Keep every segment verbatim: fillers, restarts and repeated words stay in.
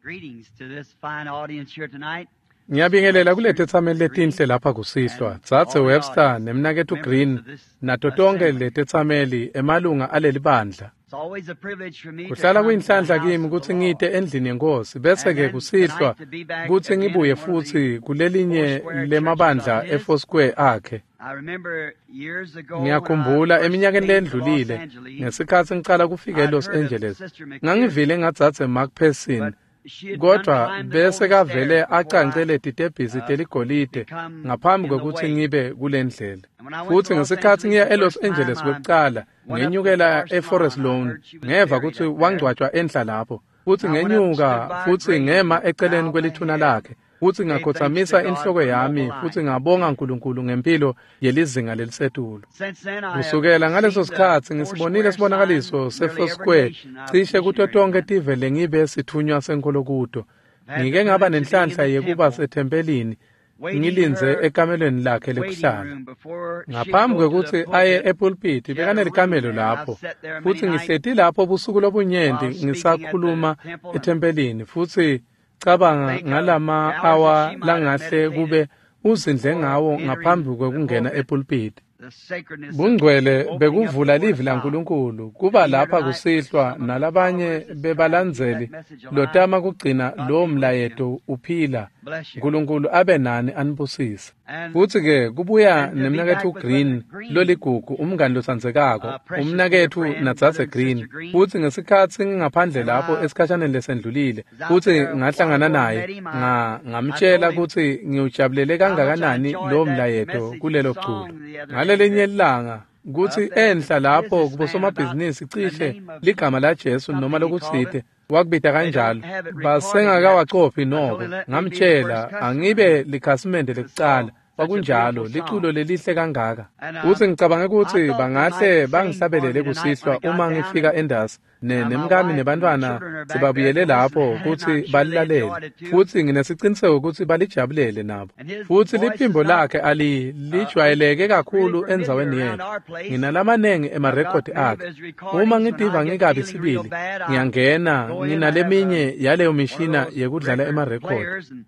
Greetings to this fine audience here tonight. Ngiyabingelela kuletetsameli letinhle lapha kusihlwa, Dzadze Webster nemnaketfu Green nato tonkhe letetsameli emalunga aleli bandla. It's always a privilege for me to Kuhlala come to the kuyinhlanhla house kimi of the kutsi Lord. ngite endlini yenkosi bese-ke And then kusihlwa tonight to be back kutsi again ngibuye in one of the futsi kulelinye Foursquare churches lemabandla of his. eFoursquare akhe. I remember years ago when I Ngiyakhumbula first eminyakeni came to Los lendlulile Angeles, ngesikhatsi ngicala kufika I'd eLos heard of Angeles Sister ngangivile McPherson, ngadzadze McPherson but she had done kodwa climbed the bese golden kavele stairs before I acance letitebhisi uh, teligolide become ngaphambi in the kwekutsi way. ngibe kulendlela. And when I went to Futsi Los ngesikhatsi Angeles ngiya the eLos first time, Angeles I kwekucala went up to ngenyukela Forest eForest Lawn. I Lawn heard she was ngeva buried kutsi up there. wangcwatjwa enhla lapho futsi I went up and stood ngenyuka by her futsi grave ngema and eceleni bowed my kwelithuna head, lakhe futsi gave thanks to ngakhotsamisa God inhloko for noble yami futsi life. ngabonga uNkulunkulu ngempilo yelizinga lelisetulu. Since then, I have Kusukela ngaleso seen the sikhatsi ngisibonile Foursquare sibonakaliso sign nearly every seFoursquare nation I've cishe kuto missionary tonkhe in. tive lengibe sithunywa senkholo kuto. I've had the Ngike ngaba privilege of being in nenhlanhla the yekuba temple, sethempelini waiting in ngilindze her ekamelweni lakhe waiting lekuhlala. room before she'd Ngaphambi go to the kwekutsi aye pulpit. epulpiti She had a room bekanelikamelo there, and I've lapho sat there many futsi nights ngihleti lapho busuku lobunyenti while speaking at the ngisakhuluma temple and ethempelini futsi cabanga think of ngalama the hours that awa she might have langahle meditated kube uzindle before ngawo entering ngaphambi the kwekungena pulpit, epulpiti. the sacredness of Bungcwele opening up the bekuvula Word livi of God. laNkulunkulu To kuba be here lapha tonight with kusihlwa some of the nalabanye followers that's trying to keep bebalandzeli that message alive, lotama kugcina God lowo be with you. mlayeto uphila. Bless you. uNkulunkulu abe nani anibusise. And Futsi ke kubuya and to be nemnaketfu back with Brother Green Green, loligugu umngani lotsandzekako a precious dear umnaketfu friend, Brother nadzadze and Sister Green Green. futsi ngesikhatsi ngingaphandle And when lapho I esikhashaneni lesendlulile was out futsi there a while ngahlangana ago and naye met him, I, nga I ngamtshela told him kutsi ngiwujabulele how much I kangakanani enjoyed lowo that mlayeto message and kulelo culo. song the other day Ngalelinye that ilanga kutsi up there enhla the lapho businessman about the kubosomabhizinisi cishe name of ligama laJesu noma something he called it. lokutsite wakubita They don't kanjalo have it recorded yet. basengakawacophi I told noko him let me be the ngamtshela first customer angibe likhasimende to lekucala saw such a kwakunjalo beautiful liculo song. lelihle kangaka And futsi um, ngicabange I kutsi thought they might bangahle sing for bangihlabelele me tonight when kusihlwa I got uma down ngifika and endasi ne now my nemkami wife and the nebantfwana children are back there sebabuyele to listen, lapho and kutsi I'm sure they balilalele enjoyed it too. futsi nginesiqiniseko kutsi balijabulele nabo And his futsi voice is liphimbo not lakhe ali uh, lijwayeleke really kakhulu familiar endzaweni around yethu our place. nginalamanengi I've got emarekhodi many of akhe his uma recordings. When I ngitiva get ngikabi feeling real sibili bad, I ngiyangena go in. I have a nginaleminye yaleyo one of mishina those yekudlala record emarekhodi players, and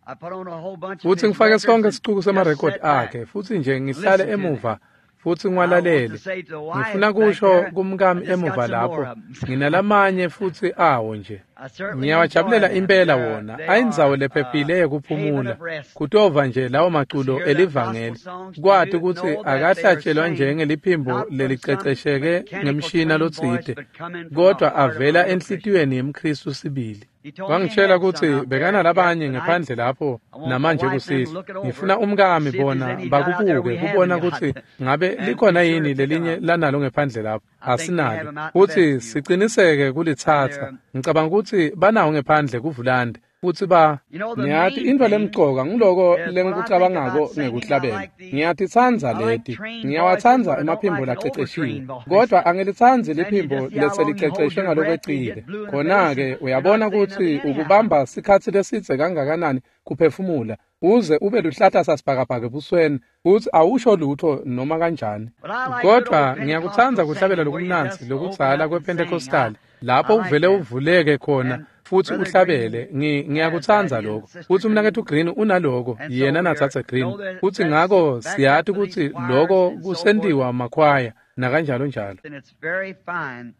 I put on a whole bunch of futsi his ngifake records sonke and sicuku just semarekhodi sat back akhe futsi nje and ngihlale listen to them. emuva futsi And I want to ngiwalalele say to the wife ngifuna back kusho there, I kumkami just got emuva some more lapho of them. nginalamanye futsi awo nje I certainly enjoy ngiyawajabulela them. impela They're, wona they ayindzawo are a lephephile haven yekuphumula of rest. kutova nje lawo To maculo hear that gospel elivangeli songs, to kwati do, kutsi know that they are akahlatshelwa sang njengeliphimbo not from some lelicecesheke mechanical ngemshina trained voice, lotsite but coming from the kodwa heart of a avela real Christian. enhlitiyweni yemKhristu sibili He told me he wangitshela had some kutsi out there bekanalabanye yet tonight. ngephandle lapho I want my namanje wife and them to kusihlwa look it over ngifuna to umkami see if there's bona any got out there bakubuke we kubona haven't kutsi got, ngabe and be likhona sure yini to pick 'em lelinye up. lanalo ngephandle lapho I think they have asinalo 'em out in the futsi vestibule, siciniseke and kulitsatsa they're ngicabanga kutsi banawo ngephandle kuvulande futsi ba you know the ngiyati main intfo thing lemcoka nguloko is what I think lengikucabangako about singing. I ngekuhlabela like the ngiyatitsandza I like leti trained voices, ngiyawatsandza but I don't emaphimbo like an laceceshiwe overtrained voice. kodwa angilitsandzi Then you liphimbo just see how long you hold leseliceceshwe your breath and you ngalokwecile get blue in the face khona-ke and you're not uyabona saying kutsi nothing anyhow. ukubamba sikhatsi lesidze kangakanani kuphefumula uze ube luhlata sasibhakabhaka ebusweni futsi awusho lutho noma kanjani But I like good kodwa old ngiyakutsandza Pentecostal kuhlabela singing where you lokumnandzi just open lokudzala up and sing. I kwePentecostal lapho I like uvele that. uvuleke khona And futsi Brother uhlabele Green Ngi- has that, ngiyakutsandza he and lokho Sister futsi Green. umnaketfu Green unaloko And so yena we are natsatse Green know that futsi that's ngako backed up siyati with these kutsi choirs loko and so forth. kusentiwa makhwaya nakanjalo njalo And it's very fine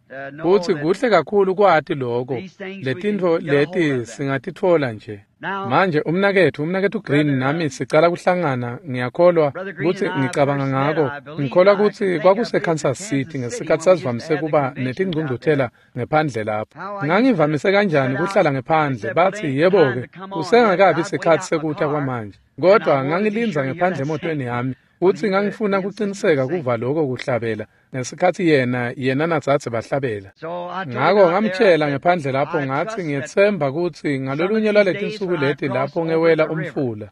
to know futsi that kuhle kakhulu kwati loko these things we can letintfo get a hold leti of them. singatitfola nje Now, manje umnaketfu umnaketfu Green Brother nami um, sicala kuhlangana ngiyakholwa Brother Green kutsi and I ngicabanga first met, ngako I believe, ngikholwa I can kutsi think of kwakuse it in Kansas Kansas City City ngesikhatsi when we used to sasivamise have the kuba conventions out there. netingcungcuthela ngephandle lapho How I used to ngangivamise kanjani sit out, kuhlala they ngephandle said, well, it bathi ain't time yebo-ke to come on yet, but kusengakabi I'd wait sikhatsi out my sekuta car, kwamanje and I kodwa wanted to be ngangilindza sure to hear ngephandle that emotweni singing yami when futsi he, uh, ngangifuna he and Sister kuciniseka was singing. kuva loko kuhlabela ngesikhatsi yena yena nadzadze bahlabela So I told him ngako out there, I ngamtshela said, ngephandle lapho I ngathi trust that ngiyetsemba kutsi some of ngalolunye these lwaleti days nsuku when I leti cross lapho over ngewela the river, umfula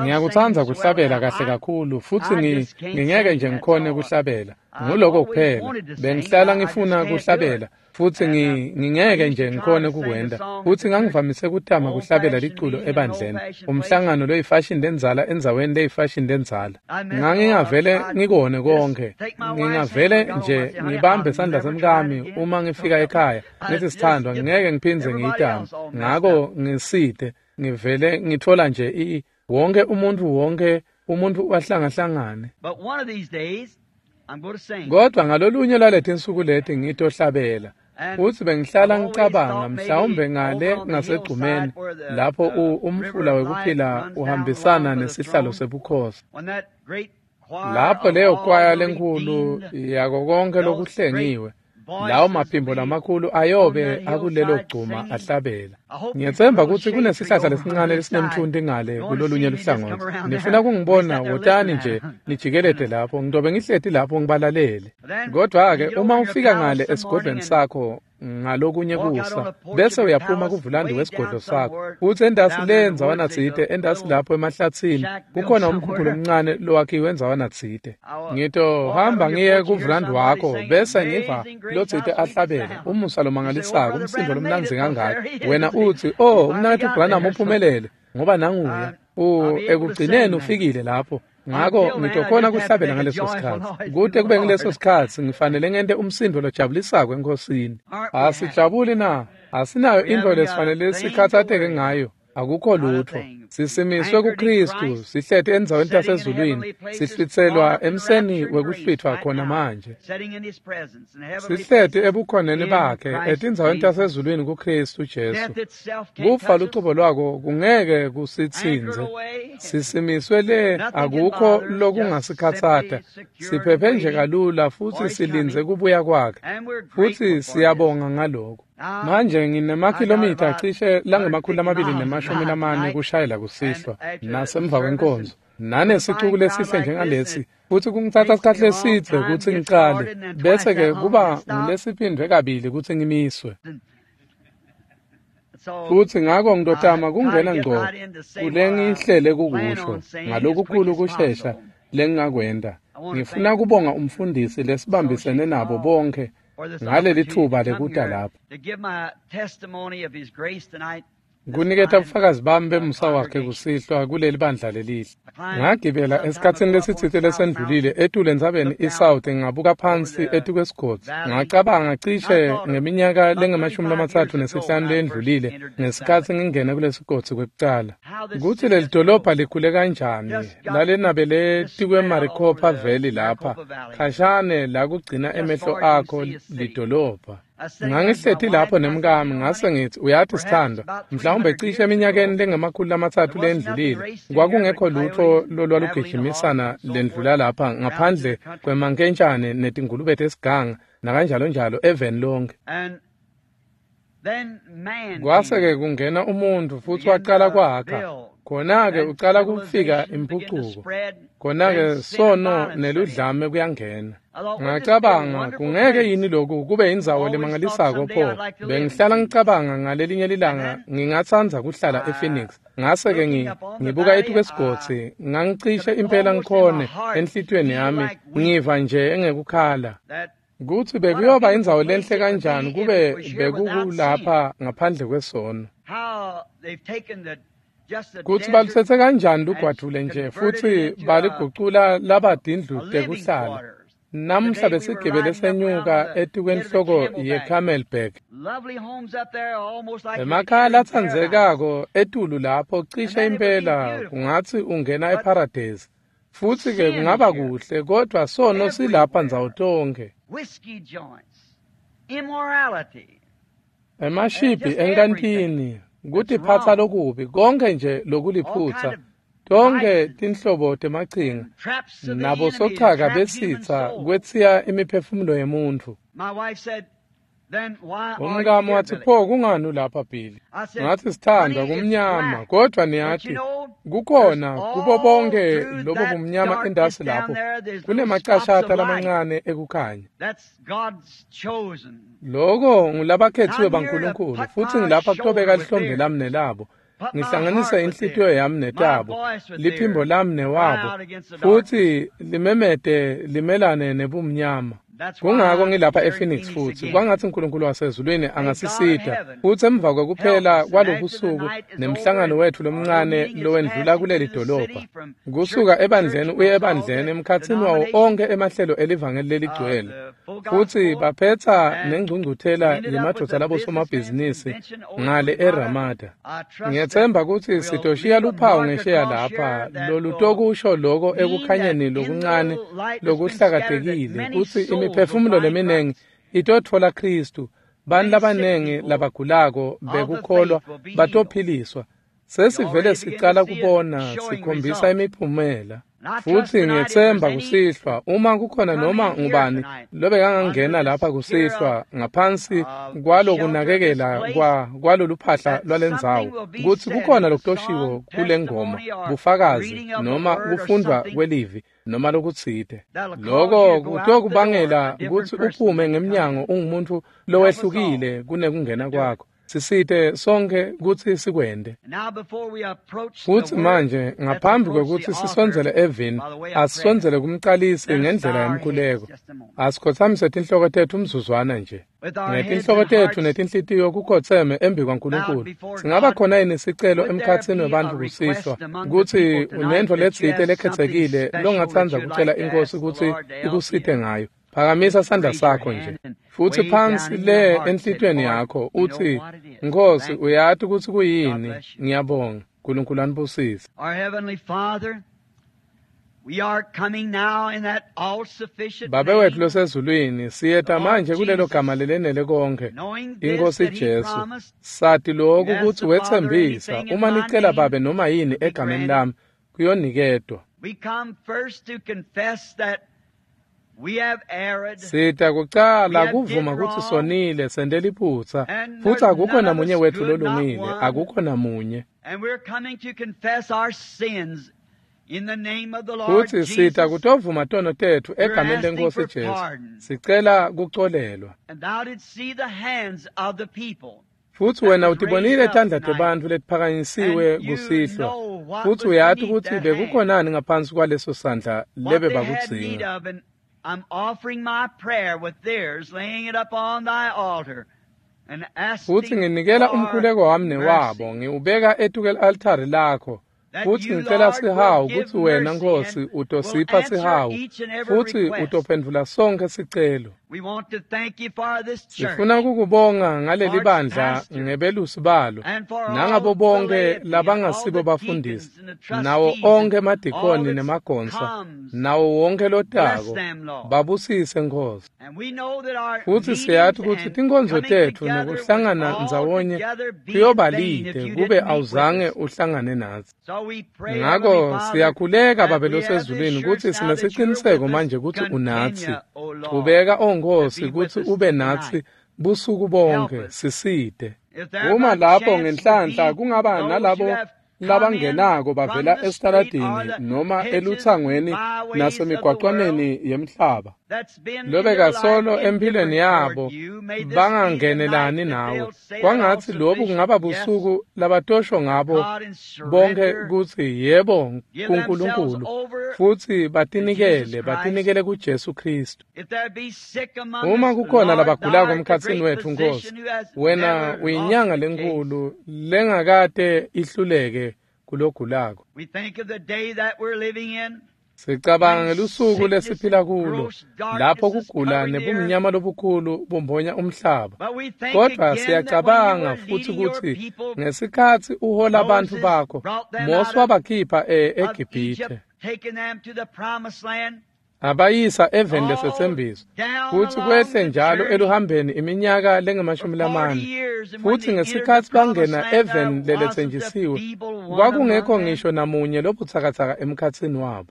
Ngiyakutsandza kuhlabela kahle kakhulu futsi ngingeke nje ngikhone kuhlabela. Nguloko kuphela. Bengihlala ngifuna kuhlabela futsi ngingeke nje ngikhone kukwenta. Futsi ngangivamise kutama kuhlabela liculo ebandleni. Umhlangano loyifashion lendzala endzaweni leyifashion lendzala. Ngangingavele ngikone konke. Ngingavele nje ngibambe sandla semkami uma ngifika ekhaya. Ngithi sithandwa ngeke ngiphindze ngiyitame. Ngako ngisite ngivele ngithola nje i wonke umuntu wonke umuntu wahlangahlangane. Kodwa ngalolunye lwaletinsuku leti ngitohlabela. Futsi bengihlala ngicabanga mhlawumbe ngale ngasegcumeni lapho umfula wekuphila uhambisana nesihlalo sebukhosi. Lapho leyo kwaya lenkhulu yako konke lokuhlengiwe. Lawo maphimbo lamakhulu ayobe akulelo gcuma ahlabela. Ngiyetsemba kutsi kunesihlahla lesincane lesinemthunti ngale kulolunye luhlangothi. Nifuna kungibona wotani nje nijikelede lapho ngidobe ngihleti lapho ngibalalele. Kodwa-ke uma ufika ngale esigodlweni sakho ngalokunye kusa bese uyaphuma kuvulandi wesigodlo sakho futsi endasi le ndzawana tsite endasi lapho emahlatsini kukhona umkhukhu lomncane lowakhiwe endzawana tsite. Ngitohamba ngiye kuvulandi wakho bese ngiva lotsite ahlabela umusa lomangalisako umsindo lomnandzi kangaka. Wena utsi oh umnaketfu Branham uphumelele ngoba nanguya u ekugcineni ufikile lapho. Ngako ngitokhona kuhlabela ngaleso sikhatsi. Kute kube ngileso sikhatsi ngifanele ngente umsindo lojabulisako enkosini. Asijabuli na? Asinayo intfo lesifanele sikhatsateke ngayo. Akukho lutfo. Sisimiswe kuKristu, sihleti endzaweni tasezulwini, sihlwitselwa emseni wekuhlwitfwa khona manje. Sihleti ebukhoneni bakhe etindzaweni tasezulwini kuKristu Jesu. Kufa lucobo lwako kungeke kusitsintse. Sisimiswe le akukho lokungasikhatsata. Siphephe nje kalula futsi silindze kubuya kwakhe. Futsi siyabonga ngaloko. Manje nginemakhilomitha cishe langemakhulu lamabili nemashumi lamane kushayela kusihlwa nasemva kwenkonzo nanesicuku lesihle njengalesi futsi kungitsatsa sikhatsi lesidze kutsi ngicale bese-ke kuba ngulesiphindvwe kabili kutsi ngimiswe. Futsi ngako ngitotama kungena ngco kulengihlele kukusho ngalokukhulu kushesha lengingakwenta. Ngifuna kubonga umfundisi lesibambisene nabo bonke ngaleli thuba lekuta lapha. Kuniketa bufakazi bami bemusa wakhe kusihlwa kuleli bandla lelihle. Ngagibela esikhatsini lesitsite lesendlulile etulu entsabeni iSouth ngabuka phansi etukwesigodzi. Ngacabanga cishe ngeminyaka lengemashumi lamatsatfu nesihlanu lendlulile ngesikhatsi ngingena kulesigodzi kwekucala. Kutsi leli dolobha likhule kanjani lalenabele tikwe-Maricopa Valley lapha khashane la kugcina emehlo akho lidolobha. Ngangihleti lapho nemkami ngase ngithi uyathi sithandwa mhlawumbe cishe eminyakeni lengemakhulu lamatsatfu lendlulile kwakungekho lutfo lolwalugijimisana lendlula lapha ngaphandle kwemankentshane netingulube tesiganga nakanjalo njalo eveni lonke. Kwase-ke kungena umuntfu futsi wacala kwakha. Khona-ke ucala kufika imphucuko. Khona-ke sono neludlame kuyangena. Ngacabanga kungeke yini lokhu kube indzawo lemangalisako pho. Bengihlala ngicabanga ngalelinye lilanga ngingatsandza kuhlala ePhoenix. Ngase-ke ngibuka etukwesigodzi ngangicishe impela ngikhone enhlitiyweni yami ngiva nje engekukhala. Kutsi bekuyoba indzawo lenhle kanjani kube bekukulapha ngaphandle kwesono. Kutsi balutsetse kanjani lugwadvule nje futsi baligucula laba tindlu tekuhlala. Namuhla besigibele senyuka etikwenhloko yeCamelback. Emakhaya latsandzekako etulu lapho cishe impela kungatsi ungena eParadise. Futsi-ke kungaba kuhle kodwa sono silapha ndzawo tonkhe. Emashibhi enkantini, kutiphatsa lokubi, konke nje lokuliphutsa, tonke tinhlobo temachinga, nabo sochaka besitsa kwetsiya imiphefumulo yemuntfu. Umkami watsi pho kungani ulapha Billy? Ngathi sithandwa kumnyama kodwa niyathi kukhona kubo bonke lobo bumnyama endasi lapho kunemacashata lamancane ekukhanya. Loko ngulabakhethiwe baNkulunkulu futsi ngilapha kutobeka lihlombe lami nelabo. Ngihlanganise inhlitiyo yami netabo, liphimbo lami newabo, futhi limemete limelane nebumnyama. Kungako ngilapha ePhoenix futhi kwangathi uNkulunkulu wasezulwini angasisita futhi emva kokuphela kwalobusuku nemhlangano wethu lomncane lowendlula kuleli dolobha kusuka ebandleni uye ebandleni emkhathini wawo onke emahlelo elivangeli leligcwele futhi baphetha nengcungcuthela yemadoda labosomabhizinisi ngale eRamada. Ngiyethemba ukuthi sitoshiya luphawu ngesheya lapha lolutokusho loko ekukhanyeni lokuncane lokuhlakatekile kutsi imiphefumulo leminingi itotfola Kristu. Bantfu labanengi labagulako bekukholwa batophiliswa. Sesivele sicala kubona sikhombisa imiphumela. Futhi ngiyethemba kusihlwa uma kukhona noma ngubani lobekangangena lapha kusihlwa ngaphansi kwalokunakekela kwa kwaloluphahla lwalendzawo kutsi kukhona lokutoshiwo kule ngoma bufakazi noma kufundvwa kwelivi noma lokutsite. Loko kutokubangela kutsi uphume ngemnyango ungumuntu lowehlukile kunekungena kwakho. Sisite sonke kutsi sikwende. Futhi manje ngaphambi kwekutsi sisondzele evini, asisondzele kumcalisi ngendlela yemkhuleko. Asikhotsamise tinhloko tetfu umzuzwana nje. Ngetinhloko tetfu netinhlitiyo kukhotseme embi kwaNkulunkulu. Singaba khona yini sicelo emkhatsini webantfu kusihlwa kutsi unentfo letsite lekhetsekile longatsandza kucela iNkhosi kutsi ikusite ngayo? Phakamisa sandla sakho nje futhi phansi le enhlitiyweni yakho uthi, Nkosi, uyati kutsi kuyini. Ngiyabonga. uNkulunkulu anibusise. Babe wetfu losezulwini, siyeta manje kulelo gama lelenele konke, iNkosi Jesu. Sati lokhu kutsi wetsembisa uma nicela Babe noma yini egameni lami kuyoniketwa. Sita kucala kuvuma kutsi sonile sente liphutsa futhi akukho namunye wetfu lolungile, akukho namunye. Futhi sita kutovuma tono tetfu egameni leNkosi Jesu, sicela kucolelwa. Futhi wena utibonile tandla tebantfu letiphakanyisiwe kusihlwa, futhi uyati kutsi bekukhonani ngaphansi kwaleso sandla lebe bakudzinga. I'm offering my prayer with theirs, laying it up on thy altar and asking futhi nginikela umkhuleko wami newabo ngiwubeka etuke altari lakho futhi ngicela sihawu kutsi wena Nkosi utosipha sihawu futhi utophendvula sonke sicelo. Sifuna kukubonga ngaleli bandla ngebelusi balo nangabo bonke labangasibo bafundisi nawo onke emadikoni nemagonsa nawo wonke lotako babusise Nkosi. Futhi siyati kutsi tinkonzo tetfu nekuhlangana ndzawonye kuyoba lide kube awuzange uhlangane natsi. Ngako siyakhuleka Babe losezulwini kutsi sinesiciniseko manje kutsi unatsi. Chubeka o Nkosi kutsi ube natsi busuku bonke, sisite. Uma lapho ngenhlanhla kungaba nalabo labangenako bavela esitaladini noma elutsangweni nasemigwaqwaneni yemhlaba lobekasolo empilweni yabo bangangenelani nawe, kwangatsi lobu kungaba busuku labatosho ngabo bonke kutsi yebo kuNkulunkulu futhi batinikele batinikele kuJesu Kristu. Uma kukhona labagulako emkhatsini wetfu Nkosi, wena uyinyanga lenkulu lengakate ihluleke kulogulako. Sicabanga ngelusuku lesiphila kulo lapho kugula nebumnyama lobukhulu bumbonya umhlaba, kodwa siyacabanga futhi kutsi ngesikhatsi uhola bantfu bakho Mose wabakhipha eGibhithe abayisa eveni lesetsembiso futhi kwehle njalo eluhambeni iminyaka lengemashumi lamane. Futhi ngesikhatsi bangena eveni leletsenjisiwe kwakungekho ngisho namunye lobutsakatsaka emkhatsini wabo.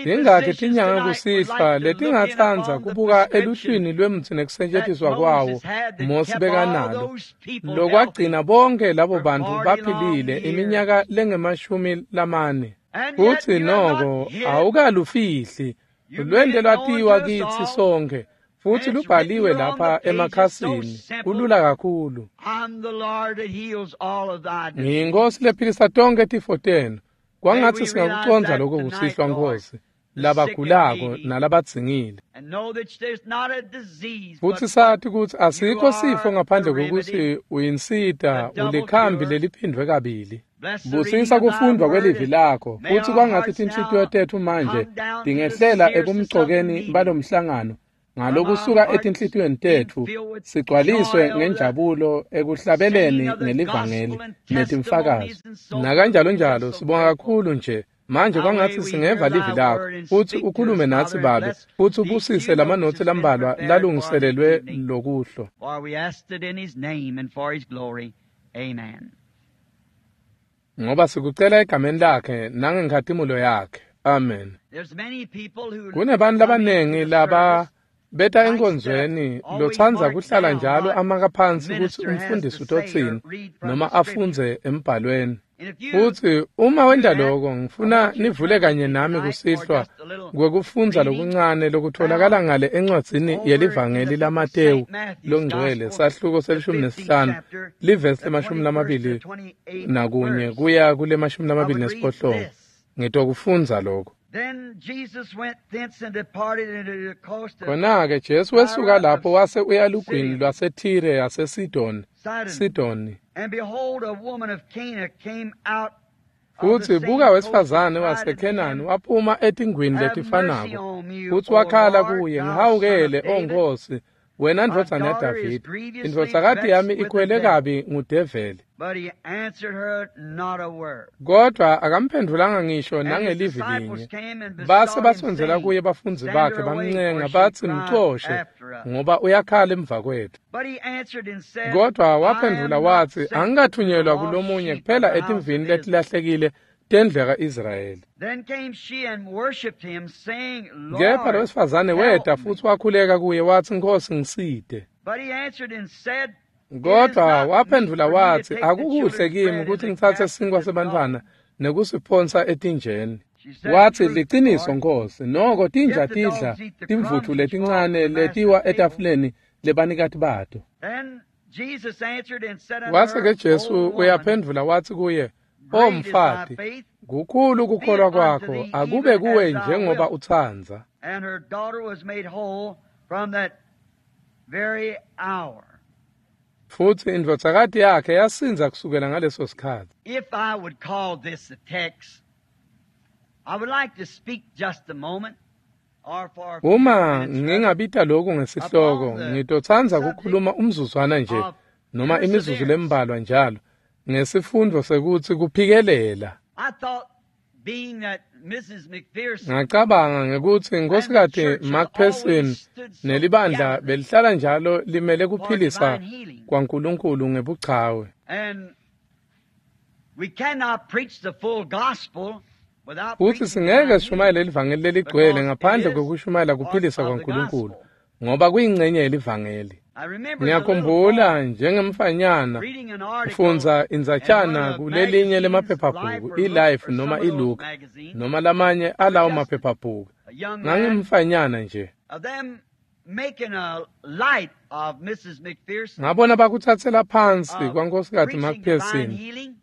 Tingakhi tinyanga kusihlwa letingatsandza kubuka eluhlwini lwemtsi nekusetjentiswa kwawo Mose bekanalo lokwagcina bonke labo bantfu baphilile iminyaka lengemashumi lamane. Futhi noko awukalufihli lwente lwatiwa kitsi sonke Futhi lubhaliwe lapha emakhasini, kulula kakhulu. Ngiyinkosi lephilisa tonkhe tifo tenu. Kwangatsi singakucondza lokho kusihlwa, Nkosi, labagulako nalabadzingile. Futsi sathi kutsi asikho sifo ngaphandle kokuthi uyinsita, ulikhambi leliphindwe kabili. Busisa kufundwa kwelivi lakho, futsi kwangatsi tinhlitiyo tetfu manje tingehlela ebumcokeni balomhlangano ngalokusuka etinhlitiyweni tetfu sigcwaliswe ngenjabulo ekuhlabeleni ngelivangeli netimfakazo nakanjalo njalo. Sibonga kakhulu nje manje, kwangatsi singeva livi lakho futsi ukhulume natsi Babe, futsi ubusise lamanotsi lambalwa lalungiselelwe lokuhlo. Ngoba sikucela egameni lakhe nangenkhatimulo yakhe. Amen. Kunebantu labanengi laba beta enkonzweni lotsandza kuhlala njalo amaka phansi kutsi umfundisi utotsini noma afundze embhalweni. Futsi uma wenta lokho, ngifuna nivule kanye nami kusihlwa kwekufundza lokuncane lokutholakala ngale encwadzini yelivangeli laMatewu longcwele, sahluko selishumi nesihlanu, livesi lemashumi lamabili nakunye kuya kulemashumi lamabili nesiphohlongo. Ngitokufundza lokho. Khona-ke Jesu wesuka lapho wase uya lugwini lwaseThire yaseSidoni, Sidoni. Futsi buka wesifazane waseKhenani waphuma etingwini letifanako, futsi wakhala kuye, ngihawukele, O Nkosi, wena ndvodzana yaDavide, indvodzakati yami ikhwele kabi ngudeveli. Kodwa akamphendvulanga ngisho nangelivi linye. Base basondzela kuye bafundzi bakhe bamncenga batsi, mcoshe, ngoba uyakhala emva kwethu. Kodwa waphendvula watsi, angikathunyelwa kulomunye kuphela etimvini letilahlekile tendlu yaka-Israyeli. Kepha lo wesifazane weta futsi wakhuleka kuye watsi, Nkosi, ngisite. Kodwa waphendvula watsi, akukuhle kimi kutsi ngitsatse sinkwa sebantfwana nekusiphonsa etinjeni. Watsi, liciniso Nkosi, noko tinja tidla timvutfu letincane letiwa etafuleni lebanikati bato. Wase-ke Jesu uyaphendvula watsi kuye, O mfati, kukhulu kukholwa kwakho, akube kuwe njengoba utsandza. Futsi indvodzakati yakhe yasindza kusukela ngaleso sikhatsi. If I would call this a text, I would like to speak just a moment. Uma ngingabita lokhu ngesihloko, ngitotsandza kukhuluma umzuzwana nje noma imizuzu lembalwa njalo ngesifundo sekutsi kuphikelela. Ngacabanga ngekutsi Nkhosikati McPherson nelibandla belihlala njalo limele kuphilisa kwaNkulunkulu ngebuchawe. Futsi singeke sishumayele livangeli leligcwele ngaphandle kwekushumayela kuphilisa kwaNkulunkulu, ngoba kuyingcenye yelivangeli. Ngiyakhumbula njengemfanyana ufundza indzatshana kulelinye lemaphephabhuku, iLife noma iLook noma lamanye alawo maphephabhuku. Ngangimfanyana nje. Ngabona bakutsatsela phansi kwaNkhosikati McPherson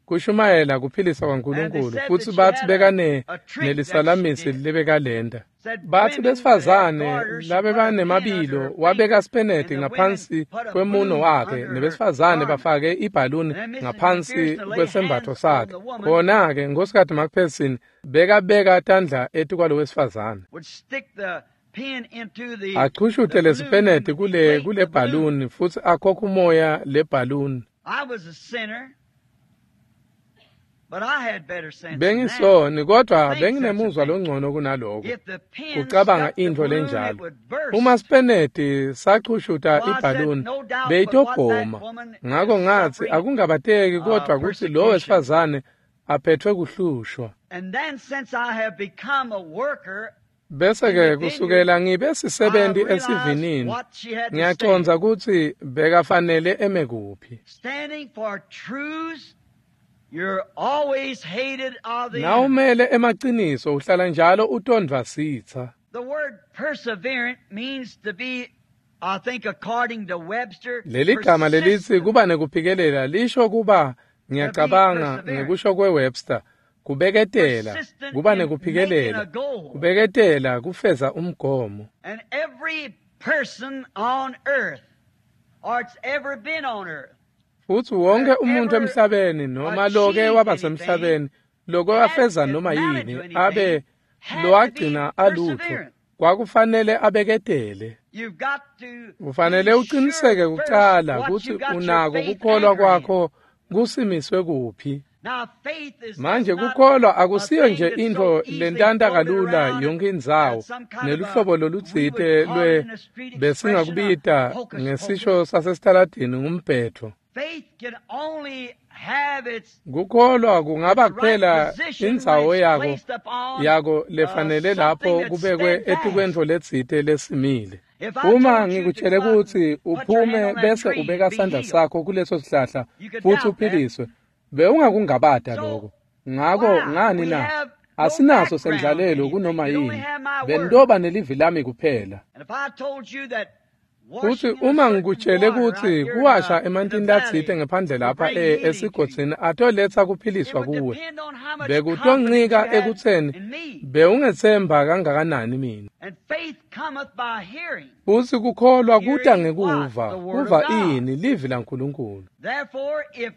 kushumayela kuphilisa kwaNkulunkulu, futsi batsi bekane nelisalamisi lebekalenda. Batsi besifazane labebanemabilo wabeka speneti ngaphansi kwemuno wakhe, nebesifazane bafake ibhaluni ngaphansi kwesembatfo sakhe. Khona-ke Nkhosikati McPherson bekabeka tandla etikwalo wesifazane, achushute lesipeneti kule kule bhaluni futsi akhokhe umoya le bhaluni. Bengisoni, kodwa benginemuzwa longcono kunaloko kucabanga intfo lenjalo. Uma sipeneti sachushuta ibhaluni beyitobhoma. Ngako ngatsi akungabateki kodwa kutsi lo wesifazane aphethwe kuhlushwa. Bese-ke kusukela ngibe sisebenti esivinini, ngiyacondza kutsi bekafanele eme kuphi. Nawumele emaciniso uhlala njalo utondvwa sitsa. The word perseverant means to be I think according to Webster, Leli gama lelitsi kuba nekuphikelela lisho kuba, ngiyacabanga ngekusho kweWebster, kubeketela, kuba nekuphikelela, kubeketela kufeza umgomo. And every person on earth, or it's ever been on earth, Futsi wonke umuntu emhlabeni noma loke wabasemhlabeni loko wafeza noma yini abe lowagcina alutho kwakufanele abeketele. you've got to Ufanele be uqiniseke sure first kuqala what ukuthi you got your unako faith kukholwa anchored in. kwakho kusimiswe kuphi. Now, faith is Manje not kukholwa a akusiyo thing nje that's so intfo easily lentanta floated kalula around yonke indzawo and some kind of a, neluhlobo we lolutsite would call it lwe in the street expression a besingakubita hocus ngesisho pocus. sasesitaladini ngumbhetho. Faith can only have its Kukholwa kungaba its right kuphela position when indzawo it's yako placed upon yako uh, lefanele something lapho that's kubekwe steadfast. etikwentfo letsite lesimile. If I Uma told you to ngikutshele go out kutsi and put your hand uphume on that bese tree and ubeka be sandla healed, sakho kuleso sihlahla you could futsi doubt that. uphiliswe, bewungakungabata So lokho. Ngako why? ngani We na? have no Asinaso background sendlalelo anything. kunoma You only yini. have my word. Bentoba nelivi lami kuphela. And if I told you that Futsi washing in a uma certain ngikutshele water out kutsi here in kuwasha the, in the emantini latsite valley ngephandle will lapha bring e healing to you, esigodzini atoletsa it kuphiliswa would kuwe, depend on how much confidence you bekutoncika had ekutseni in me. bewungetsemba kangakanani mina. And faith cometh by hearing. Futsi kukholwa kuta Hearing what? ngekuva, The word of kuva God. ini livi laNkulunkulu. Therefore, if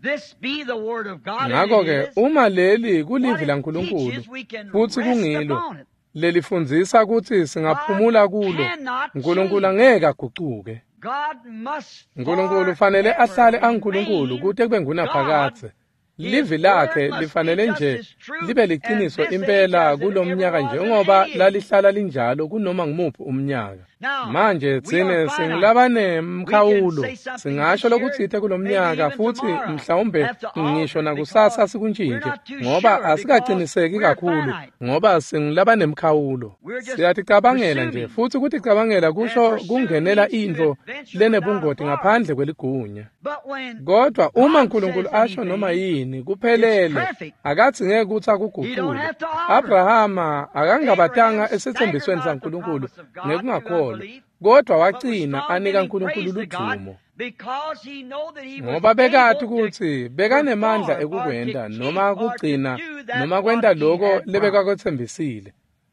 this be the word of God, and it Ngakho-ke is, uma leli what kulivi it laNkulunkulu teaches, we can futsi rest kungilo upon it. lelifundzisa kutsi God singaphumula kulo, cannot Nkulunkulu change. angeke agucuke. God must Nkulunkulu ufanele forever ahlale anguNkulunkulu remain kute kube God. ngunaphakadze. His Livi word lakhe must be lifanele just nje as true libe in liqiniso this age impela as it ever kulomnyaka was in njengoba any age. lalihlala linjalo kunoma ngumuphi umnyaka. Now, Manje we are tsine finite. We can singulabanemkhawulo, say something singasho this year, lokutsite maybe kulomnyaka even futsi tomorrow, mhlawumbe have to ngisho alter it nakusasa because we're sikuntjintje not too ngoba sure because asikaciniseki we're kakhulu finite. ngoba singulabanemkhawulo. We're just Siyaticabangela nje presuming. futsi kuticabangela And kusho pursue kungenela means to intfo adventure without lenebungoti authority. ngaphandle kweligunya. But when Kodwa uma God uNkulunkulu says asho noma anything, yini it's kuphelele perfect. akathi ngeke ukuthi He don't akugucule. have to alter it. Abrahama akangabatanga Abraham staggered esetsembisweni not the saNkulunkulu promise of God through ngekungakholwa, unbelief, kodwa but was wagcina strong anika giving uNkulunkulu praise to God ludumo. because he know that he was Ngoba bekati able to kutsi bekanemandla perform or to ekukwenta keep noma or to kugcina do that noma what kwenta he loko had promised. lebekakwetsembisile.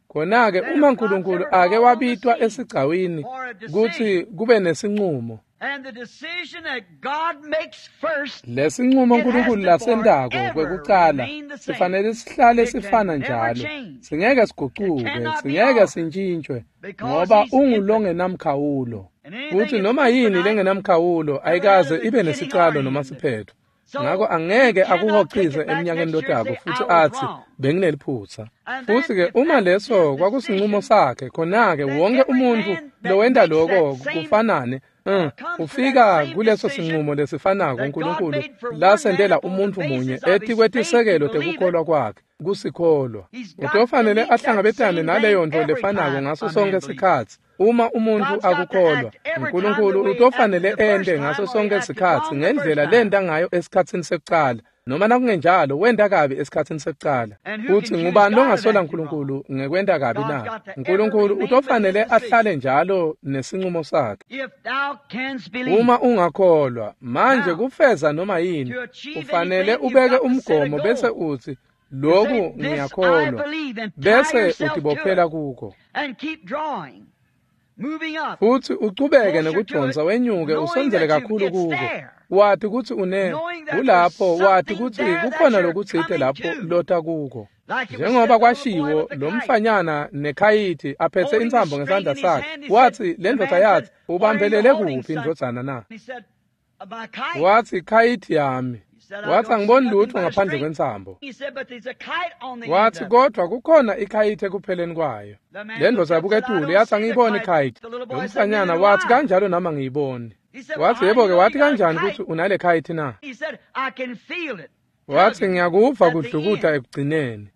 Khona-ke Then uma if God's uNkulunkulu ever ake called on the wabitwa scene esigcawini for a kutsi decision, kube nesincumo, and the decision that God makes first, lesincumo it has uNkulunkulu to lasentako forever kwekucala remain the same. sifanele sihlale It can sifana never njalo, change. singeke It sigucuke, cannot be singeke altered sintshintshwe because ngoba He's infinite. ungulongenamkhawulo. And Futsi anything that's noma yini infinite lengenamkhawulo never had a ayikaze ibe beginning or nesicalo an noma end. siphetho. Ngakho So you angeke cannot take akuhoxize it back eminyakeni next year and lotako say, futsi I was atsi wrong. bengineliphutsa. And then Futsi ke if uma that was his leso kwakusincumo decision, sakhe, khona-ke then wonke every umuntfu man that lowenta makes that loko same kufanane mm, uh, comes to that ufika same kuleso decision sincumo lesifanako that God uNkulunkulu made for one man lasentela upon the umuntfu munye basis of his faith to etikwetisekelo believe it. tekukholwa kwakhe kusikholwa. He's got to Utofanele meet that ahlangabetane same thing naleyo ntfo every lefanako time ngaso a man sonkhe believes. sikhatsi. Uma umuntfu God's got to akukholwa, act every time the uNkulunkulu way he acted utofanele the first ente time ngaso or he sonkhe acted sikhatsi wrong the first ngendlela time. lenta ngayo esikhatsini sekucala noma nakungenjalo wenta kabi esikhatsini sekucala. And who Futsi can choose ngubani God of longasola acting wrong? uNkulunkulu ngekwenta kabi God's na? got to ever uNkulunkulu remain with his utofanele decision. ahlale njalo nesincumo sakhe. If thou canst believe. Uma ungakholwa, manje Now, kufeza noma yini, to achieve ufanele anything, you've ubeke got to set a umgomo bese goal. utsi You say, lokhu This I ngiyakholwa, believe, and tie bese yourself to it utibophela kuko. and keep drawing, moving up, Futsi uchubeke closer to it, nekudvonsa wenyuke knowing usondzele that you kakhulu it's kuko. there, Wati kutsi une knowing that there's kulapho wati something kutsi there that kukhona you're lokutsite coming lapho to. lota kuko. Like it was said, Njengoba the little boy kwashiwo with the lo kite, mfanyana nekhayithi aphethe holding the intsambo string ngesandla in his sakhe, hand, he said, watsi le the ndvodza man said, yathi What are you ubambelele holding, kuphi son? ndvodzana na? He said, My kite. Watsi khayithi yami. He said, I Watsi don't see angiboni nothing lutho but a ngaphandle string. kwentsambo. He said, but there's a kite on the end Watsi of it. kodwa kukhona ikhayithi ekupheleni kwayo. The man Le looked ndvodza up yabuka and said, I etulu don't yathi see the angiyiboni kite. ikhayithi. The little Lo boy said, Neither mfanyana do wathi I. kanjalo nami angiyiboni. He said, Well, Wathi how do you yebo-ke know wathi you got a kanjani kite? kutsi unale khayithi na? He said, I can feel it Wathi tugging ngiyakuva at the kudlukuta end. ekugcineni.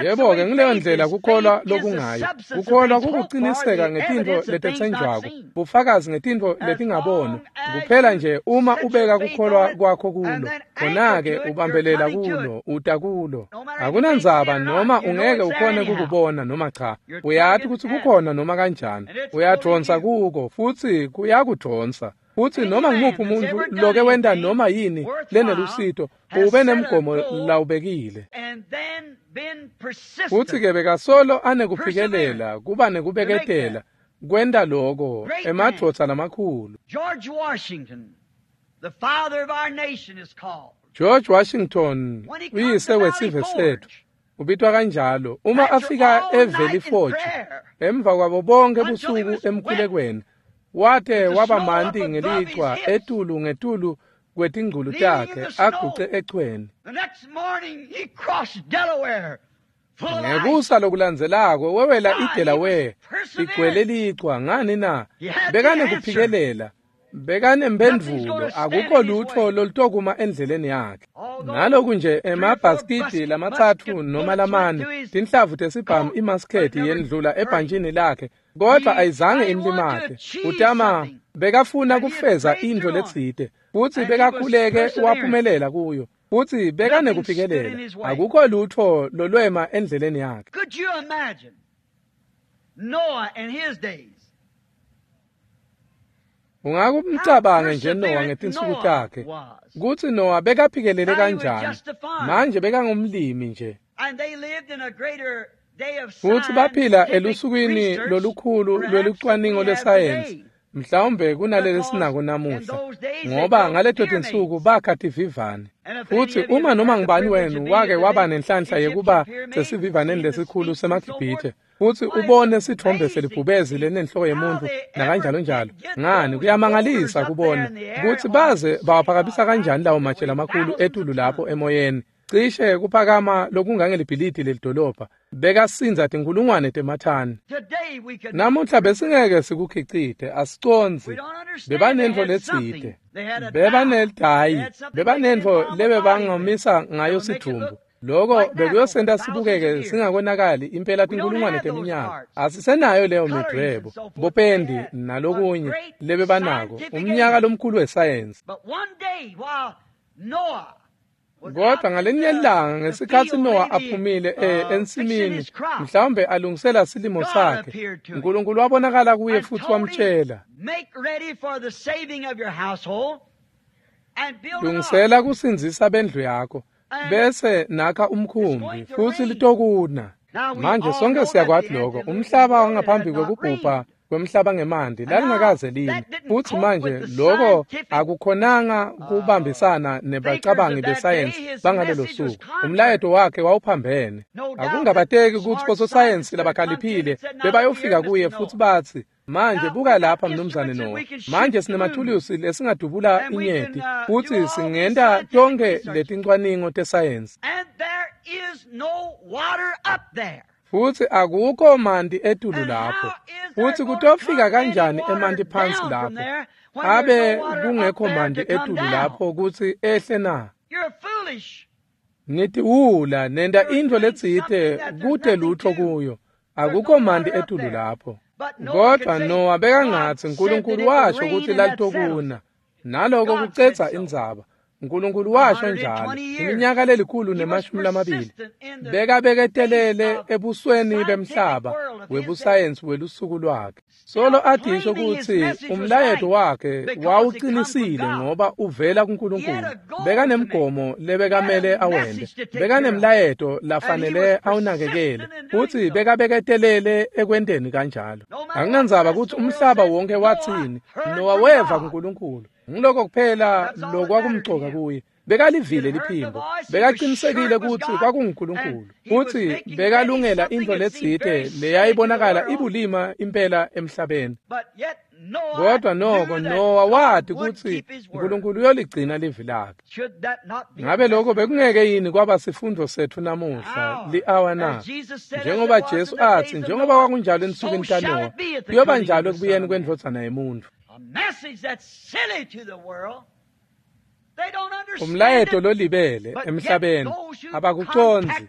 Yebo-ke ngileyo ndlela kukholwa lokungayo. Kukholwa kukuciniseka ngetintfo letetsenjwako, bufakazi ngetintfo letingabonwa. Kuphela nje uma ubeka kukholwa kwakho kulo, khona-ke ubambelela kulo, uta kulo. Akunandzaba noma ungeke ukhone kukubona noma cha, uyati kutsi kukhona noma kanjani. Uyadvonsa kuko futsi kuyakudvonsa. Futsi noma ngumuphi umuntfu loke wenta noma yini lenelusito ube nemgomo lawubekile. Futsi-ke bekasolo anekuphikelela kuba nekubeketela kwenta loko emadvodza lamakhulu. George Washington, the father of our nation, is called. George Washington uyise wesive setfu ubitwa kanjalo. Uma afika eValley Forge emva kwabo bonke busuku emkhulekweni, wate waba manti ngelichwa etulu ngetulu kwetingculu takhe aguce echweni. Ngekusa lokulandzelako wewela iDelaware igcwele lichwa. Ngani na? Bekanekuphikelela, bekanemphendvulo, akukho lutfo lolutokuma endleleni yakhe. Naloku nje emabhasikidi lamatsatfu noma lamane tinhlavu tesibhamu imasketi yendlula ebhantjini lakhe, kodvwa ayizange imlimate. Utama bekafuna kufeza intfo letsite, futsi bekakhuleke waphumelela kuyo, futsi bekanekuphikelela. Akukho lutfo lolwema endleleni yakhe. Could you imagine Noah in his days? Ungakumcabange nje Noah ngetinsuku takhe, kutsi Noah bekaphikelele kanjani. Manje bekangumlimi nje. Futsi baphila elusukwini lolukhulu lwelucwaningo lwesayensi, mhlawumbe kunaleli sinako namuhla, ngoba ngaleto tinsuku bakha tivivane. Futsi uma noma ngubani wenu wake waba nenhlanhla yekuba sesivivaneni lesikhulu semaGibhithe, futsi ubone sitfombe selibhubezi lenenhloko yemuntfu nakanjalo njalo, ngani kuyamangalisa kubona kutsi baze bawaphakamisa kanjani lawo matshe lamakhulu etulu lapho emoyeni, cishe kuphakama lokungangelibhilidi lelidolobha, bekasindza tinkulungwane temathani. Namuhla besingeke sikukhicite, asicondzi. Bebanentfo letsite, bebanelidayi, bebanentfo lebebangomisa ngayo sidvumbu. Loko bekuyosenta sibukeke singakonakali impela tinkulungwane teminyaka. Asisenayo leyo midvwebo, bopendi nalokunye lebebanako, umnyaka lomkhulu wesayensi. Kodwa ngalenye ilanga ngesikhatsi Noah aphumile ensimini, mhlawumbe alungisela silimo sakhe, Nkulunkulu wabonakala kuye futsi wamtjela, lungisela kusindzisa bendlu yakho, bese nakha umkhumbi futsi litokuna. Manje sonke siyakwati lokho. Umhlaba wangaphambi kwekubhubha kwemhlaba ngemanti lalingakaze line, futsi manje lokho akukhonanga kubambisana nebacabangi besayensi bangalelo suku. Umlayeto wakhe wawuphambene. Akungabateki kutsi bososayensi labakhaliphile bebayofika kuye futsi batsi, manje buka lapha mnumzane Noah, manje sinemathulusi lesingadubula inyeti futsi singenta tonkhe letincwaningo tesayensi, futsi akukho manti etulu lapho. Futsi kutofika kanjani emanti phansi lapho abe kungekho manti etulu lapho kutsi ehle na? Nitiwula nenta intfo letsite kute lutfo kuyo, akukho manti etulu lapho. Kodwa Noah bekangatsi Nkulunkulu washo kutsi lalitokuna, naloko kucedza indzaba. Nkulunkulu washo njalo iminyaka lelikhulu nemashumi lamabili. Bekabeketelele ebusweni bemhlaba webusayensi welusuku lwakhe. Solo adisho kutsi umlayeto wakhe wawucinisile ngoba uvela kuNkulunkulu. Bekanemgomo lebekamele awente, bekanemlayeto lafanele awunakekele, futsi bekabeketelele ekwenteni kanjalo. Akunandzaba kutsi umhlaba wonke watsini, Noah weva kuNkulunkulu. Ngiloko kuphela lokwakumcoka kuye. Bekalivile liphimbo, bekaqinisekile kutsi kwakunguNkulunkulu, futsi bekalungela intfo letsite leyayibonakala ibulima impela emhlabeni. Kodwa noko Noah wati kutsi Nkulunkulu uyoligcina livi lakhe. Ngabe lokho bekungeke yini kwaba sifundvo setfu namuhla li-awa na? Njengoba Jesu atsi, njengoba kwakunjalo ensukwini taNoah, kuyoba njalo ekubuyeni kwendvodzana yemuntfu. Umlayeto lolibele emhlabeni abakucondzi,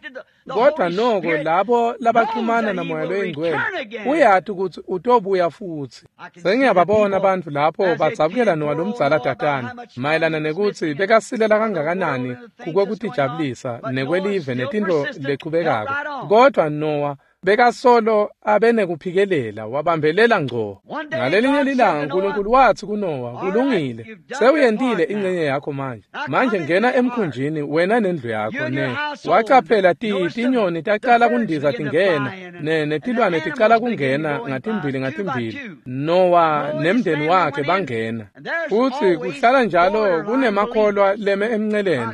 Kodwa noko labo labaxhumana naMoya loyiNgcwele uyati ukuthi utobuya futsi. Sengiyababona abantu lapho badzabukela Nowa lomdzala tatana mayelana nekuthi bekasilela kangakanani kukwekutijabulisa nekwelive netintfo lechubekako. Kodwa Nowa bekasolo abenekuphikelela wabambelela ngco. Ngalelinye lilanga uNkulunkulu wathi kuNowa, kulungile, sewuyentile ingcenye yakho manje. Manje ngena emkhunjini wena nendlu yakho. Ne wacaphela tinyoni tacala kundiza tingena, ne netilwane ticala kungena ngatimbili ngatimbili. Nowa nemndeni wakhe bangena. Futsi kuhlala njalo kunemakholwa leme emnceleni.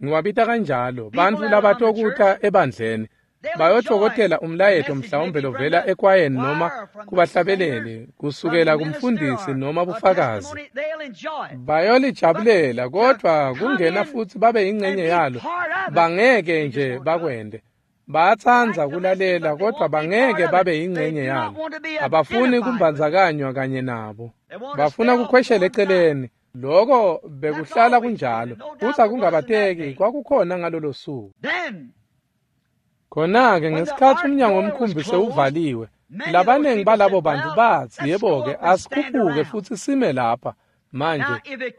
Ngiwabita kanjalo bantfu labatokuta ebandleni. Bayotfokotela umlayeto mhlawumbe lovela ekwayeni noma kubahlabeleli, kusukela kumfundisi noma bufakazi. Bayolijabulela, kodwa kungena futsi babe yingcenye yalo bangeke nje bakwente. Bayatsandza kulalela, kodwa bangeke babe yingcenye yalo. Abafuni kumbandzakanywa kanye nabo. Bafuna kukhweshela eceleni. Loko bekuhlala kunjalo, futsi akungabateki kwakukhona ngalolo suku. Khona-ke ngesikhatsi umnyango womkhumbi sewuvaliwe, labanengi balabo bantu batsi, yebo-ke, asikhuphuke futsi sime lapha. Manje,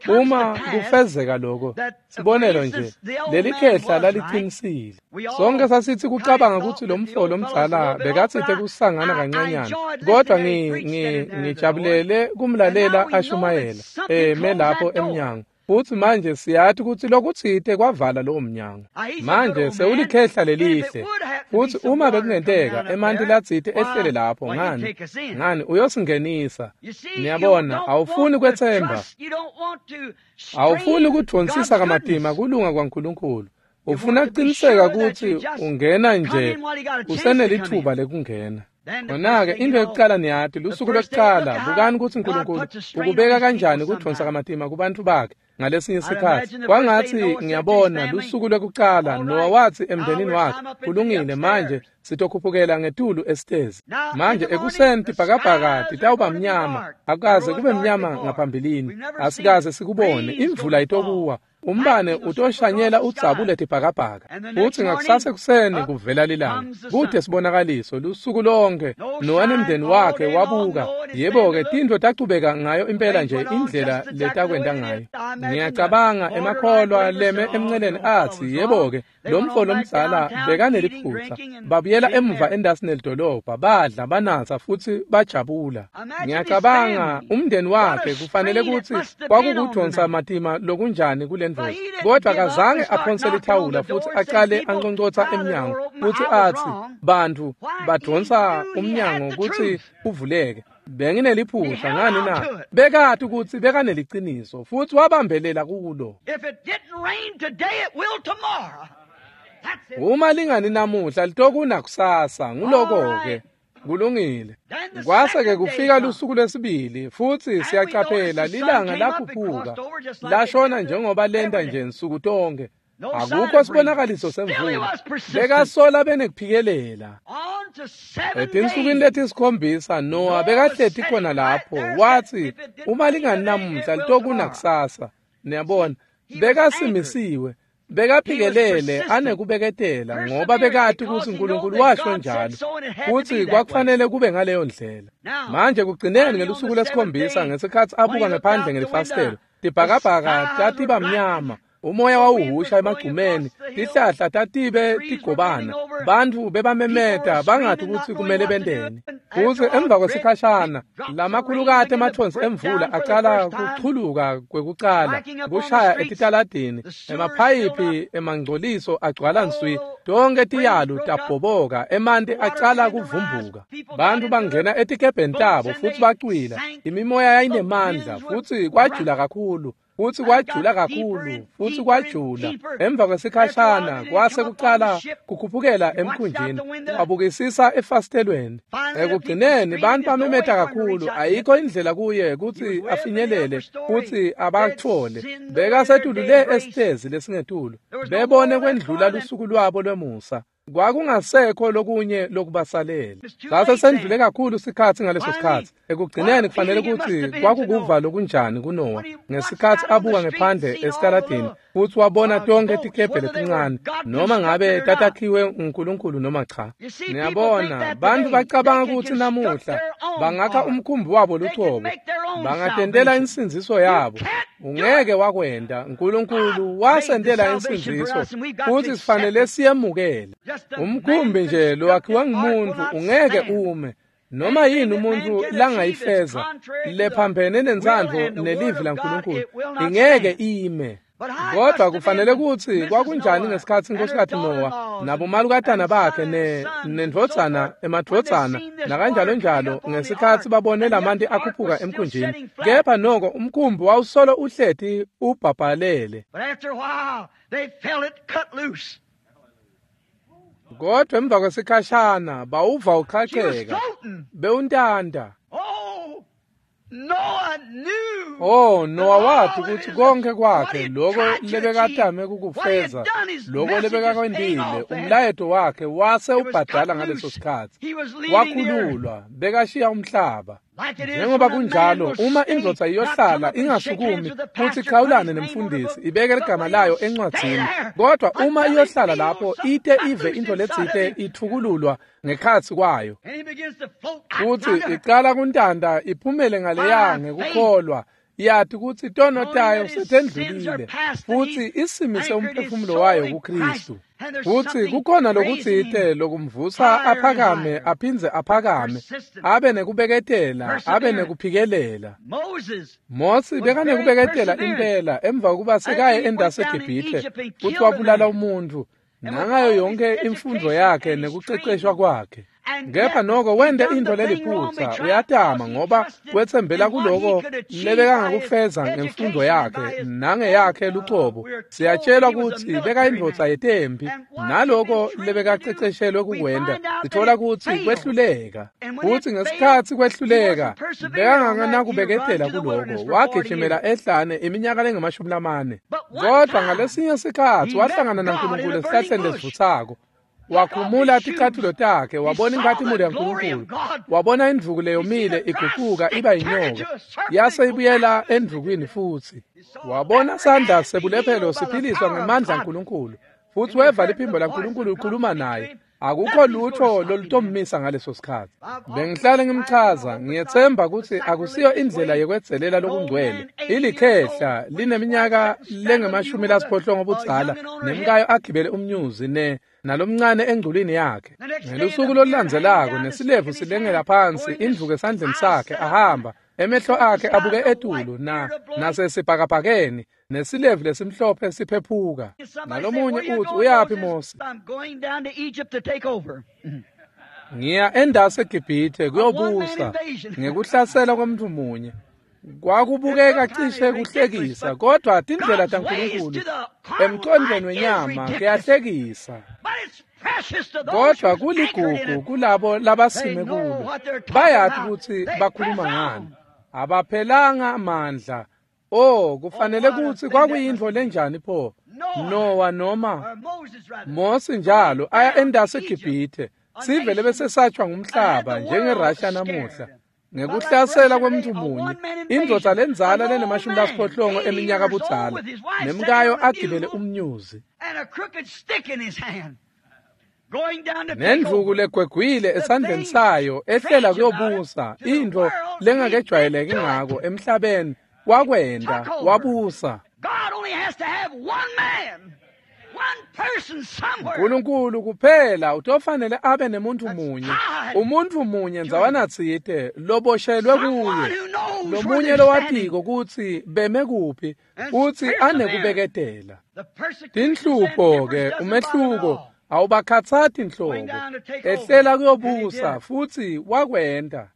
uma kufezeka lokho, sibonelo nje, leli khehla lalicinisile. Sonke sasithi kucabanga ukuthi lo mfo lomdzala bekatsite kusangana kancanyana, kodwa ngijabulele kumlalela ashumayela eme lapho emnyango. Futsi manje siyati kutsi lokutsite kwavala lowo mnyango. Manje sewulikhehla lelihle. Futsi uma bekungenteka emanti latsite ehlele lapho, ngani ngani uyosingenisa. Niyabona, awufuni kwetsemba, awufuni kudvonsisa kamatima kulunga kwaNkulunkulu. Ufuna kuqiniseka kutsi ungena nje usenelithuba lekungena. Khona-ke into yokucala niyati, lusuku lwekucala, bukani kutsi uNkulunkulu ukubeka kanjani kudvonsa kamatima kubantfu bakhe ngalesinye isikhatsi. Kwangatsi ngiyabona lusuku lwekucala Nowa watsi emndenini wakhe, kulungile, manje sitokhuphukela ngetulu esitezi. Manje ekuseni tibhakabhaka titawuba mnyama, akukaze kube mnyama ngaphambilini, asikaze sikubone, imvula itokuwa, umbane utoshanyela udzabule tibhakabhaka. Futsi ngakusasa ekuseni kuvela lilanga, kute sibonakaliso lusuku lonke. Nowa nemndeni wakhe wabuka. Yebo-ke, tintfo tachubeka ngayo impela nje indlela letakwenta ngayo. Ngiyacabanga emakholwa leme emnceleni atsi, yebo-ke, lo mfo lomdzala bekaneliphutsa. Babuyela emuva endasi nelidolobha, badla, banatsa futsi bajabula. Ngiyacabanga umndeni wakhe kufanele kutsi kwakukudvonsa matima lokunjani kule ndvodza. Kodwa kazange aphonse lithawula futsi acale anconcotsa emnyango futsi atsi, bantfu badvonsa umnyango kutsi uvuleke. Bengineliphutsa ngani na? Bekati kutsi bekaneliciniso futsi wabambelela kulo. Uma lingani namuhla litokuna kusasa, nguloko-ke. Kulungile. Kwase-ke kufika lusuku lwesibili, futsi siyacaphela lilanga lakhuphuka, lashona njengoba lenta nje nsuku tonke. Akukho sibonakaliso semvula. Bekasola benekuphikelela. Etinsukwini letisikhombisa Nowa bekahleti khona lapho, watsi, uma lingani namuhla litokuna kusasa. Niyabona, bekasimisiwe. Bekaphikelele anekubeketela ngoba bekati kutsi uNkulunkulu washo njalo, futsi kwakufanele kube ngaleyo ndlela. Manje kugcineni ngelusuku lwesikhombisa, ngesikhatsi abuka ngephandle ngelifasitelo, tibhakabhaka tatiba mnyama, umoya wawuhusha emagcumeni, tihlahla tatibe tigobana, bantfu bebamemeta bangati kutsi kumele benteni. Futsi emva kwesikhashana lamakhulukati emathonsi emvula acala kuchuluka kwekucala, kushaya etitaladini, emaphayiphi emangcoliso agcwala nswi, tonke tiyalu tabhoboka, emanti acala kuvumbuka. Bantfu bangena etikebheni tabo futsi bacwila. Imimoya yayinemandla futsi kwajula kakhulu. Futsi kwajula kakhulu, futsi kwajula. Emva kwesikhashana kwase kucala kukhuphukela emkhunjini, wabukisisa efasitelweni. Ekugcineni bantfu bamemeta kakhulu, ayikho indlela kuye kutsi afinyelele futsi abatfole. Bekasetulu le esitezi lesingetulu, bebone kwendlula lusuku lwabo lwemusa. Kwakungasekho lokunye lokubasalela. Sase sendlule kakhulu sikhatsi ngaleso sikhatsi. Ekugcineni kufanele kutsi kwakukuva lokunjani kuNowa ngesikhatsi abuka ngephandle esitaladini futsi wabona tonkhe tikebhe letincane, noma ngabe tatakhiwe nguNkulunkulu noma cha. Niyabona, bantfu bacabanga kutsi namuhla bangakha umkhumbi wabo lucobo, bangatentela insindziso yabo. Ungeke wakwenta. Nkulunkulu wasentela insindziso futsi sifanele siyemukele. Umkhumbi nje lowakhiwe ngumuntu ungeke ume. Noma yini umuntu langayifeza lephambene nentsandvo nelivi laNkulunkulu ingeke ime. Kodwa kufanele kutsi kwakunjani ngesikhatsi Nkhosikati Nowa nabomalukatana bakhe ne nendvodzana emadvodzana nakanjalo njalo ngesikhatsi babone lamanti akhuphuka emkhunjini, kepha noko umkhumbi wawusolo uhleti ubhabhalele. Kodwa emva kwesikhashana bawuva uqhaqheka bewuntanta. Oh, Nowa wathi kutsi konke kwakhe lokho lebekatame kukufeza, lokho lebekakwentile, umlayeto wakhe wase ubhadala ngaleso sikhatsi. Wakhululwa, bekashiya umhlaba. Njengoba kunjalo, uma indvodza iyohlala ingasukumi futsi ichawulane nemfundisi, ibeke ligama layo encwadzini. Kodwa uma iyohlala lapho ite ive intfo letsite ithukululwa ngekhatsi kwayo, futsi icala kuntanta iphumele ngaleya ngekukholwa, yati kutsi tono tayo setendlulile futsi isimise umphefumulo wayo kuKristu. Futsi kukhona lokutsite lokumvusa aphakame aphindze aphakame, abe nekubeketela, abe nekuphikelela. Mosi bekanekubeketela impela emva kokuba sekaye endasi eGibhithe futsi wabulala umuntfu nangayo yonke imfundvo yakhe nekuceceshwa kwakhe. Kepha noko wente intfo leliphutsa, uyatama ngoba wetsembela kuloko lebekangakufeza ngemfundo yakhe nangeyakhe lucobo. Siyatshelwa kutsi bekayindvodza yetempi, naloko lebekaceceshelwe kukwenta sitfola kutsi kwehluleka. Futsi ngesikhatsi kwehluleka bekanganakubeketela kuloko, wagijimela ehlane iminyaka lengemashumi lamane. Kodwa ngalesinye sikhatsi wahlangana naNkulunkulu esihlahleni lesivutsako. Wakhumula ticatfulo takhe, wabona inkhatimulo yaNkulunkulu, wabona indvuku leyomile igucuka iba yinyoka, yase ibuyela endvukwini futsi. Wabona sandla sebulephelo siphiliswa ngemandla aNkulunkulu, futsi weva liphimbo laNkulunkulu likhuluma naye. Akukho lutho lolutommisa ngaleso sikhatsi. Bengihlale ngimchaza, ngiyetsemba kutsi akusiyo indlela yekwedzelela lokungcwele. Ilikhehla lineminyaka lengemashumi lasiphohlongo budzala, nemkayo agibele umnyuzi ne nalomncane engculwini yakhe. Ngelusuku lolulandzelako nesilevu silengela phansi, indvuku esandleni sakhe, ahamba, emehlo akhe abuke etulu na nasesibhakabhakeni, nesilevu lesimhlophe siphephuka. Nalomunye utsi, uyaphi Mosi? Ngiya endasi eGibhithe kuyobusa ngekuhlasela kwemntfu munye. Kwakubukeka cishe kuhlekisa, kodwa tindlela taNkulunkulu emcondvweni wenyama kuyahlekisa. Kodwa kuligugu kulabo labasime kulo, bayati kutsi bakhuluma ngani, abaphelanga amandla. Oh, kufanele kutsi kwakuyintfo lenjani pho Nowa noma Mosi njalo aya endasi eGibhithe, sive lebesesatshwa ngumhlaba njengeRussia namuhla. Ngekuhlasela kwemntfu munye, indvodza lendzala lenemashumi lasiphohlongo eminyaka budzala, nemkayo agibele umnyuzi, nendvuku legwegwile esandleni sayo, ehlela kuyobusa, intfo lengakejwayeleki ngako emhlabeni. Wakwenta, wabusa. Nkulunkulu kuphela utofanele abe nemuntu munye, umuntu munye ndzawana tsite loboshelwe kuye, lomunye lowatiko kutsi beme kuphi futsi anekubeketela. Tinhlupho ke, umehluko awubakhatsati nhlobo. Ehlela kuyobusa futsi wakwenta.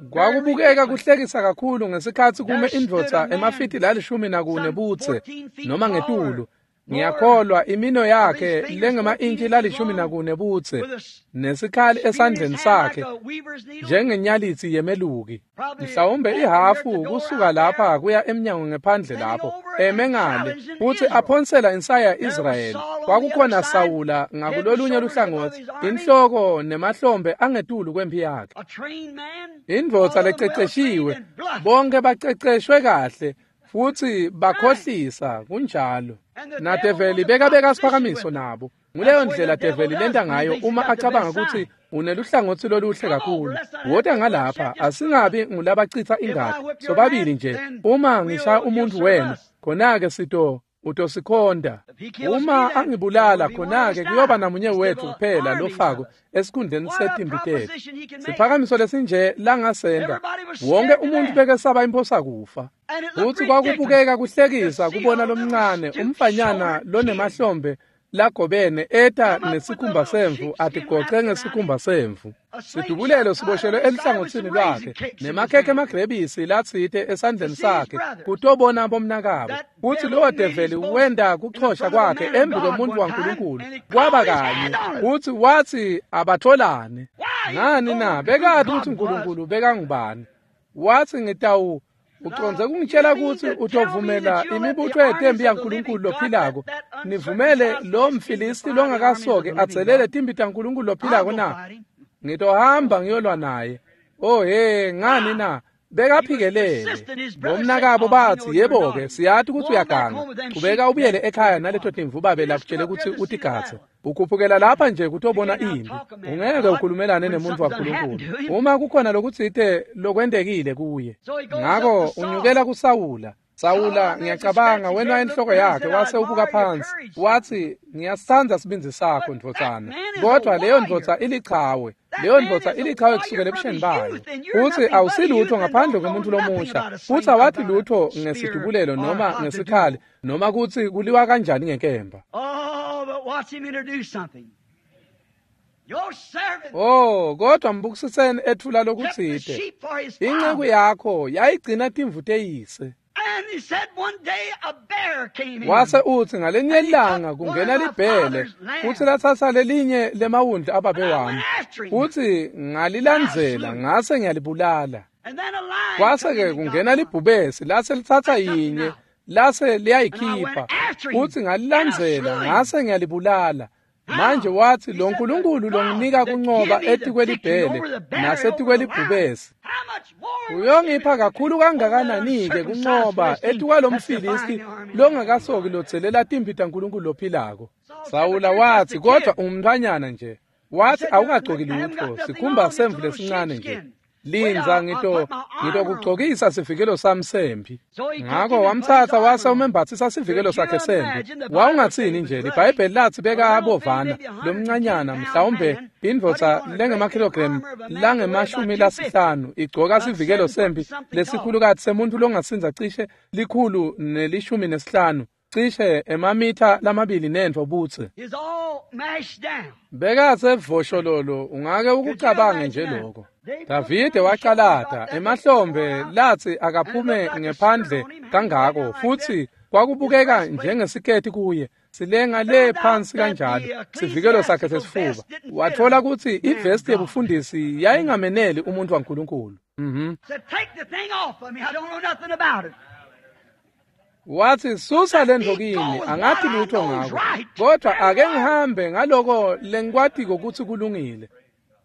Kwakubukeka kuhlekisa kakhulu ngesikhatsi kume indvodza emafiti lalishumi nakune budze noma ngetulu, Ngiyakholwa imino yakhe lengema-intshi lalishumi nakune budze nesikhali esandleni sakhe njengenyalitsi yemeluki, mhlawumbe ihafu kusuka lapha kuya emnyango ngephandle lapho eme ngale futsi aphonsela insaya Israyeli. Kwakukhona Sawula ngakulolunye luhlangotsi, inhloko nemahlombe angetulu kwemphi yakhe, indvodza lececeshiwe, bonke baceceshwe kahle futsi bakhohlisa kunjalo. Nadeveli bekabeka siphakamiso nabo. Nguleyo ndlela develi lenta ngayo uma acabanga kutsi uneluhlangotsi loluhle kakhulu. Wota ngalapha, asingabi ngulabacitsa ingati sobabili nje. Uma ngishaya umuntu wena, khona-ke sito utosikhonda. Uma angibulala, khona-ke kuyoba namunye wethu kuphela lofako esikhundleni setimbi tetfu. Siphakamiso lesinje langasenta wonke umuntu bekesaba imphosa kufa. Futsi kwakubukeka kuhlekisa kubona lomncane umfanyana lonemahlombe lagobene eta nesikhumba semvu atigoce ngesikhumba semvu. Sidubulelo siboshelwe eluhlangotsini lwakhe nemakhekhe emagrebisi latsite esandleni sakhe kutobona bomnakabo. Futsi lowo develi wenda kuchosha kwakhe embi kwemuntfu waNkulunkulu kwaba kanye, futsi watsi abatholane. Ngani na? Bekati kutsi uNkulunkulu bekangubani. Watsi ngitawu ucondze kungitshela kutsi utovumela imibutho yetembi yaNkulunkulu lophilako, nivumele lo mFilisti longakasoki atselele timbi taNkulunkulu lophilako na? Ngitohamba ngiyolwa naye. Oh he, ngani na? Bekaphikelele. Bomnakabo batsi, yebo-ke, siyati kutsi uyaganga. Qhubeka ubuyele ekhaya naleto timvu babe lakutshele kutsi utigadze. Ukhuphukela lapha nje kutobona impi. Ungeke ukhulumelane nemuntfu waNkulunkulu uma kukhona lokutsite lokwentekile kuye. Ngako unyukela kuSawula. Sawula, ngiyacabanga, wena enhloko yakhe wase ubuka phansi. Watsi, ngiyasitsandza sibindzi sakho ndvodzana, kodvwa leyo ndvodza ilichawe. Leyo ndvodza ilichawe kusukela ebusheni bayo. Futsi awusilutho ngaphandle kwemuntfu lomusha. Futsi awati lutho ngesidubulelo noma ngesikhali noma kutsi kuliwa kanjani ngenkemba. Oh, kodwa mbukisiseni etfula lokutsite. Inceku yakho yayigcina timvu teyise. Wase utsi ngalenye ilanga kungena libhele futsi latsatsa lelinye lemawundlu ababe wami, futsi ngalilandzela ngase ngiyalibulala. Kwase-ke kungena libhubesi lase litsatsa yinye lase liyayikhipha, futsi ngalilandzela ngase ngiyalibulala. Manje watsi lo Nkulunkulu longinika kuncoba etikwelibhele nasetikwelibhubesi uyongipha kakhulu kangakanani-ke kuncoba etikwalomFilisti longakasoki lotselela timpi taNkulunkulu lophilako. Sawula watsi, kodvwa ungumntfwanyana nje. Watsi awukagcoki lutfo, sikhumba semvu lesincane nje. Lindza ngito ngitokugcokisa sivikelo sami sempi. Ngako wamtsatsa wase umembatsisa sivikelo sakhe sempi. Wawungatsini nje, liBhayibheli latsi beka abovana lomncanyana mhlawumbe indvodza lengemakilogramu langemashumi lasihlanu igcoka sivikelo sempi lesikhulukati semuntfu longasindza cishe likhulu nelishumi nesihlanu, cishe emamitha lamabili nentfo budze. Bekasevoshololo, ungake ukucabange nje lokho. Davide wacalata emahlombe latsi akaphume ngephandle kangako, futsi kwakubukeka njengesiketi kuye silenga le phansi kanjalo sivikelo sakhe sesifuba. Wathola kutsi ivesti yebufundisi yayingameneli umuntu waNkulunkulu. Mhm. Watsi susa lendvo kimi, angathi lutho ngako, kodwa ake ngihambe ngaloko lengikwatiko kutsi kulungile.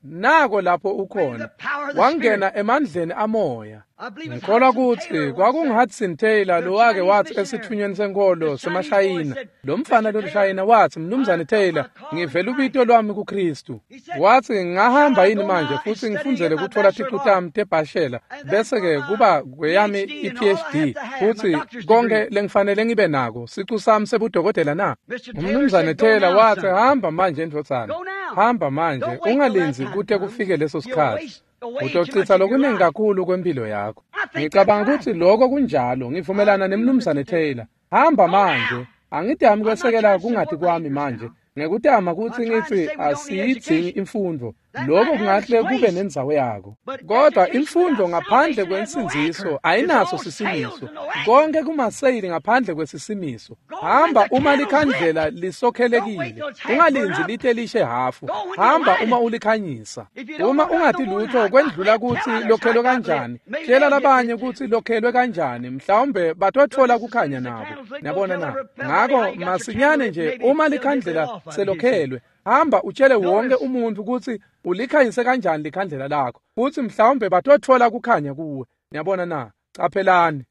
Nako lapho ukhona, wangena emandleni amoya. Ngikholwa kutsi kwakungu-Hudson Taylor lowake watsi esitfunyweni senkholo semaShayina, lo mfana loluShayina watsi, Mnumzane Taylor, ngivela ubito lwami kuKristu. Watsi, ngahamba yini manje futsi ngifundzele kutfola ticu tami tebhashela bese-ke kuba kweyami i-P H D futsi konke lengifanele ngibe nako sicu sami sebudokotela na? Umnumzane Taylor watsi, hamba manje ndvodzana, hamba manje, ungalindzi kute kufike leso sikhatsi. Utochitsa lokuningi kakhulu kwempilo yakho. Ngicabanga kutsi lokho kunjalo, ngivumelana nemnumzane Taylor. Hamba manje, angidami kwesekela kungati kwami manje ngekutama kutsi ngitsi asiyidzingi imfundvo. Lokho kungahle kube nendzawo yako. Kodwa imfundo ngaphandle kwensindziso ayinaso sisimiso. Konke kumaseyili ngaphandle kwesisimiso. Hamba uma likhandlela lisokhelekile. Ungalindzi lite lishe hafu. Hamba uma ulikhanyisa. Uma ungathi lutho kwendlula kutsi lokhelwe kanjani, tshela labanye kutsi lokhelwe kanjani, mhlawumbe batotfola kukhanya nabo. Niyabona na? Ngako masinyane nje uma likhandlela selokhelwe, hamba utshele wonke umuntu kutsi ulikhanyise kanjani likhandlela lakho, futsi mhlawumbe batotfola kukhanya kuwe. Niyabona na? Caphelani.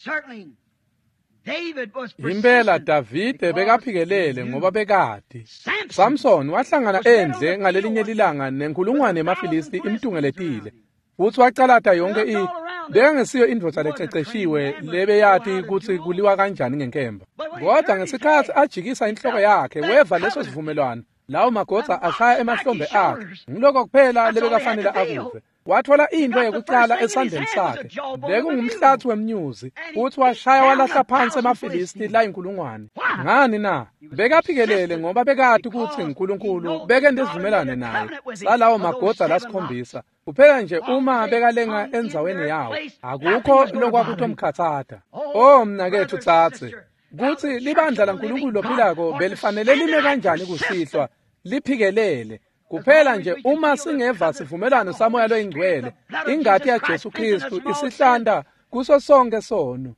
Impela Davide bekaphikelele ngoba bekati. Samson wahlangana endle ngalelinye lilanga nenkulungwane yemaFilisti imtungeletile, futsi wacalata yonke i bekangesiyo indvodza lececeshiwe lebeyati kutsi kuliwa kanjani ngenkemba. Kodwa ngesikhatsi ajikisa inhloko yakhe weva leso sivumelwano, lawo magodza ashaya emahlombe akhe. Ngiloko kuphela lebekafanele akuve. Wathola into yekucala esandleni sakhe, bekungumhlatsi wemnyuzi, futsi washaya walahla phansi emaFilisti layinkulungwane. Ngani na? Bekaphikelele ngoba bekati kutsi uNkulunkulu bekente isivumelwano naye salawo magodza lasikhombisa. Kuphela nje uma bekalenga endzaweni yawo, akukho lokwakutomkhatsata. Oh mnaketfu tsatse, kutsi libandla laNkulunkulu lophilako belifanele lime kanjani kusihlwa, liphikelele. Kuphela nje uma singeva sivumelwano saMoya loyingcwele, ingati yaJesu Kristu isihlanta kuso sonke sono.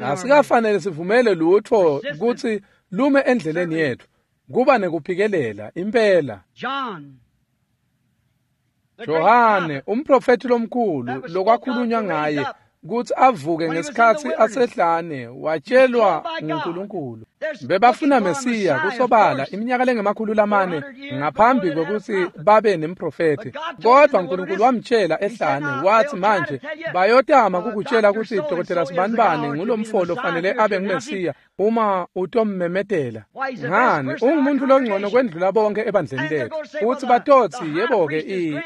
Asikafanele sivumele lutho kutsi lume endleleni yetfu. Kuba nekuphikelela impela. Johane, umprofethi lomkhulu lokwakhulunywa ngaye kutsi avuke ngesikhatsi asehlane, watshelwa nguNkulunkulu. Bebafuna Mesiya kusobala iminyaka lengemakhulu lamane ngaphambi kwekutsi babe nemprofethi. Kodwa uNkulunkulu wamtshela ehlane, wathi manje bayotama kukutshela kutsi Dokotela Sibanibani ngulomfo lofanele abe nguMesiya uma utommemetela. Ngani, ungumuntu longcono kwendlula bonke ebandleni lethu. Utsi batotsi yebo-ke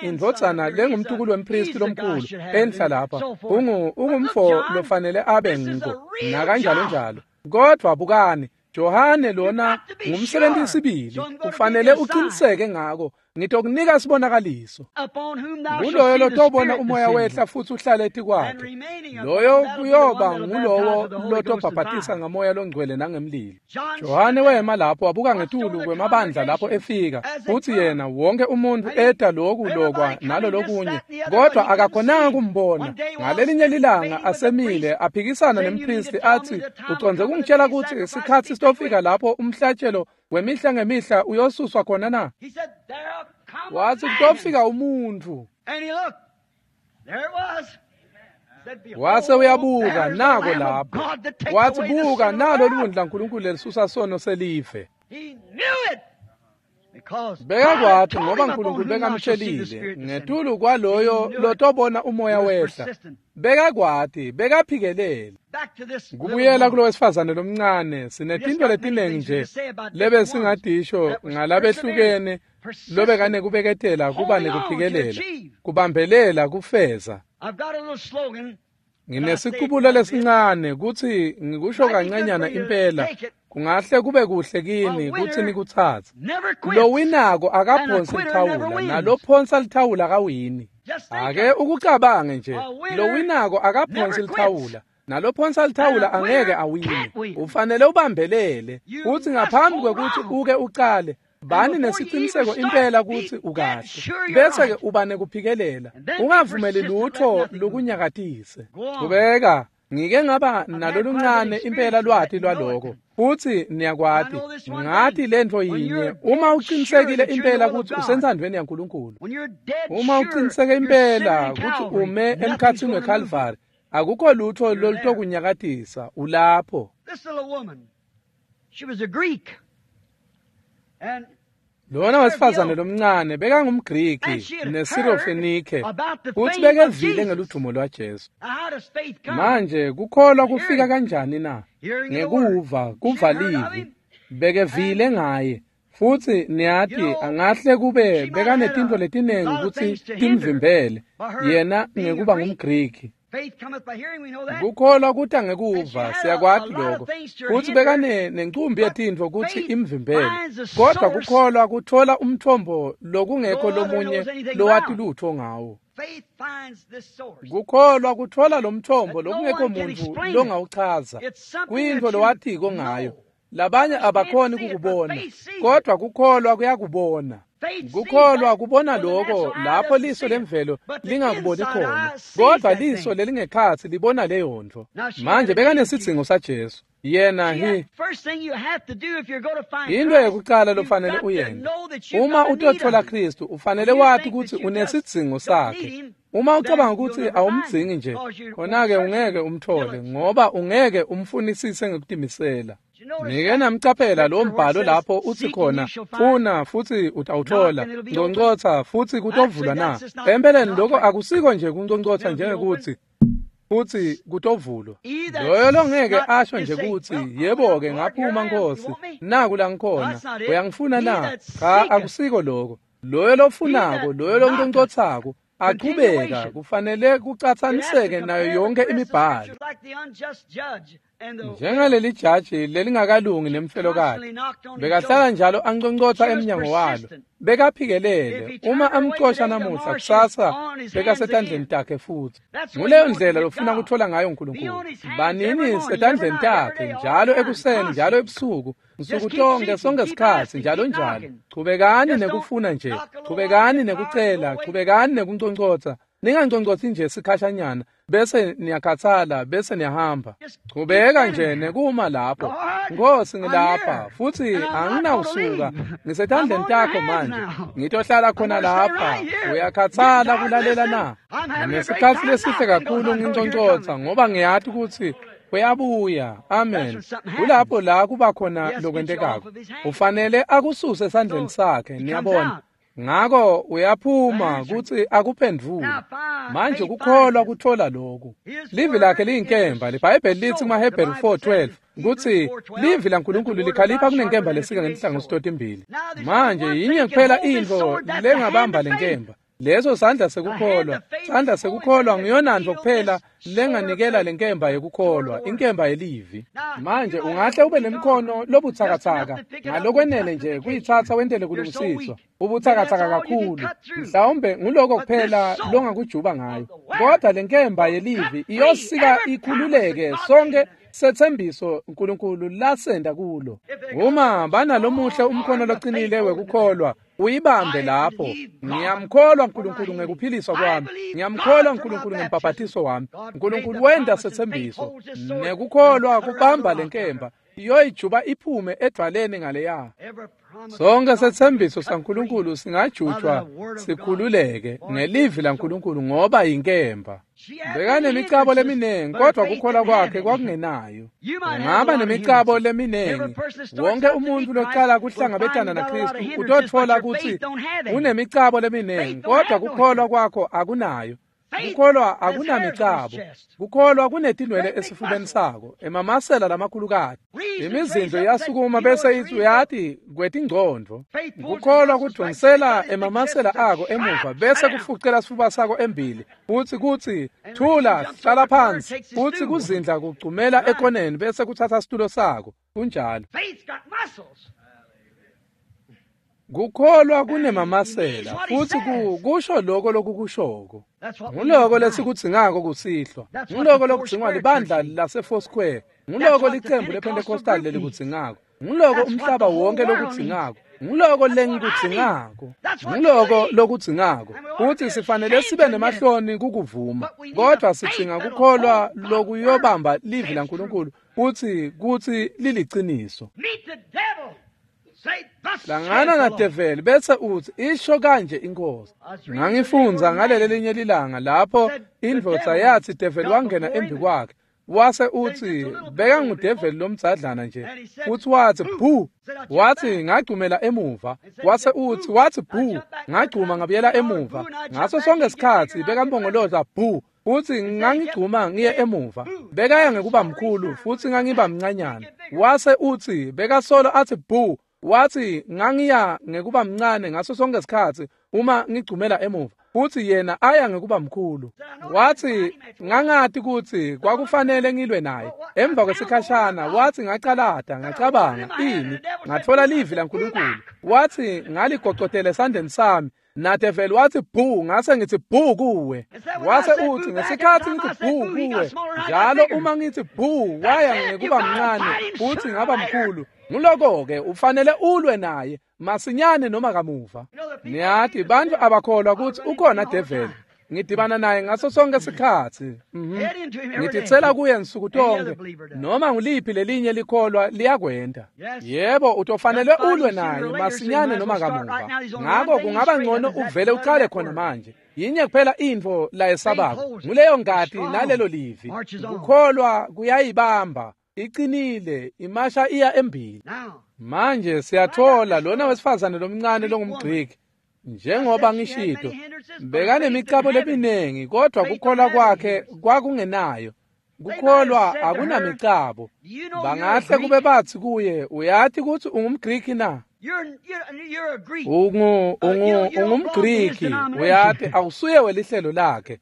indvodzana lengumtukulu wempristi lomkhulu enhla lapha ungu ungumfo lofanele abe ngiko nakanjalo njalo. Kodwa bukani, Johane lona ngumsebenzi sibili, ufanele uqiniseke ngako. Ngitokunika sibonakaliso. Nguloyo lotobona umoya wehla futsi uhlale etikwakhe, loyo kuyoba ngulowo lotobhabhatisa ngamoya longcwele nangemlilo. Johane wema lapho wabuka ngetulu kwemabandla lapho efika, futsi yena wonke umuntu eta loku lokwa nalo lokunye, kodwa akakhonanga kumbona. Ngalelinye lilanga asemile aphikisana nempristi athi, ucondze kungitshela kutsi isikhatsi sitofika lapho umhlatshelo wemihla ngemihla uyosuswa khona na? Wathi kutofika umuntu. Wase uyabuka nako lapho. Wathi buka nalo liwundlu laNkulunkulu lelisusa sono selive. Bekakwati ngoba uNkulunkulu bekamtshelile ngetulu kwaloyo lotobona umoya wehla. Bekakwati, bekaphikelele. Kubuyela kulo wesifazane lomncane, sinetinto letiningi nje lebe singadisho ngalabehlukene lobekane kubeketela kuba nekuphikelela, kubambelela kufeza. Nginesiqubulo lesincane kutsi ngikusho kancanyana impela, kungahle kube kuhle kini kutsi nikutsatse. Lowinako akaphonsi lithawula, nalophonsa lithawula akawini. Ake ukucabange nje, lowinako akaphonsi lithawula, nalophonsa lithawula angeke awine. Ufanele ubambelele, utsi ngaphambi kwekutsi uke ucale, bani nesiciniseko impela kutsi ukahle, bese-ke uba nekuphikelela. Ungavumeli lutho lukunyakatise. Kubeka, ngike ngaba naloluncane impela lwati lwaloko, futsi niyakwati. Ngati lentfo yinye, uma uqinisekile impela kutsi usentsandvweni yaNkulunkulu, uma uqiniseke impela kutsi ume emkhatsini weKhalvari, akukho lutho lolutokunyakatisa, ulapho. She was a Greek. Lona wesifazane lomncane bekangumGriki neSirofenike, futsi bekevile ngeludumo lwaJesu. Manje kukholwa kufika kanjani na? Ngekuva, kuva livi. Bekevile ngaye, futsi niyati angahle kube bekanetintfo letiningi kutsi timvimbele yena ngekuba ngumGriki. Kukholwa kuta ngekuva, siyakwati lokho. Futsi bekane nencumbi yetintfo kutsi imvimbele, kodwa kukholwa kutfola umthombo lokungekho lomunye lowati lutfo ngawo. Kukholwa kutfola lomthombo lokungekho muntfu longawuchaza, kuyintfo lowatiko ngayo. Labanye abakhoni kukubona, kodwa kukholwa kuyakubona. Kukholwa kubona lokho lapho liso lemvelo lingakuboni khona, kodwa liso lelingekhatsi libona leyo ntfo. Manje bekanesidzingo saJesu. Yena hi into yekucala lofanele uyente uma utotfola Kristu, ufanele wati kutsi unesidzingo sakhe. Uma ucabanga kutsi awumdzingi nje, khona-ke ungeke umtfole, ngoba ungeke umfunisise ngekutimisela. Nike namcaphela lo mbhalo lapho utsi khona, funa futsi utawutfola, ngcongcotsa futsi kutovulwa na? Empeleni lokho akusiko nje kunconcotsa njengekutsi futsi kutovulwa. Loyo longeke asho nje kutsi yebo-ke ngaphuma Nkosi, naku la ngikhona, uyangifuna na? Cha, akusiko lokho. Loyo lofunako, loyo lonconcotsako achubeka, kufanele kucatsaniseke nayo yonke imibhalo. Njengaleli jaji lelingakalungi nemfelokati, bekahlala njalo anconcotsa emnyango walo, bekaphikelele. Uma amcosha namuhla, kusasa bekasetandleni takhe futsi. Nguleyo ndlela lofuna kutfola ngayo uNkulunkulu. Banini setandleni takhe njalo ekuseni, njalo ebusuku, nsuku tonke, sonke sikhatsi, njalo njalo. Chubekani nekufuna nje, chubekani nekucela, chubekani nekunconcotsa. Ninganconcotsi nje sikhashanyana bese niyakhathala bese niyahamba. Chubeka nje nekuma lapho. Nkosi, ngilapha futsi anginawusuka, ngisetandleni takho manje, ngitohlala khona lapha. Uyakhathala kulalela na? Nginesikhatsi lesihle kakhulu nginconcotsa, ngoba ngiyati kutsi uyabuya. Amen. Kulapho la kuba khona lokwentekako. Ufanele akususe esandleni sakhe, niyabona. Ngako uyaphuma kutsi akuphendvule. Manje kukholwa kutfola lokhu. Livi lakhe liyinkemba. LiBhayibheli lithi kumaHebheru four twelve kutsi livi laNkulunkulu likhalipha kunenkemba lesika ngenhlangothi totimbili. Manje yinye kuphela intfo lengabamba lenkemba, leso sandla sekukholwa. Sandla sekukholwa ngiyonantfo kuphela lenganikela lenkemba yekukholwa, inkemba yelivi. Manje ungahle ube nemkhono lobutsakatsaka ngalokwenele nje kuyitsatsa wentele kulungisiswa. Ubutsakatsaka kakhulu, mhlawumbe nguloko kuphela longakujuba ngayo, kodwa lenkemba yelivi iyosika ikhululeke sonke setsembiso uNkulunkulu lasenda kulo. Uma banalomuhle umkhono loqinile wekukholwa, uyibambe lapho. Ngiyamkholwa uNkulunkulu ngekuphiliswa kwami, ngiyamkholwa uNkulunkulu ngembhabhatiso wami. uNkulunkulu wenda setsembiso, nekukholwa kubamba lenkemba iyoyijuba iphume edvwaleni ngaleya. Sonke setsembiso saNkulunkulu singajutshwa sikhululeke ngelivi laNkulunkulu, ngoba yinkemba. Bekanemicabo leminingi, kodwa kukholwa kwakhe kwakungenayo. Ungaba nemicabo leminingi. Wonke umuntu locala kuhlangabetana naKristu utotfola kutsi unemicabo leminingi, kodwa kukholwa kwakho akunayo. Kukholwa akunamicabo. Kukholwa kunetinwele esifubeni sako, emamasela lamakhulukati. Imizindlo iyasukuma bese ithi uyati kwetingcondvo. Kukholwa kudvonsela emamasela ako emuva bese kufucela sifuba sako embili, futsi kutsi thula, hlala phansi, futsi kuzindla kugcumela ekoneni bese kutsatsa situlo sako. Kunjalo. Kukholwa kunemamasela futsi kusho lokho lokukushoko. Nguloko lesikudzingako kusihlwa, nguloko lokudzingwa libandla lase-Foursquare, nguloko licembu lePentecostal lelikudzingako, nguloko umhlaba wonke lokudzingako, nguloko lengikudzingako, nguloko lokudzingako. Futsi sifanele sibe nemahloni kukuvuma, kodwa sidzinga kukholwa lokuyobamba livi laNkulunkulu futsi kutsi liliciniso. Hlangana nadeveli bese utsi isho kanje inkosi. Ngangifundza ngaleli linye lilanga lapho indvodza yatsi develi wangena embi kwakhe, wase utsi bekangudeveli lomdzadlana nje, futsi watsi bhu, watsi ngagcumela emuva, wase utsi watsi bhu, ngagcuma ngabuyela emuva. Ngaso sonke isikhatsi bekambongoloza bhu, futsi ngangigcuma ngiye emuva. Bekaya ngekuba mkhulu futsi ngangiba mncanyana. Wase utsi bekasolo atsi bhu, Wathi ngangiya ngekuba mncane ngaso sonke isikhathi uma ngigcumela emuva, futhi yena aya ngekuba mkhulu. Wathi ngangathi kuthi kwakufanele ngilwe naye. Emva kwesikhashana wathi ngacalata ngacabanga ini, ngathola livi laNkulunkulu. Wathi ngaligocotela esandleni sami, nadeveli wathi bhu, ngase ngithi bhu kuwe. Wase uthi ngesikhathi ngithi bhu kuwe njalo uma ngithi bhu waya ngekuba mncane futhi ngaba mkhulu. Nguloko-ke ufanele ulwe naye masinyane noma kamuva. Niyathi bantu abakholwa ukuthi ukhona develi. Ngidibana naye ngaso sonke isikhathi. Ngithitsela kuye nsuku tonke. Noma nguliphi lelinye likholwa liyakwenda. Yebo, utofanele ulwe naye masinyane noma kamuva. Ngakho kungaba ngcono uvele uqale khona manje. Yinye kuphela intfo la esabako, nguleyo ngati nalelo livi. Kukholwa kuyayibamba, iqinile, imasha iya embili. Manje siyathola lona wesifazane lomncane longumGriki, njengoba ngishito, bekanemicabo leminengi, kodwa kukholwa kwakhe kwakungenayo. Kukholwa akunamicabo. Bangahle kube bathi kuye, uyathi ukuthi ungumGriki na? Ungu ungu ungumGriki, uyathi awusuye welihlelo lakhe.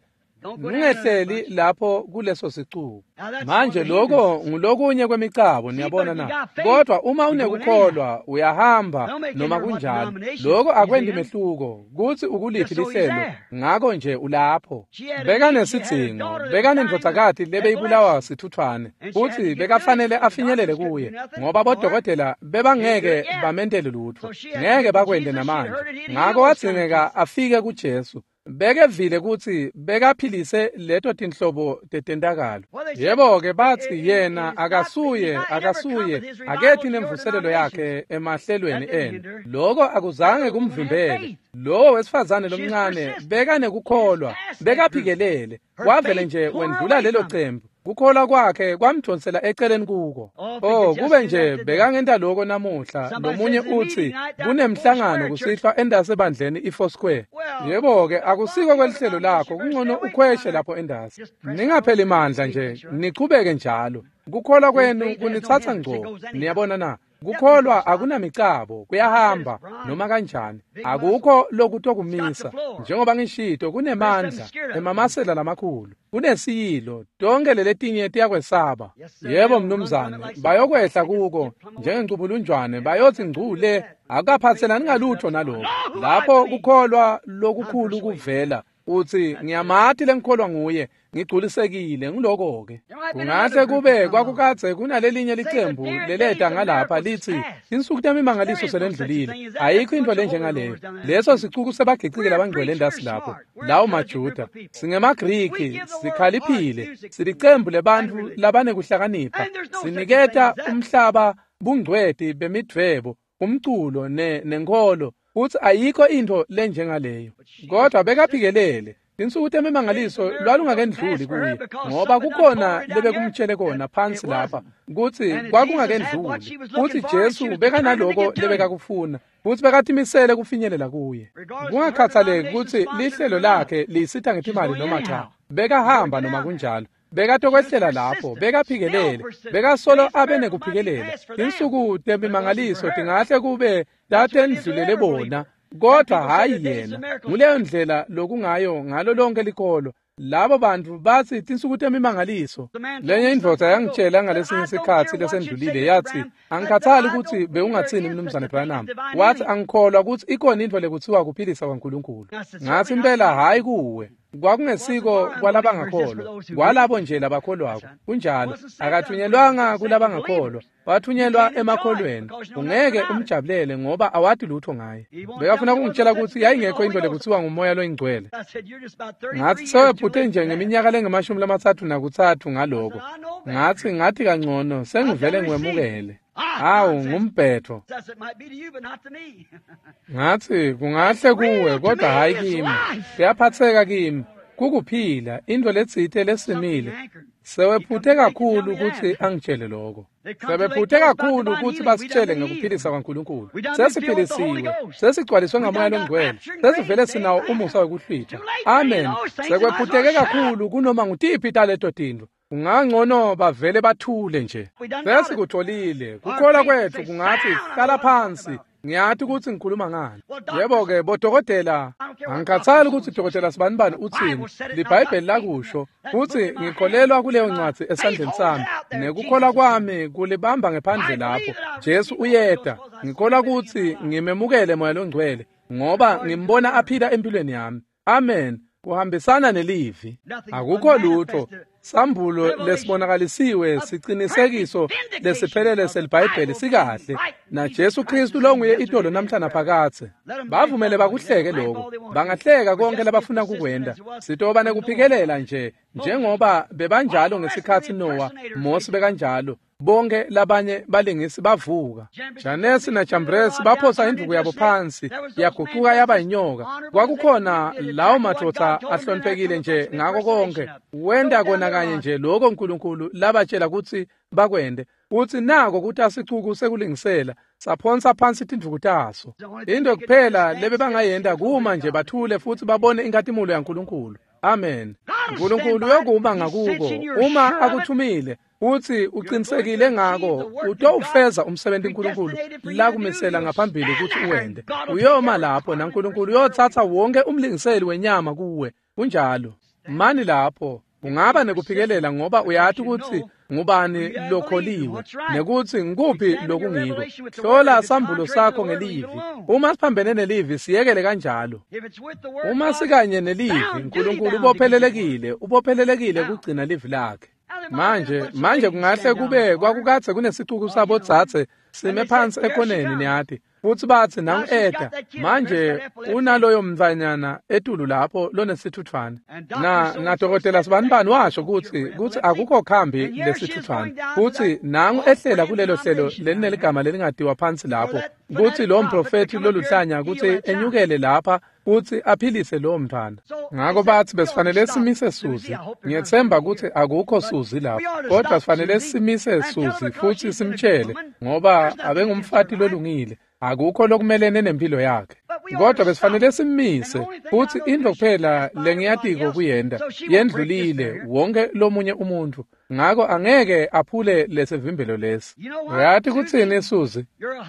Ningehleli lapho kuleso sicuku. Manje lokho ngulokunye kwemicabo, niyabona na? Kodwa uma unekukholwa uyahamba noma kunjalo. Lokho akwendi mehluko kuthi ukuliphi lihlelo, ngakho nje ulapho. Bekanesidzingo, bekanendvodzakati lebeyibulawa sithuthwane, futhi bekafanele afinyelele kuye, ngoba bodokotela bebangeke bamentele lutho, ngeke bakwende namanje. Ngakho wadzingeka afike kuJesu. Bekevile ukuthi bekaphilise leto tinhlobo tetentakalo. Yebo-ke bathi yena akasuye akasuye akethi nemvuselelo yakhe emahlelweni enu. Lokho akuzange kumvimbele. Lowo wesifazane lomncane bekanekukholwa, bekaphikelele, wavele nje wendlula lelo cembu. Kukholwa kwakhe kwamdonsela eceleni kuko. Oh, kube nje bekangenta lokho namuhla. Lomunye uthi kunemhlangano kusihlwa endase ebandleni iFoursquare. Yebo-ke akusiko kwelihlelo lakho, kungcono ukhweshe lapho endase. Ningapheli mandla nje, nichubeke njalo. Kukholwa kwenu kunithatha ngco. Niyabona na? Kukholwa akunamicabo, kuyahamba noma kanjani. Akukho lokutokumisa. Njengoba ngishito, kunemandla emamasela lamakhulu, kunesiyilo, tonke leletinye tiyakwesaba. Yebo mnumzane, bayokwehla kuko njengencubulunjwane, bayothi ngcule, akaphathelani ngalutho nalokho. Lapho kukholwa lokukhulu kuvela, uthi ngiyamati lengikholwa nguye, ngigculisekile ngiloko-ke. Kungahle kube kwakukadze kunalelinye licembu leleta ngalapha lithi insuku temimangaliso selendlulile, ayikho into lenjengaleyo. Leso sicuku sebagicike labangcwele endasi lapho, lawo maJuda. SingemaGriki, sikhaliphile, silicembu lebantfu labanekuhlakanipha, siniketa umhlaba bungcweti bemidvwebo, umculo ne nenkholo, uthi ayikho into lenjengaleyo. Kodwa bekaphikelele. Insuku temimangaliso lwalungakendluli kuye, ngoba kukhona lebekumtshele kona phansi lapha kuthi kwakungakendluli. Futhi Jesu bekanaloko lebekakufuna, futhi bekatimisele kufinyelela kuye. Kungakhathaleki ukuthi lihlelo lakhe lisitha ngetimali noma cha, bekahamba noma kunjalo. Bekatokwehlela lapho, bekaphikelele, bekasolo abe nekuphikelela. Insuku temimangaliso tingahle kube tatendlulele bona, kodwa hayi yena. Nguleyo ndlela lokungayo ngalo lonke likolo. Labo bantu bathi tinsuku temimangaliso. Lenye indvodza yangitshela ngalesinye isikhathi lesendlulile, yathi angikhathali ukuthi bewungathini mnumzane Branham. Wathi angikholwa ukuthi ikhona into lekuthiwa kuphilisa kwaNkulunkulu. Ngathi impela hayi kuwe. Kwakungesiko kwalabangakholwa, kwalabo nje labakholwako. Kunjalo, akathunyelwanga kulabangakholwa, wathunyelwa emakholweni. Ungeke umjabulele ngoba awati lutho ngaye. Bekafuna ukungitshela ukuthi yayingekho into lekuthiwa ngumoya loyingcwele. Ngathi sewephuthe nje ngeminyaka lengemashumi lamatsatfu nakutsatfu ngaloko. Ngathi ngathi kangcono sengivele ngiwemukele. Hawu, ngumbhetho. Ngathi kungahle kuwe kodwa hayi kimi. Kuyaphatheka kimi. Kukuphila into letsite lesimile. Sewephuthe kakhulu ukuthi angitshele lokho. Sebephuthe kakhulu ukuthi basitshele ngekuphilisa kwaNkulunkulu. Sesiphilisiwe, sesigcwaliswe ngamoya longcwele, sesivele sinawo umusa wekuhlwitha. Amen. Sekwephutheke kakhulu kunoma ngutiphi taleto tintfo. Kungangcono bavele bathule nje. Sesikutholile. Kukholwa kwethu kungathi hlala phansi. Ngiyathi ukuthi ngikhuluma ngani. Yebo-ke bodokotela, angikhathali ukuthi dokotela sibanibani uthini, liBhayibheli lakusho, futhi ngikholelwa kuleyo ncwadi esandleni sami, nekukholwa kwami kulibamba ngephandle lapho. Jesu uyeda. Ngikholwa ukuthi ngimemukele Moya loNgcwele, ngoba ngimbona aphila empilweni yami. Amen. Kuhambisana nelivi. Akukho lutho. Sambulo lesibonakalisiwe siqinisekiso lesiphelele seliBhayibheli sikahle na Jesu Kristu longuye itolo namhla naphakathe. Bavumele bakuhleke lokho, bangahleka konke labafuna kukwenda. Sitoba nekuphikelela nje njengoba bebanjalo ngesikhathi Noah, Mose bekanjalo, bonke labanye balingisi bavuka. Janesi na Jambresi baphosa induku yabo phansi, yaguquka yaba inyoka. Kwakukhona lawo madoda ahloniphekile nje ngako konke. Wenda kona kanye nje lokho uNkulunkulu labatshela ukuthi bakwende. Uthi nako ukuthi asicuku sekulingisela, saphonsa phansi tinduku taso. Into kuphela lebe bangayenda kuma nje bathule futhi babone inkatimulo yaNkulunkulu. Amen. uNkulunkulu uyokuma ngakuko uma akuthumile. Uthi uqinisekile ngako utowufeza umsebenzi uNkulunkulu lakumisela ngaphambili ukuthi uwende. Uyoma lapho naNkulunkulu uyothatha wonke umlingiseli wenyama kuwe. Kunjalo. Mani lapho ungaba nekuphikelela ngoba uyathi ukuthi ngubani lokholiwe nekuthi ngikuphi lokungiko. Hlola sambulo sakho ngelivi. Uma siphambene nelivi siyekele kanjalo. Uma sikanye nelivi uNkulunkulu ubophelelekile, ubophelelekile kugcina livi lakhe. Manje manje kungahle kube kwakukathe kunesicuku sabodzadze sime phansi ekhoneni niyathi, futhi bathi nangu-Eda manje unaloyo mntfanyana etulu lapho lonesithuthwane. Na nadokotela sibanibani washo kutsi kutsi akukho khambi lesithuthwane, futhi nangu ehlela kulelo hlelo lelineligama lelingadiwa phansi lapho, kutsi lo mprofethi loluhlanya kutsi enyukele lapha futhi aphilise lowo mntwana. Ngako bathi besifanele simise Suzi. Ngiyethemba ukuthi akukho Suzi lapho, kodwa sifanele simise Suzi futhi simtshele ngoba abengumfati lolungile, akukho lokumelene nempilo yakhe. Kodwa besifanele simmise futhi into kuphela lengiyatiko kuyenda yendlulile wonke lomunye umuntu, ngako angeke aphule lesivimbelo lesi. Uyathi kutsini Suzi?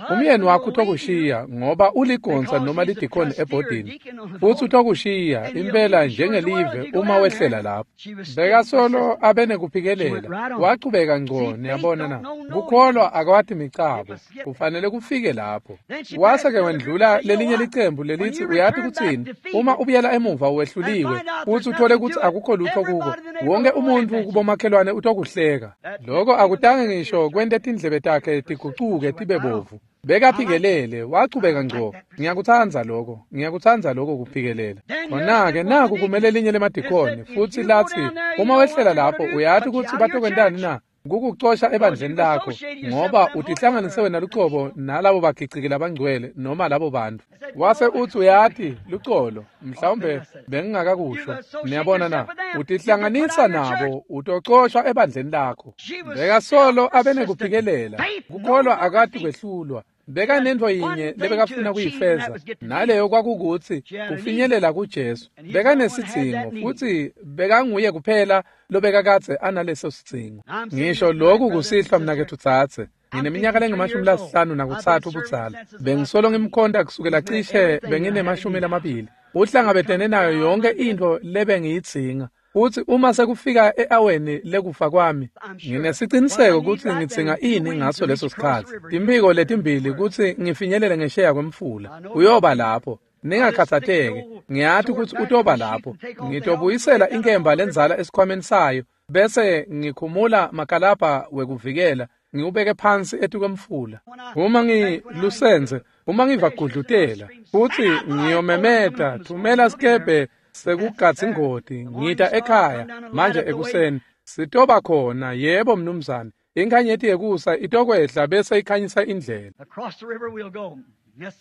Umyeni wakho utokushiya ngoba uligonsa noma lidikoni ebhodini, futhi utokushiya impela njengelive uma wehlela lapho. Bekasolo abenekuphikelela, wachubeka ngco. Niyabona na? Kukholwa akwathi micabo, kufanele kufike lapho. Wase-ke wendlula lelinye licembu lelithi uyathi kutsini? Uma ubuyela emuva wehluliwe futhi uthole ukuthi akukho lutho kuko, wonke umuntu kubomakhelwane utokuhleka. Lokho akutange ngisho kwente tindlebe takhe tigucuke tibe bovu. Bekaphikelele, wachubeka ngco. Ngiyakutsandza lokho, ngiyakutsandza lokho kuphikelela. Khona-ke naku kumele elinye lemadikoni futhi lathi uma wehlela lapho uyathi ukuthi batokwentani na? Kukucosha ebandleni lakho ngoba utihlanganise wena lucobo nalabo bagiciki labangcwele noma labo bantu. Wase uthi uyathi lucolo, mhlawumbe bengingakakusho. Niyabona na? Utihlanganisa nabo utocoshwa ebandleni lakho. Bekasolo abenekuphikelela. Kukholwa akati kwehlulwa. Bekanento yinye lebekafuna kuyifeza, naleyo kwakukuthi kufinyelela kuJesu. Bekanesidzingo futhi bekanguye kuphela lobekakadze analeso sidzingo. Ngisho lokhu kusihlwa mnakethu tsatse. Ngineminyaka lengamashumi lasihlanu nakutsatfu budzala. Bengisolo ngimkhonta kusukela cishe benginemashumi lamabili. Uhlangabetene nayo yonke intfo lebengiyidzinga. Futhi uma sekufika e-aweni lekufa kwami, nginesiciniseko kutsi ngidzinga ini ngaso leso sikhatsi. Timphiko letimbili kutsi ngifinyelele ngesheya kwemfula. Uyoba lapho. Ningakhathatheki, ngiyathi kutsi utoba lapho. Ngitobuyisela inkemba lendzala esikhwameni sayo, bese ngikhumula makalabha wekuvikela, ngiwubeke phansi etukwemfula. Uma ngilusenze, uma ngivagudlutela, futhi ngiyomemeta, thumela sikebhe sekugatsa ingoti, ngita ekhaya manje ekuseni. Sitoba khona, yebo mnumzane. Inkhanyeti yekusa itokwehla bese ikhanyisa indlela.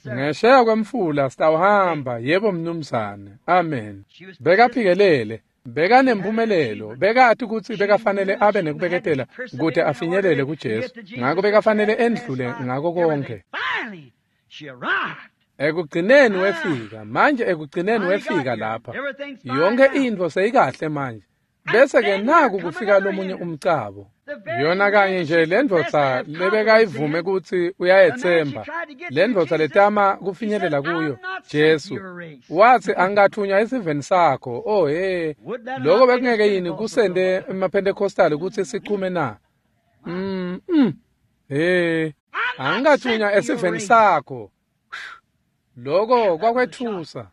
Ngesheya kwemfula sitawuhamba, yebo mnumzane. Amen. Bekaphikelele, bekanempumelelo, bekati kutsi bekafanele abe nekubeketela kute afinyelele kuJesu. Ngako bekafanele endlule ngako konke. Ekugcineni wefika, manje ekugcineni wefika lapha. Yonke intfo seyikahle manje. Bese-ke naku kufika lomunye umcabo. Yona kanye nje lendvodza lebekayivume kutsi uyayetsemba, lendvodza letama kufinyelela kuyo, Jesu, watsi angikathunywa esiveni sakho. Oh he, lokho bekungeke yini kusende emaPentecostal kutsi sichume na? Mm, mm. He, angikathunywa esiveni sakho. Lokho kwakwethusa.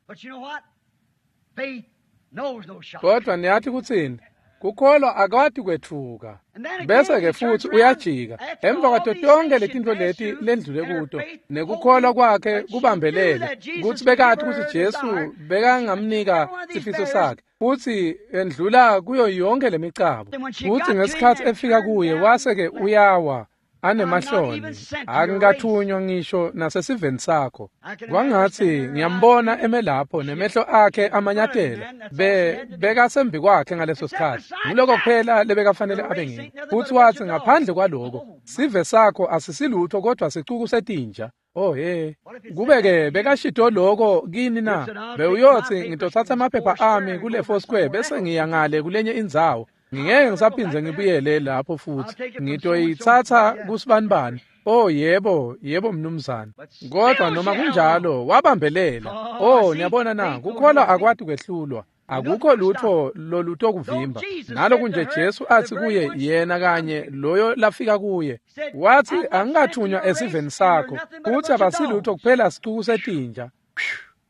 Kodwa niyathi kutsini? Kukholwa akwati kwethuka. Bese-ke futsi uyajika emva kwato tonkhe letintfo leti lendlule kuto, nekukholwa kwakhe kubambelele kutsi bekati kutsi Jesu bekangamnika sifiso sakhe, futsi endlula kuyo yonke lemicabo. Futsi ngesikhatsi efika kuye wase-ke uyawa anemahloni, angikathunywa ngisho nasesiveni sakho. Kwangatsi ngiyambona eme lapho nemehlo akhe amanyatela, be bekasembi kwakhe ngaleso sikhatsi. Nguloko kuphela lebekafanele abe ngiko. Futsi watsi ngaphandle kwaloko, sive sakho asisilutho kodwa sicuku setinja. Oh he, kube-ke bekashito loko kini na? Bewuyotsi ngitotsatsa amaphepha ami kule Foursquare bese ngiya ngale kulenye indzawo. Ngingeke ngisaphindze ngibuyele lapho futsi. Ngitoyitsatsa kusibanibani. Oh yebo, yebo mnumzane. Kodwa noma kunjalo wabambelela. Oh niyabona na, kukholwa akwati kwehlulwa. Akukho lutho lolutokuvimba. Naloku nje Jesu athi kuye yena kanye loyo lafika kuye, wathi angikathunywa esiveni sakho, futhi abasilutho kuphela sicuku setinja.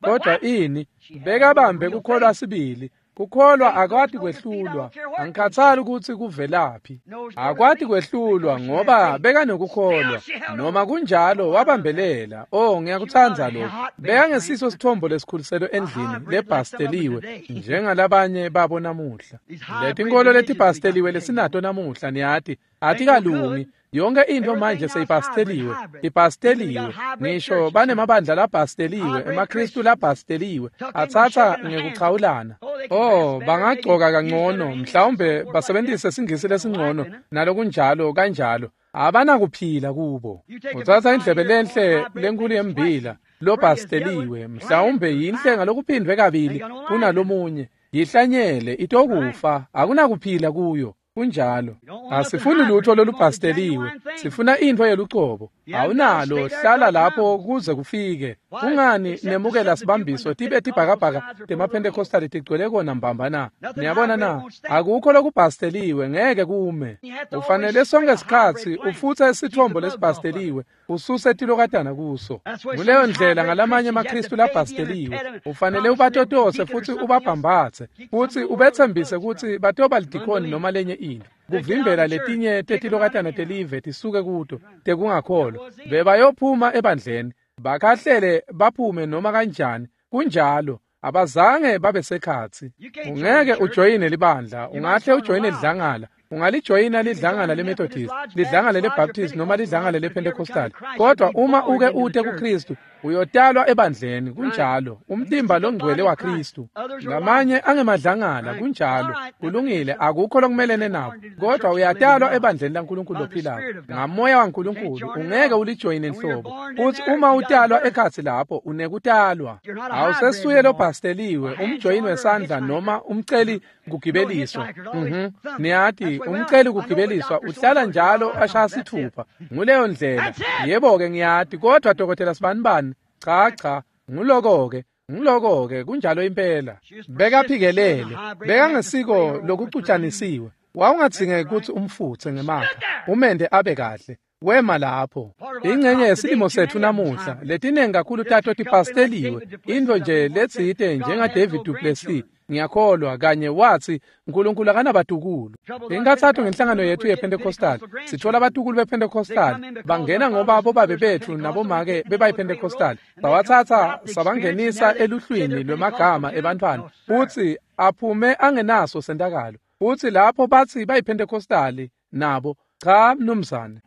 Kodwa ini bekabambe kukholwa sibili. Kukholwa akwati kwehlulwa, angikhathali kutsi kuvelaphi. Akwati kwehlulwa ngoba bekanekukholwa. Noma kunjalo wabambelela. Oh ngiyakutsandza lokho. Bekangesiso sithombo lesikhuliselwe endlini lebhasteliwe njengalabanye babo namuhla. Letinkolo letibhasteliwe lesinato namuhla niyati atikalungi. Yonke into manje seyibhasteliwe, ibhasteliwe. Ngisho banemabandla labhasteliwe, emaKristu labhasteliwe, atsatsa ngekuchawulana. Oh, bangagcoka kangcono, mhlawumbe basebenzise singisi lesingcono nalokunjalo kanjalo. Abanakuphila kubo. Utsatsa indlebe lenhle lenkulu yembila lobhasteliwe, mhlawumbe yinhle ngalokuphindwe kabili kunalomunye. Yihlanyele itokufa, akunakuphila kuyo. Kunjalo. Asifuni lutho lolubhasteliwe, sifuna into yelucobo. Awunalo, hlala lapho kuze kufike. Kungani nemukela sibambiso tibe tibhakabhaka temaPentecostal tigcwele kona mbamba na? Niyabona na? Akukho lokubhasteliwe, ngeke kume. Ufanele sonke sikhatsi ufutse isithombo lesibhasteliwe, ususe tilokatana kuso. Nguleyo ndlela ngalamanye amaKristu labhasteliwe. Ufanele ubatotose futsi ubabhambatse, futsi ubetsembise kutsi batoba lidikoni noma lenye into, kuvimbela letinye tetilokatana telive tisuke kuto tekungakholwa. Bebayophuma ebandleni, bakahlele baphume noma kanjani. Kunjalo, abazange babe sekhatsi. Ungeke ujoyine libandla, ungahle ujoyine lidlangala. Ungalijoyina lidlangala leMethodist, lidlangala leBaptist noma lidlangala lePentecostal. Kodwa uma uke ute kuKristu, uyotalwa ebandleni. Kunjalo, umtimba longcwele waKristu. Ngamanye angemadlangala, kunjalo, kulungile, akukho lokumelene nabo. Kodwa uyatalwa ebandleni laNkulunkulu lophilayo ngamoya waNkulunkulu, ungeke ulijoyine nhlobo. Futhi uma utalwa ekhatsi lapho, unekutalwa. Awusesuye lobhasteliwe, umjoyini wesandla noma umceli kugibeliswa. Mhm. Niyati, umceli kugibeliswa uhlala njalo ashaya sithupha. Nguleyo ndlela. Yebo-ke ngiyati, kodwa dokotela sibanibani, cha cha, nguloko-ke, nguloko-ke, kunjalo impela. Bekaphikelele, bekangesiko lokucutshanisiwe. Wawungadzingeki kutsi umfutse ngemakha, umende abe kahle. Wema lapho. Ingcenye yesilimo setfu namuhla, letinengi kakhulu tato tipasteliwe. Into nje letsite njenga David du Plessis, ngiyakholwa kanye wathi uNkulunkulu akanabatukulu. Inkathatho ngenhlangano yethu yePentecostal, sithola abatukulu bePentecostal bangena ngoba bobabe bethu nabomake bebayiPentecostal, bawatsatsa sabangenisa eluhlwini lwemagama ebantfwana, futsi aphume angenaso sentakalo. Futsi lapho bathi bayiPentecostal nabo, cha mnumzane.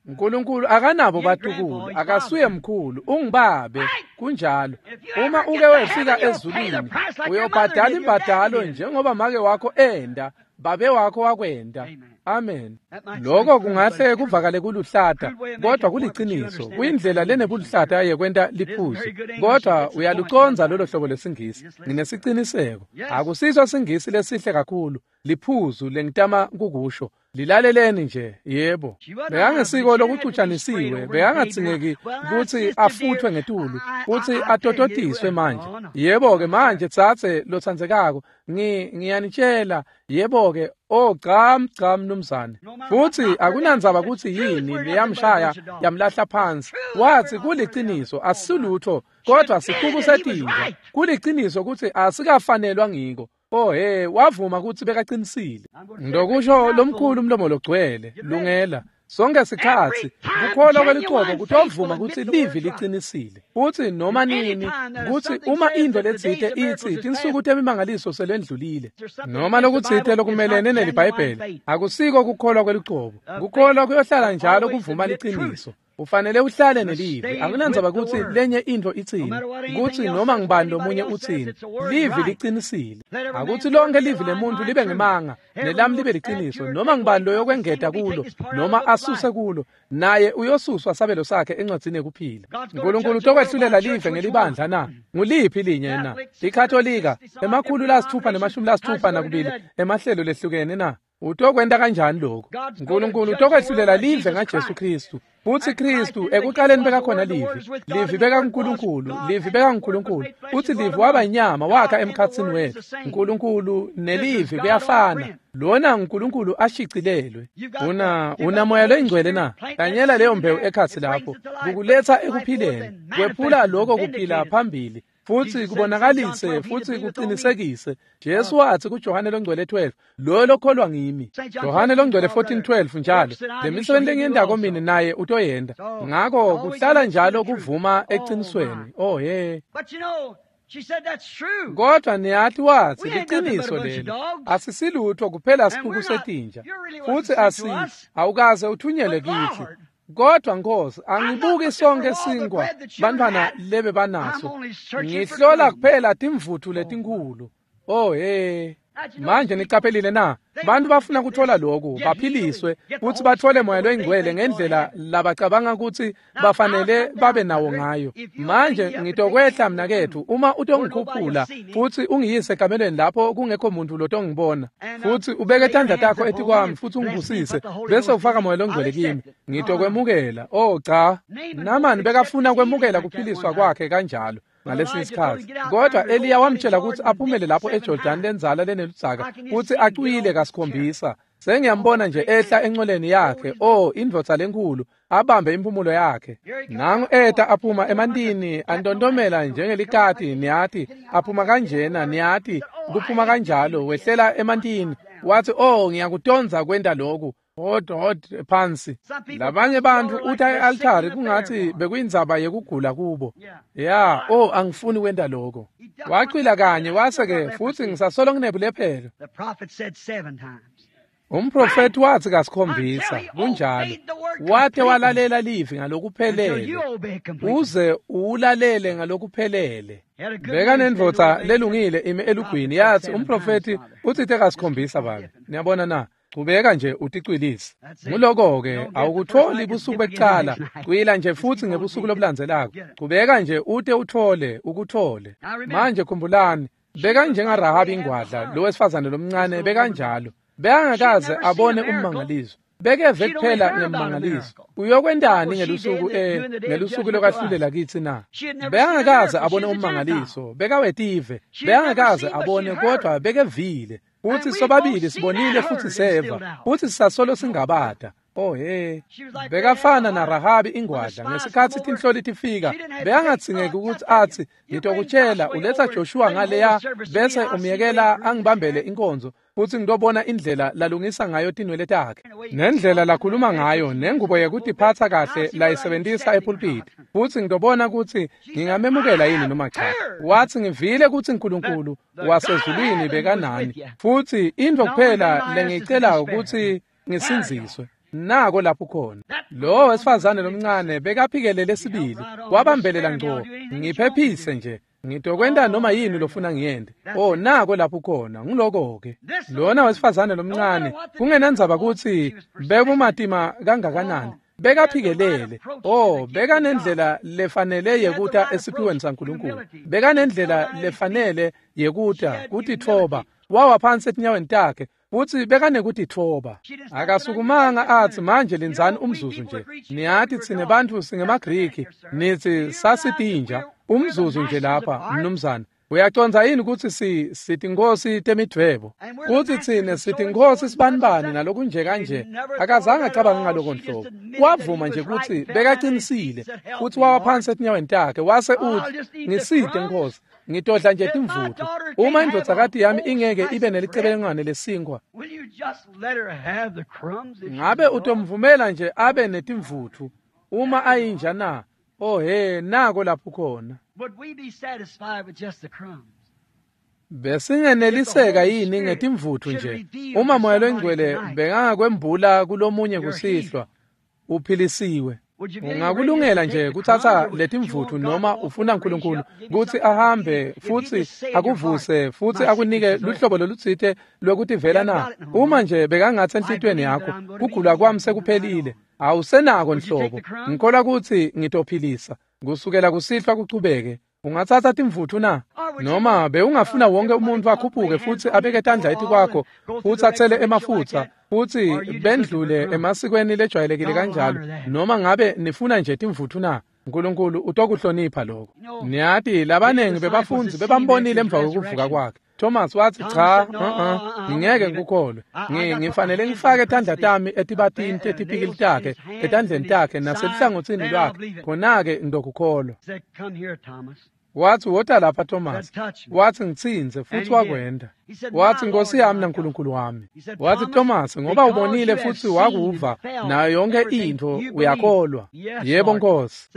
uNkulunkulu akanabo batukulu, akasuye mkhulu, ungibabe. Kunjalo. Uma uke wefika ezulwini, uyobhadala imbadalo njengoba make wakho enda Babe wakho wakwenta. Amen. Lokho kungahle kuvakale kuluhlata, kodwa kuliciniso, kuyindlela lenebuluhlata yekwenta liphuzu. Kodwa uyalucondza lolo hlobo lesingisi. Nginesiciniseko. Akusiso singisi lesihle kakhulu, liphuzu lengitama kukusho. Lilaleleni nje, yebo. Bekangesiko lokucutshanisiwe, bekangadzingeki kutsi afuthwe ngetulu, kutsi atototiswe manje. Yebo-ke manje tsatse lotsandzekako, ngi ngiyanitshela, yebo-ke, oh cha cha mnumzane. Futsi akunandzaba kutsi yini leyamshaya yamlahla phansi. Watsi kuliciniso asisilutfo, kodwa sicuku setinja. Kuliciniso kutsi asikafanelwa ngiko. Oh hey, wavuma kutsi bekaqinisile. Ndokusho lomkhulu umlomo logcwele, lungela. Sonke sikhatsi kukholwa kwelicebo kutovuma kutsi livi liqinisile. Futsi noma nini kutsi uma into letsite itsi tinsuku temimangaliso selendlulile, noma lokutsite lokumelene neliBhayibheli, akusiko kukholwa kwelicebo. Kukholwa kuyohlala njalo kuvuma liciniso. Ufanele uhlale nelivi. Akunandzaba kutsi lenye intfo itsini, kutsi noma ngibani lomunye utsini, livi liqinisile. Akutsi lonke livi lemuntu libe ngemanga, nelami libe liciniso. Noma ngibani loyokwengeta kulo, noma asuse kulo, naye uyosuswa sabelo sakhe encwadzini yekuphila. Nkulunkulu utokwehlulela live ngelibandla na? Nguliphi linye na? IKatolika, emakhulu lasitfupha nemashumi lasitfupha nakubili emahlelo lehlukene na? Utokwenta kanjani lokho? Nkulunkulu utokwehlulela live ngaJesu Kristu. Futsi Kristu ekuqaleni bekakhona livi, livi bekaNkulunkulu, livi bekaNkulunkulu. Futsi livi waba inyama wakha emkhatsini wetfu. Nkulunkulu nelivi kuyafana. Lona uNkulunkulu ashicilelwe. Una una moya loyingcwele na? Tanyela leyo mbewu ekhatsi lapho, kukuletsa ekuphileni, kwephula lokho kuphila phambili. Futsi kubonakalise futsi kuqinisekise. Jesu watsi kuJohane longcwele twelve, lo lokholwa ngimi. Johane longcwele fourteen twelve njalo, lemisebenti lengiyentako mine naye utoyenta. Ngako kuhlala njalo kuvuma eqinisweni. Oh hey. Kodwa niyathi watsi liciniso lelo, asisilutho kuphela sicuku setinja, futsi asi awukaze uthunyelwe kithi. Kodwa Nkosi, angibuki sonke sinkwa bantwana lebe banaso, ngihlola kuphela timvutfu letinkhulu. Oh hey. Manje niqaphelile na? Bantu bafuna kuthola lokhu, baphiliswe futhi bathole moya loyingcwele ngendlela labacabanga kutsi bafanele babe nawo ngayo. Manje ngitokwehla mnaketfu uma utongikhuphula futhi ungiyise ekamelweni lapho kungekho muntu lotongibona, futhi ubeke tandla takho etikwami futhi ungibusise bese ufaka moya longcwele kimi, ngitokwemukela. Oh cha, Namani bekafuna kwemukela kuphiliswa kwakhe kanjalo ngalesi sikhatsi. Kodwa Eliya wamtshela kutsi aphumele lapho eJordan lenzala leneludzaka kutsi acwile kasikhombisa. Sengiyambona nje ehla encoleni yakhe, oh indvodza lenkulu, abambe impumulo yakhe. Nangu eta aphuma emantini antontomela njengelikati, niyati, aphuma kanjena, niyati, kuphuma kanjalo, wehlela emantini. Wathi, oh ngiyakutondza kwenta lokhu. Hot hot phansi. Labanye bantfu uta e-altari kungathi bekuyindzaba yekugula kubo. Ya, oh angifuni kwenta lokho. Wacwila kanye wase ke futhi ngisasolo nginebulephelo. Umprofeti wathi kasikhombisa, kunjalo. Wate walalela livi ngalokuphelele, uze ulalele ngalokuphelele. Beka nendvodza lelungile ime elugwini yathi umprofeti utsite kasikhombisa babe. Niyabona na? Chubeka nje uticwilise. Nguloko-ke awukutholi busuku bekucala, cwila nje futhi ngebusuku lobulandzelako. Chubeka nje ute uthole, ukuthole. Manje khumbulani, beka njengaRahabi ingwadla, lo wesifazane lomncane bekanjalo. Bekangakaze abone ummangaliso. Bekeve kuphela ngemmangaliso. Uyokwentani ngelusuku eh ngelusuku lokwahlulela kitsi na? Bekangakaze abone ummangaliso, bekawetive. Bekangakaze abone kodwa bekevile. Futhi sobabili sibonile futhi seva, futhi sisasolo singabada. Oh hey, bekafana naRahabi ingwadla ngesikhatsi tinhloli tifika, bekangadzingeki ukuthi atsi ngitokutshela uletha Joshua ngaleya bese umyekela angibambele inkonzo futhi ngitobona indlela lalungisa ngayo tinwele takhe nendlela lakhuluma ngayo nengubo yekutiphatsa kahle layisebentisa epulpiti, futhi ngitobona kutsi ngingamemukela yini noma cha. Wathi ngivile kutsi uNkulunkulu wasezulwini bekanani, futhi intfo kuphela lengiyicelayo kutsi ngisindziswe. Nako lapho khona lo wesifazane lomncane bekaphikelele sibili, wabambelela ngco. Ngiphephise nje, Ngitokwenta noma yini lofuna ngiyente. Oh, nako lapho khona, ngiloko-ke. Lona wesifazane lomncane, kungenandzaba kutsi bekumatima kangakanani, bekaphikelele. Oh, bekanendlela lefanele yekuta esiphiweni saNkulunkulu. Bekanendlela lefanele yekuta kutitfoba. Wawa phansi etinyaweni takhe futsi bekanekutitfoba. Akasukumanga atsi manje lindzani umzuzu nje. Niyati tsine bantfu singemaGriki, nitsi sasitinja. Umzuzu nje lapha, mnumzane. Uyacondza yini kutsi si sitinkosi temidvwebo? Kutsi tsine sitinkosi sibanibani nalokunje kanje. Akazange acabange ngaloko nhlobo. Wavuma nje kutsi bekaqinisile futsi wawa phansi etinyaweni takhe wase utsi, ngisite Nkosi, ngitodla nje timvutfu. Uma indvodzakati yami ingeke ibe nelicebelengwane lesinkwa, ngabe utomvumela nje abe netimvutfu uma ayinja na? Oh he, nako lapho khona. Besingeneliseka yini ngetimvutfu nje? Uma Moya loNgcwele bekangakwembula kulomunye kusihlwa, uphilisiwe. Ungakulungela nje kutsatsa letimvutfu noma ufuna uNkulunkulu kutsi ahambe futsi akuvuse futsi akunike luhlobo lolutsite lwekutivela na? Uma nje bekangatsi enhlitiyweni yakho, kugula kwami sekuphelile, awusenako nhlobo, ngikholwa kutsi ngitophilisa kusukela kusihlwa kuchubeke. Ungatsatsa timvutfu na? Noma bewungafuna wonke umuntu akhuphuke futsi abeke tandla etikwakho futsi atsele emafutsa futsi bendlule emasikweni lejwayelekile kanjalo, noma ngabe nifuna nje timvutfu na? uNkulunkulu utokuhlonipha lokho. Niyati labanengi bebafundzi bebambonile emva kokuvuka kwakhe. Thomas watsi, cha, uh-uh, ngingeke ngikukholwe. Ngifanele ngifake tandla tami etibatini tetipikili takhe, etandleni takhe naseluhlangotsini lwakhe, khona-ke ngitokukholwa. Watsi, wota lapha Thomas. Watsi, ngitsintse, futsi wakwenta. Watsi, Nkosi yami naNkulunkulu wami. Watsi, Thomas, ngoba ubonile futsi wakuva nayo yonke intfo, uyakholwa. Yebo Nkosi.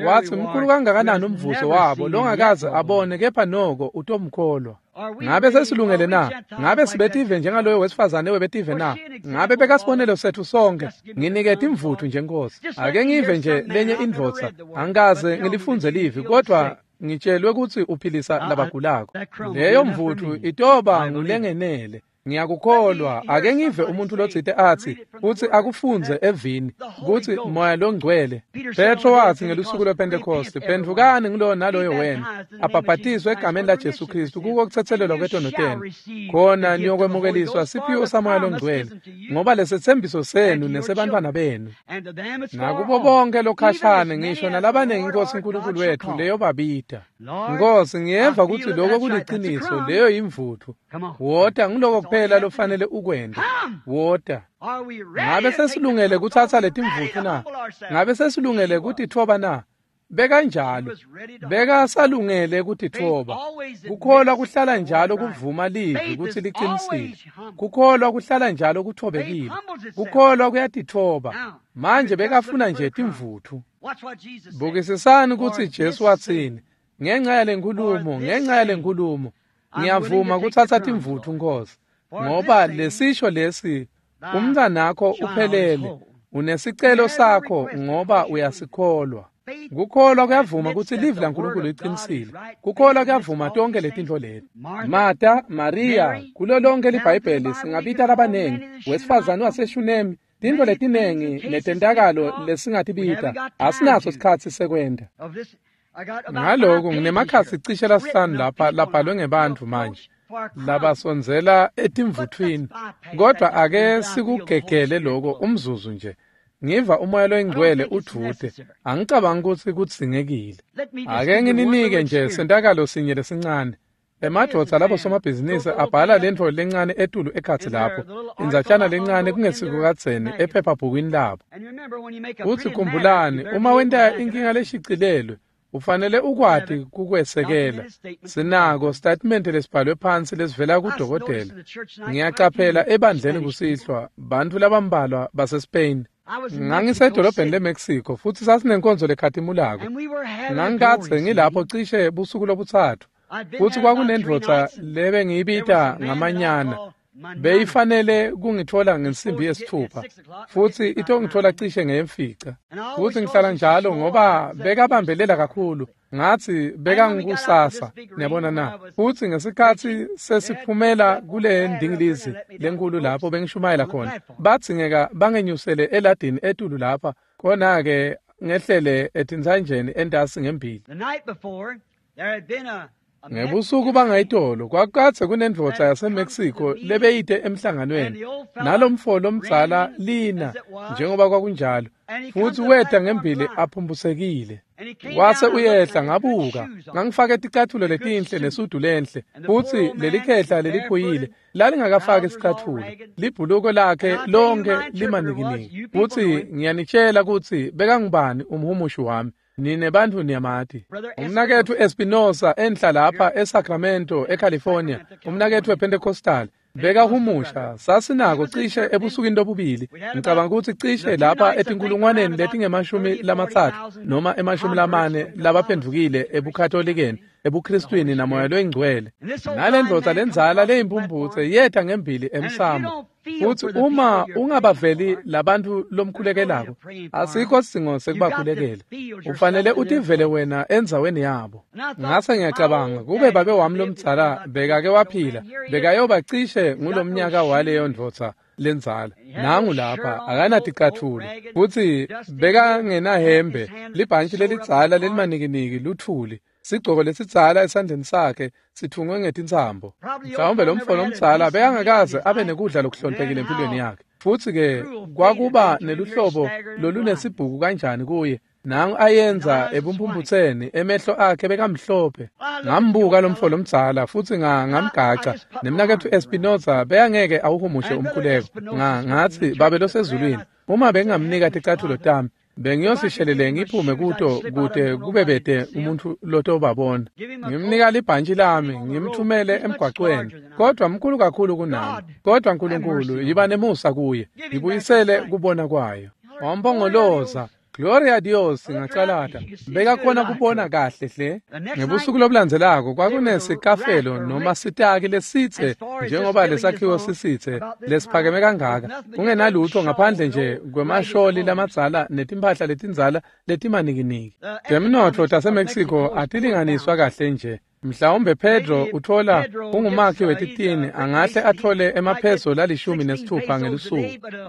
Watsi, mkhulu kangakanani umvuzo wabo longakaze abone, kepha noko utomkholwa. Ngabe sesilungele na? Ngabe sibetive njengaloyo wesifazane webetive na? Ngabe bekasibonelo setfu sonke? Nginike timvutfu nje Nkosi. Ake ngive nje lenye indvodza, angikaze ngilifundze livi, kodwa ngitshelwe kutsi uphilisa labagulako. Leyo mvutfu itoba ngulengenele. Ngiyakukholwa. Ake ngive umuntu lotsite atsi futsi akufundze evini kutsi Moya loNgcwele. Petro watsi ngelusuku lwePentecost, phendvukani ngulowo naloyo wena, abhabhatiswe egameni laJesu Kristu kuko kutsetselelwa kwetono tenu, khona niyokwemukeliswa siphiwo saMoya loNgcwele, ngoba lesetsembiso senu nesebantfwana benu nakubo bonke lokhashane, ngisho nalabanengi Inkosi uNkulunkulu wethu leyo babita. Nkosi, ngiyeva kutsi lokho kuliciniso, leyo yimvutfu. Wota, ngiloko kuphela lofanele ukwente. Wota. Ngabe sesilungele kutsatsa letimvutfu na? Ngabe sesilungele kutitfoba na? Bekanjalo. Bekasalungele kutitfoba. Kukholwa kuhlala njalo kuvuma livi kutsi liqinisile. Kukholwa kuhlala njalo kuthobekile. Kukholwa kuyatitfoba. Manje bekafuna nje timvutfu. Bukisisani kutsi Jesu watsini. Ngenxa yalenkulumo, ngenxa yalenkulumo, ngiyavuma kutsatsa timvutfu Nkosi, ngoba lesisho lesi, umntwanakho uphelele, unesicelo sakho ngoba uyasikholwa. Kukholwa kuyavuma kutsi livi laNkulunkulu liqinisile. Kukholwa kuyavuma tonke letintfo leti. Marta, Maria, kulo lonke liBhayibheli singabita labanengi, wesifazane waseShunemi, tintfo letinengi netentakalo lesingatibita, asinaso sikhatsi sekwenta. Ngaloko nginemakhasi cishe lasihlanu lapha labhalwe ngebantfu manje labasondzela etimvuthwini, kodwa ake sikugegele lokho umzuzu nje. Ngiva uMoya loNgcwele udvute, angicabangi kutsi kudzingekile. Ake ngininike nje sentakalo sinye lesincane. Emadvodza labo somabhizinisi abhala lentfo lencane etulu ekhatsi lapho, indzatshana lencane kungesiko kadzeni ephephabhukwini labo. Futsi khumbulani, uma wenta inkinga leshicilelwe, ufanele ukwati kukwesekela. Sinako statement lesibhalwe phansi lesivela kudokotela. Ngiyaqaphela ebandleni kusihlwa bantfu labambalwa baseSpain. Ngangisedolobheni leMexico futsi sasinenkonzo lekhatimulako. Ngangikadze ngilapho cishe busuku lobutsatfu. Futsi kwakunendvodza lebengiyibita ngamanyana. Beyifanele kungitfola ngensimbi yesitfupha futsi itongitfola cishe ngeyemfica. Futsi ngihlala njalo ngoba bekabambelela kakhulu. Ngatsi bekangikusasa, niyabona na. Futsi ngesikhatsi sesiphumela kule ndingilizi lenkulu lapho bengishumayela khona, badzingeka bangenyusele eladini etulu lapha, khona-ke ngehlele etintsanjeni entasi ngembili. Ngebusuku bangayitolo kwakukadze kunendvodza yaseMexico lebeyite emhlanganweni nalomfo lomdzala lina njengoba kwakunjalo, futsi weta ngembili aphumbusekile. Wase uyehla ngabuka, ngangifake ticatfulo letinhle nesudu lenhle, futsi lelikhehla leliphuyile lalingakafaki sicatfulo, libhuluko lakhe lonke limanikiniki. Futsi ngiyanitshela kutsi bekangubani umhumushi wami. Nine bantfu niyamati. Umnaketfu Espinosa enhla lapha eSacramento eCalifornia, umnaketfu wePentecostal, bekahumusha. Sasinako cishe ebusukwini lobubili, ngicabanga ukuthi cishe lapha etinkulungwaneni letingemashumi lamatsatfu noma emashumi lamane labaphendvukile ebuKatholikeni, ebuKristwini namoya loyingcwele. Nalendvodza lendzala leyimphumphutse yeta ngembili emsamo. Futsi uma ungabaveli labantfu lomkhulekelako, asikho sidzingo sekubakhulekela. Ufanele utivele wena endzaweni yabo. Ngase ngiyacabanga kube babe wami lomdzala bekake waphila, bekayoba cishe ngulomnyaka waleyo ndvodza lendzala. Nangu lapha akanaticatfulo, futsi bekangenahembe, libhantshi lelidzala lelimanikiniki luthuli, sigcoko lesidzala esandleni sakhe sithungwe ngetintsambo. Mhlawumbe lomfo lomdzala bekangakaze abe nekudla lokuhloniphekile empilweni yakhe. Futsi-ke kwakuba neluhlobo lolunesibhuku kanjani kuye. Nangu ayenza ebumphumphutseni, emehlo akhe bekamhlophe. Ngambuka lomfo lomdzala futsi ngamgaca. Nemnaketfu Espinosa bekangeke awuhumushe umkhuleko. Ngatsi, Babe losezulwini, uma bengingamnika ticatfulo tami, bengiyosishelele ngiphume kuto kute kube bete umuntfu lotobabona. Ngimnika libhantshi lami, ngimthumele emgwacweni, kodwa mkhulu kakhulu kunami. Kodwa Nkulunkulu, yiba nemusa kuye, ngibuyisele kubona kwayo. Wampongoloza, Gloria Dios, ngacalata. Bekakhona kubona kahle hle. Ngebusuku lobulandzelako kwakunesikafelo noma sitaki lesitse njengoba lesakhiwo sisitse lesiphakeme kangaka, kungenalutho ngaphandle nje kwemasholi lamadzala netimphahla letindzala letimanikiniki. Temnotfo taseMexico atilinganiswa kahle nje. Mhlawumbe Pedro utfola ungumakhi wetitini angahle atfole emapheso lalishumi nesitfupha ngelusuku,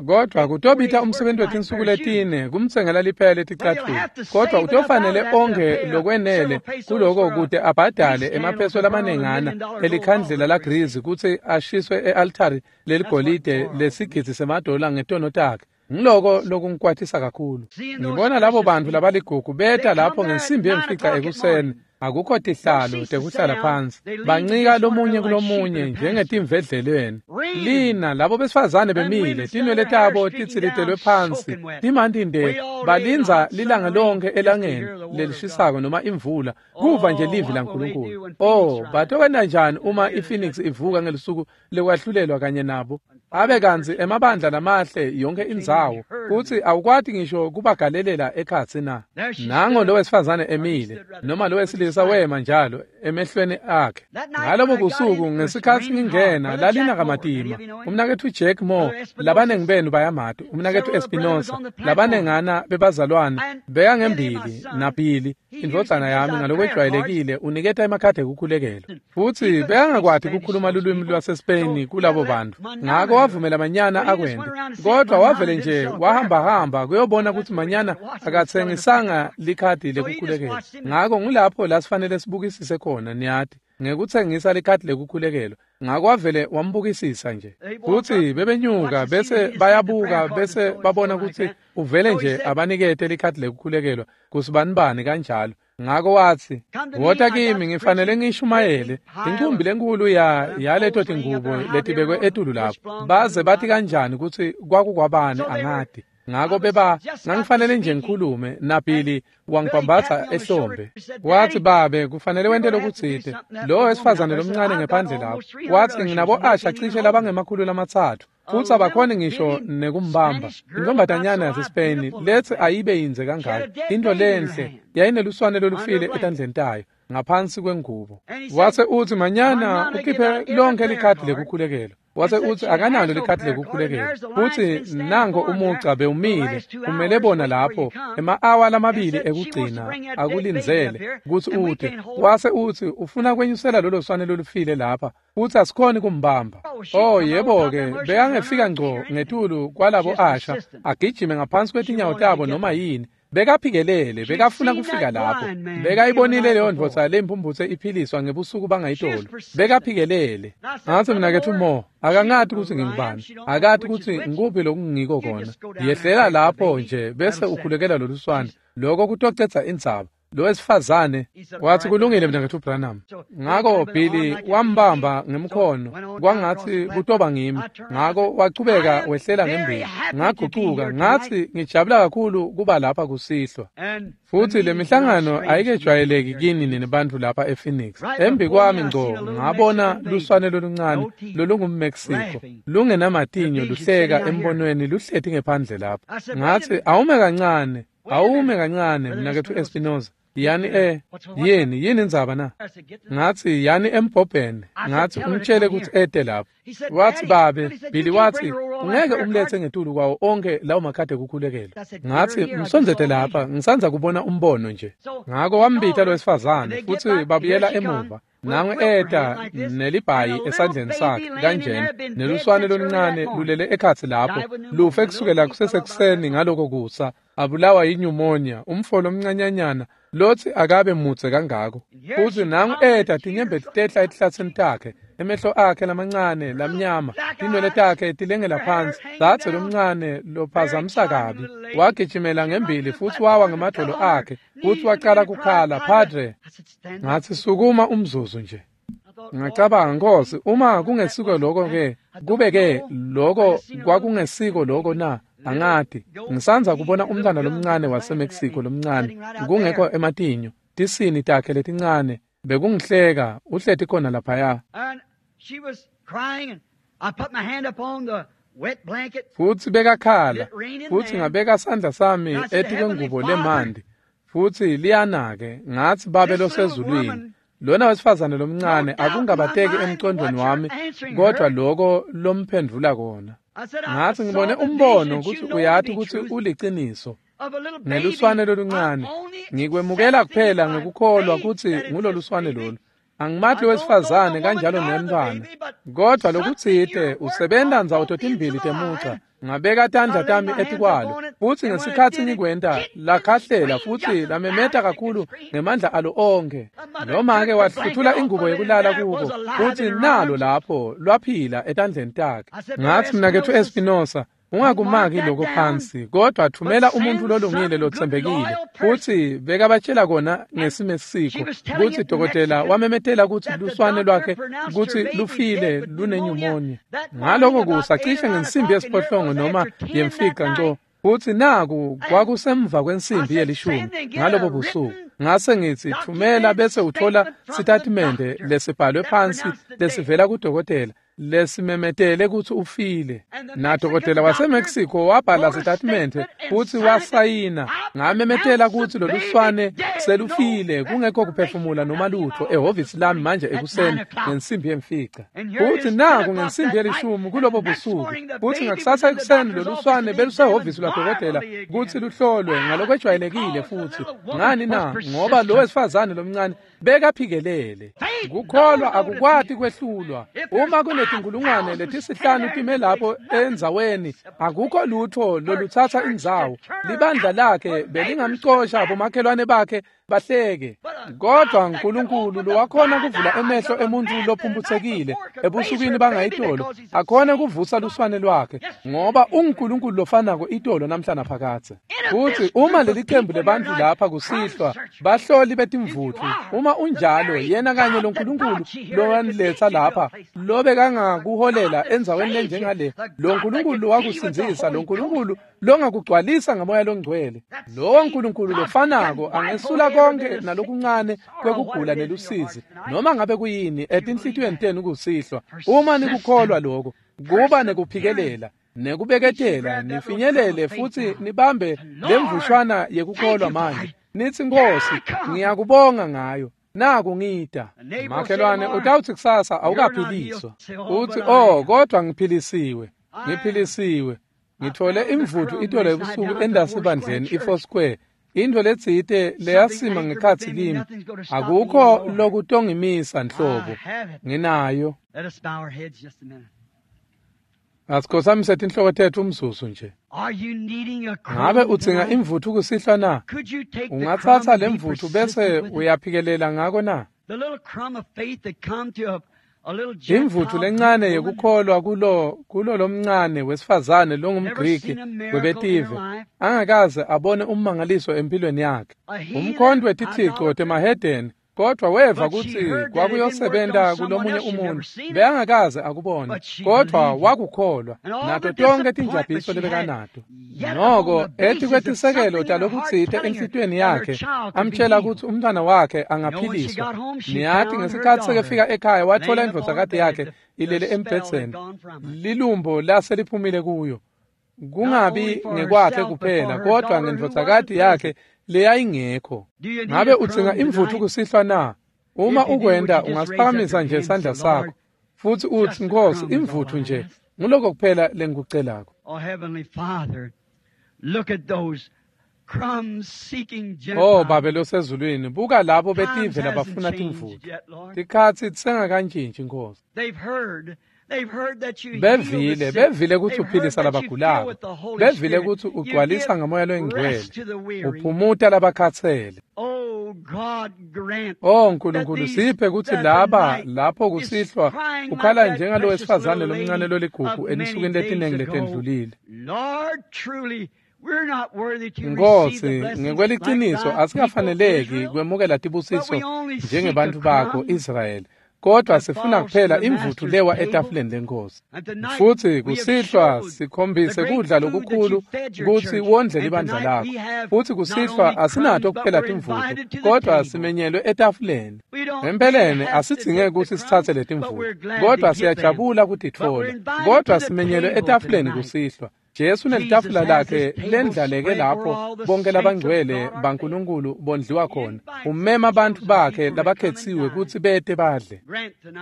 kodvwa kutobita umsebenzi wetinsuku letine kumtsengela liphela leticatfulo. Kodvwa utofanele onke lokwenele kuloko kute abhadale emapheso lamanengana elikhandlela lagrizi kutsi ashiswe e-altari leligolide lesigidzi semadola ngetono takhe. Ngiloko lokungikwatisa kakhulu. Ngibona labo bantfu labaligugu beta lapho ngensimbi yemfica ekuseni. Akukho tihlalo tekuhlala phansi, bancika lomunye kulomunye njengetimvedlelweni. Lina labo besifazane bemile, tinwele tabo titsilitelwe phansi, timanti nde, balindza lilanga lonke elangeni lelishisako noma imvula, kuva nje livi laNkulunkulu. Oh, batokwenta njani uma iPhoenix ivuka ngelusuku lekwahlulelwa kanye nabo? Abe kantsi emabandla lamahle yonke indzawo, kutsi awukwati ngisho kubagalelela ekhatsi na. Nango lo wesifazane emile, noma lo wesilisa wema njalo emehlweni akhe. Ngalobo busuku ngesikhatsi ngingena lalina kamatima. Umnaketfu Jack Moore, labanengi benu bayamati, umnaketfu Espinosa, labanengana bebazalwane bekangembili naBilly, indvodzana yami ngalokwejwayelekile uniketa emakhadi ekukhulekela. Futsi bekangakwati kukhuluma lulwimi lwaseSpain kulabo bantfu. Ngako wavumela Manyana akwente, kodvwa wavele nje wahambahamba kuyobona kutsi Manyana akatsengisanga likhadi lekukhulekelwa. Ngako ngulapho la sifanele sibukisise khona, niyati, ngekutsengisa likhadi lekukhulekelwa. Ngako wavele wambukisisa nje. Futsi bebenyuka bese bayabuka bese babona kutsi uvele nje abanikete likhadi lekukhulekelwa kusibanibani kanjalo. Ngako watsi, wota kimi ngifanele ngishumayele inkumbi lenkulu ya yaleto tingubo letibekwe etulu lapho. Baze bathi kanjani kutsi kwakukwabani angati. Ngako beba ngangifanele nje ngikhulume naBilly wangibambatsa ehlombe. Watsi, babe kufanele wente lokutsite. Lo wesifazane lomncane ngephandle lapho. Watsi, nginabo asha cishe labangemakhulu lamatsatfu, futsi abakhoni ngisho nekumbamba. Intombatanyana yaseSpain letsi ayibe yindze kangaka, into lenhle yayineluswane lolufile etandleni tayo ngaphansi kwengubo. Wase utsi, Manyana ukhiphe lonke likhadi lekukhulekelwa. Wase utsi akanalo likhadi lekukhulekela. Futsi nango umugca bewumile umele bona lapho ema-awa lamabili ekugcina akulindzele kutsi ute. Wase utsi ufuna kwenyusela lolo swane lolufile lapha futsi asikhoni kumbamba. Oh yebo-ke, bekangefika ngco ngetulu kwalabo asha agijime ngaphansi kwetinyawo tabo noma yini. Bekaphikelele, bekafuna kufika lapho. Bekayibonile leyo ndvodza lempumphutse iphiliswa ngebusuku bangayitolo. Bekaphikelele. Ngatsi mnaketfu Mo, akangati kutsi ngingubani, akati kutsi ngikuphi lokungiko kona. Yehlela lapho nje bese ukhulekela loluswane. Lokho kutocedza indzaba. Lo wesifazane wathi kulungile mnaketfu Branham. Ngako Billy wambamba ngemkhono kwangatsi kutoba ngimi. Ngako wachubeka wehlela ngembili. Ngagucuka ngathi ngijabula kakhulu kuba lapha kusihlwa. Futhi le mihlangano ayikejwayeleki kini nini bantfu lapha ePhoenix. Embi kwami ngco ngabona luswane loluncane lolungumMexico lungenamatinyo luhleka embonweni luhleti ngephandle lapha. Ngathi awume kancane, awume kancane mnaketfu Espinoza. Yani eh yini yini indzaba na? Ngathi yani embhobheni. Ngathi umtshele kutsi ete lapho. Wathi babe, Billy wathi ungeke umlethe ngetulu kwawo onke lawo makhadi ekukhulekela. Ngathi msondzete lapha, ngisandza kubona umbono nje. Ngako wambita lo wesifazane futsi babuyela emuva. Nangu eta nelibhayi esandleni sakhe kanjena neluswane loluncane lulele ekhatsi lapho lufe kusukela kusesekuseni ngaloko kusa abulawa yinyumonia umfo lomncanyanyana lotsi akabe mudze kangako. Futsi nangu eta tinyembeti tehla etihlatsini takhe, emehlo akhe lamancane lamnyama, tinwele takhe tilengela phansi. Dzadze lomncane lophazamisa kabi wagijimela ngembili futsi wawa ngemadvolo akhe futsi wacala kukhala, Padre. Ngathi sukuma umzuzu nje. Ngacabanga, Nkosi, uma kungesiko lokho ke kube ke lokho kwakungesiko lokho na? Angati. Ngisandza kubona umntwana lomncane waseMexico lomncane kungekho ematinyo, tisini takhe letincane bekungihleka uhleti khona laphaya. Futsi bekakhala futsi ngabeka sandla sami etikwengubo lemandi futsi liyana-ke. Ngathi babe losezulwini, lona wesifazane lomncane akungabateki emcondweni wami kodwa lokho lomphendvula kona. Ngathi ngibone umbono kutsi uyati kutsi uliciniso ngeluswane loluncane. Ngikwemukela kuphela ngekukholwa kutsi nguloluswane lolu. Angimati wesifazane kanjalo nemntfwana, kodwa lokutsite usebenta ndzawo totimbili temuca. Ngabeka tandla tami etikwalo futsi ngesikhatsi ngikwenta lakhahlela futsi lamemeta kakhulu ngemandla alo onkhe. Noma-ke wahluthula ingubo yekulala kuko futsi nalo lapho lwaphila etandleni takhe. Ngathi mnaketfu Espinosa, ungakumaki lokho phansi, kodwa thumela umuntu lolungile lotsembekile. Futsi bekabatshela kona ngesimesiko kutsi dokotela wamemetela kutsi luswane lwakhe kutsi lufile lunenyumonia. Ngaloko kusa cishe ngensimbi yesiphohlongo noma yemfica ngco, futsi naku kwakusemva kwensimbi yelishumi ngalobo busuku. Ngase ngitsi thumela bese uthola sitatimende lesibhalwe phansi lesivela kudokotela lesimemetele kutsi ufile. Nadokotela waseMexico wabhala sitatimende futsi wasayina. Ngamemetela kutsi loluswane selufile kungekho kuphefumula noma lutho ehhovisi lami manje ekuseni ngensimbi yemfica. Futsi naku ngensimbi yelishumi kulobo busuku. Futsi ngakusasa ekuseni loluswane belusehhovisi lwadokotela kutsi luhlolwe ngalokwejwayelekile futsi. Ngani na? Ngoba lo wesifazane lomncane bekaphikelele. Kukholwa akukwati kwehlulwa. Uma kunetinkulungwane letisihlanu time lapho endzaweni, akukho lutho lolutsatsa indzawo. Libandla lakhe belingamcosha bomakhelwane bakhe bahleke. Kodwa uNkulunkulu lowakhona kuvula emehlo emuntu lophumphutsekile ebusukwini bangayitolo, akhona kuvusa luswane lwakhe, ngoba unguNkulunkulu lofanako itolo namhla naphakadze. Futsi uma leli qembu lebantfu lapha kusihlwa bahloli betimvutfu, uma unjalo yena kanye loNkulunkulu lowaniletsa lapha lobekangakuholela endzaweni lenjengale, lo Nkulunkulu lowakusindzisa, lo Nkulunkulu longakugcwalisa ngamoya longcwele, lowo Nkulunkulu lofanako angesula konke nalokuncane kwekugula nelusizi noma ngabe kuyini etinhlitiyweni tenu kusihlwa. Uma nikukholwa lokho, kuba nekuphikelela nekubeketela, nifinyelele futsi nibambe lemvushwana yekukholwa manje. Nithi Nkosi, ngiyakubonga ngayo. Naku ngida. Makhelwane utawuthi kusasa awukaphiliswa. Uthi oh kodwa ngiphilisiwe. Ngiphilisiwe. Ngithole imvuthu itolo ebusuku endasibandleni i-Four Square. Into letsite leyasima ngekhatsi kimi. Akukho lokutongimisa nhlobo. Nginayo. Asikhothamise tinhloko tetfu umzuzu nje. Ngabe udzinga imvuthu kusihlwa na? Ungatsatsa lemvuthu bese uyaphikelela ngako na? Imvuthu lencane yekukholwa kulo kulo lomncane wesifazane longumGriki webetive angakaze abone ummangaliso empilweni yakhe. Umkhonto wetithixo temahedeni kodwa weva kutsi kwakuyosebenta kulomunye umuntu bekangakaze akubone kodwa wakukholwa nato tonke tinjabiso lebekanato. Noko ethi kwetisekelo talokutsite enhlitiyweni yakhe amtshela kutsi umntwana wakhe angaphiliswa. Niyati ngesikhatsi sekefika ekhaya wathola indvodzakati yakhe ilele embhedzeni lilumbo lase liphumile kuyo. Kungabi ngekwakhe kuphela kodwa ngendvodzakati yakhe leyayingekho. Ngabe udzinga imvuthu kusihlwa na? Uma ukwenta ungasiphakamisa nje isandla sakho futhi uthi Nkosi imvuthu nje nguloko kuphela lengikucelako. Oh Babe losezulwini buka labo betive labafuna timvuthu. Tikhatsi tisengakantshintshi Nkosi. Bevile bevile kutsi uphilisa labagulako. Bevile kutsi ugcwalisa ngamoya loyingcwele. Uphumuta labakhatsele. Oh Nkulunkulu siphe kutsi laba lapho kusihlwa ukhala njengalo wesifazane lomncane loligugu ensukwini letinengi letendlulile. Nkosi ngekweliciniso asikafaneleki kwemukela tibusiso njengebantfu bakho Israyeli. Kodwa sifuna kuphela imvuthu lewa etafuleni lenkosi. Futhi kusihlwa sikhombise kudla lokukhulu kutsi wondle libandla lakho. Futhi kusihlwa asinato kuphela timvuthu kodwa simenyelwe etafuleni. Empeleni asidzingeki kutsi sitsatse letimvuthu kodwa siyajabula kutitfola. Kodwa simenyelwe etafuleni kusihlwa. Jesu nelitafula lakhe lendlaleke lapho bonke labangcwele baNkulunkulu bondliwa khona. Umema bantfu bakhe labakhetsiwe kutsi bete badle.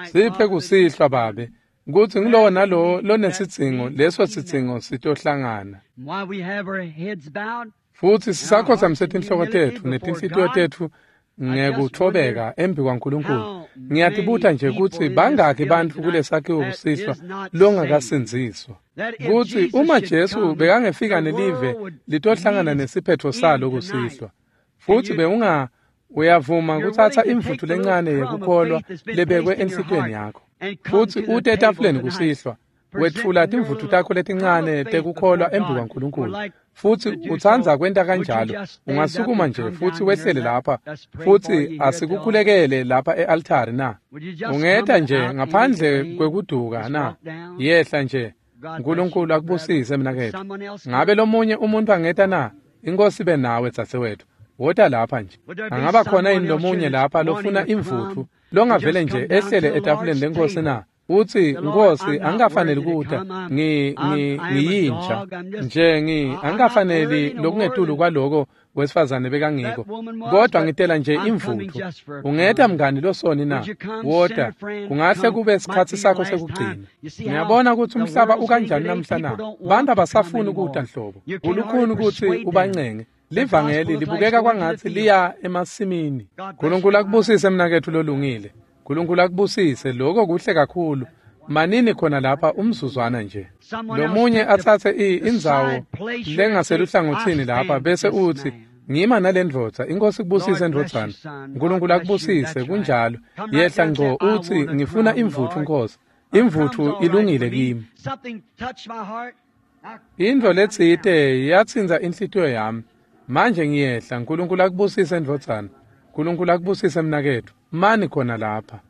Siphe kusihlwa Babe kutsi ngilowo nalowo lonesidzingo leso sidzingo sitohlangana. Futhi sisakhothamise tinhloko tetfu netinhlitiyo tetfu ngekuthobeka embi kwaNkulunkulu. Ngiyatibuta nje kutsi bangaki bantfu kulesakhiwo kusihlwa longakasindziswa. Kutsi uma Jesu bekangefika nelive litohlangana nesiphetho salo kusihlwa. Futhi bewunga uyavuma kutsatsa imvuthu lencane yekukholwa lebekwe enhlitiyweni yakho. Futhi ute etafuleni kusihlwa wetfula timvuthu takho letincane tekukholwa embi kwaNkulunkulu. Futhi utsandza kwenta kanjalo ungasukuma nje futhi wehlele lapha futhi asikukhulekele lapha e-altari na? Ungeta nje ngaphandle kwekuduka na? Yehla nje. Nkulunkulu akubusise mnaketfu. Ngabe lomunye umuntu angeta na? Inkosi ibe nawe dzadzewethu. Wota lapha nje. Angaba khona yini lomunye lapha lofuna imvuthu longavele nje ehlele etafuleni lenkosi na? Uthi Nkosi angikafaneli kuta ngi ngi ngiyinja nje ngi angikafaneli lokungetulu kwaloko wesifazane bekangiko kodwa ngitela nje imvuthu. Ungeta mngani losoni na? Wota kungahle kube sikhatsi sakho sekugcina. Ngiyabona ukuthi umhlaba ukanjani namhla na. Bantu abasafuni ukuta nhlobo. Kulukhuni ukuthi ubancenge. Livangeli libukeka kwangatsi liya emasimini. Nkulunkulu akubusise mnaketfu lolungile. Nkulunkulu akubusise lokho kuhle kakhulu. Manini khona lapha umzuzwana nje. Lomunye atsatse indzawo lengaseluhlangotsini lapha bese uthi ngima nalendvodza. Inkosi kubusise ndvodzana. Nkulunkulu akubusise kunjalo. Yehla ngco uthi ngifuna imvuthu Nkosi. Imvuthu ilungile kimi. Intfo letsite yatsintsa inhlitiyo yami. Manje ngiyehla. Nkulunkulu akubusise ndvodzana. Nkulunkulu akubusise mnaketfu. Mani khona lapha.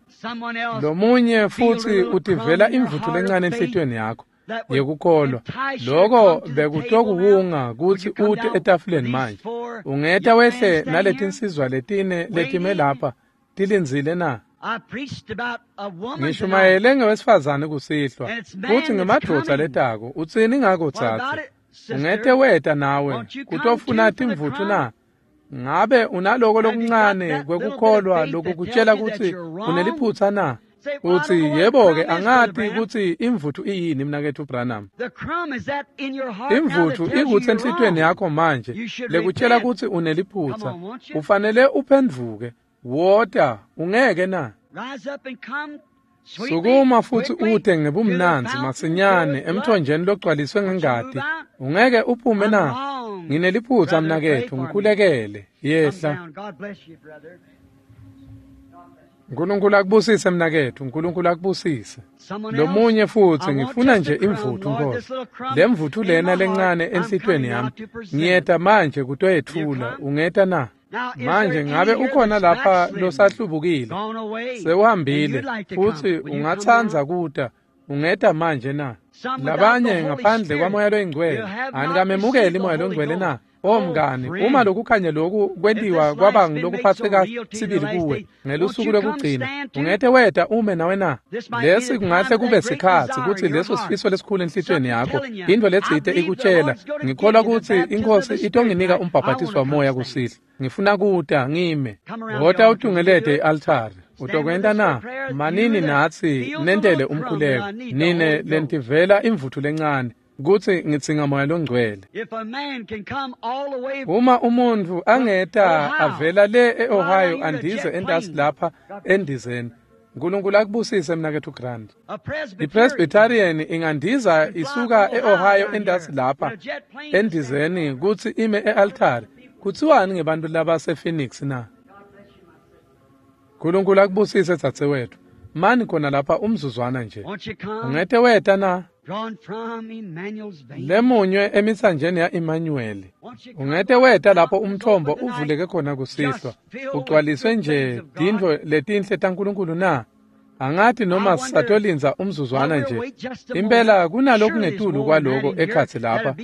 Lomunye futhi utivela imvuthu lencane enhlitiyweni yakho yekukholwa. Loko bekutokuwunga kutsi ute etafuleni manje. Ungeta wehle naletinsizwa letine letime lapha tilindzile na? Ngishumayele ngewesifazane kusihlwa kutsi ngemadvodza letako. Utsini ngako dzadze? Ungete weta nawe kutofuna timvuthu na? Ngabe unaloko lokuncane kwekukholwa lokukutshela kutsi uneliphutsa na? Utsi yebo-ke angati kutsi imvuthu iyini mnaketfu Branham. Imvuthu ikutsi enhlitiyweni yakho manje lekutshela kutsi uneliphutsa. Ufanele uphendvuke. Wota, ungeke na? Sukuma futsi ute ngebumnandzi masinyane emthonjeni logcwaliswe ngengati. Ungeke uphume na? Ngineliphutsa mnaketfu, ngikhulekele. Yehla. Nkulunkulu akubusise mnaketfu, Nkulunkulu akubusise. Lomunye futsi ngifuna nje imvuthu Nkosi. Lemvuthu lena lencane enhlitiyweni yami. Ngiyeta manje kutoyetfula, ungeta na? Manje ngabe ukhona lapha losahlubukile, sewuhambile futsi ungatsandza kuta, ungeta manje na? Labanye ngaphandle kwaMoya loyiNgcwele, anikamemukeli Moya loyiNgcwele na? O mngani, uma lokukhanya loku kwentiwa kwaba ngulokuphatseka sibili kuwe ngelusuku lokugcina, ungete weta ume nawe na? Lesi kungahle kube sikhatsi kutsi leso sifiso lesikhulu enhlitiyweni yakho, intfo letsite ikutshela, ngikholwa kutsi iNkhosi itonginika umbhabhatiso wamoya kusihlwa. Ngifuna kuta ngime. Wota utungelete i-altari. Utokwenta na? Manini natsi nentele umkhuleko. Nine lentivela imvuthu lencane kutsi ngidzinga Moya loNgcwele. Uma umuntfu angeta avela le e-Ohio andize entasi lapha endizeni, Nkulunkulu akubusise mnaketfu Grant. I-Presbyterian ingandiza isuka e-Ohio entasi lapha endizeni kutsi ime e-altari. Kutsiwani ngebantfu labase-Phoenix na? Nkulunkulu akubusise dzadzewetfu. Mani khona lapha umzuzwana nje. Ungete weta na? Lemunywe emitsanjeni ya-Emmanuel. Ungete weta lapho umthombo uvuleke khona kusihlwa. Ugcwaliswe nje tintfo letinhle taNkulunkulu na? Angati noma sisatolindza umzuzwana nje. Impela kunalokungetulu kwaloko ekhatsi lapha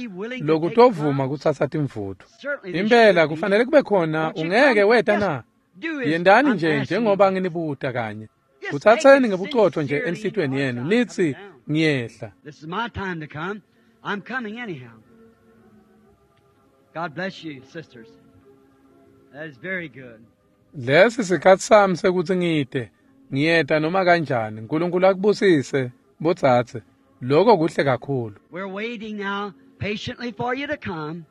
lokutovuma kutsatsa timvuthu. Impela kufanele kube khona, ungeke weta na? Yendani nje njengoba nginibuta kanye. Kutsatseni ngebucotfo nje enhlitiyweni yenu nitsi ngiyehla. This is my time to come. I'm coming anyhow. God bless you, sisters. That is very good. Lesi sikhatsi sami sekutsi ngite. Ngiyeta noma kanjani. Nkulunkulu akubusise botsatse. Lokho kuhle kakhulu. We're waiting now patiently for you to come.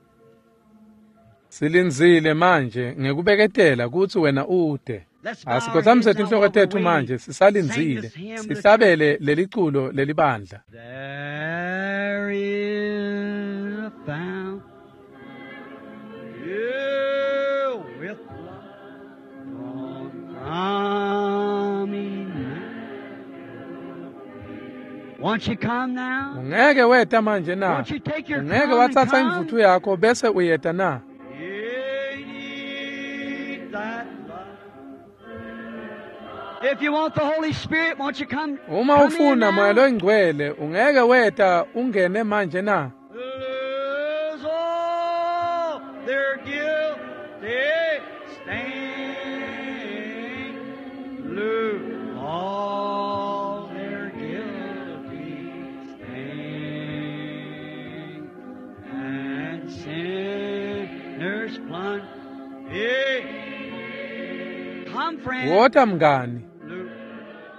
Silindzile manje ngekubeketela kutsi wena ude. Asikhothamise tinhloko tetfu manje sisalindzile. Sihlabele leliculo lelibandla. There is a fountain with love drawn from Emmanuel. Won't you come now? Ungeke weta manje na? Won't you take your Ungeke crown and watsatsa come? imvuthu yakho bese uyeta na? You need that love. If you want the Holy Spirit, won't you come? Uma come in ufuna Moya now? loyiNgcwele, ungeke weta ungene manje na? Lose all their guilty stain. Lose all their guilty stain. And sinners plunge. Hey. Come, friend. Wota mngani. Luke.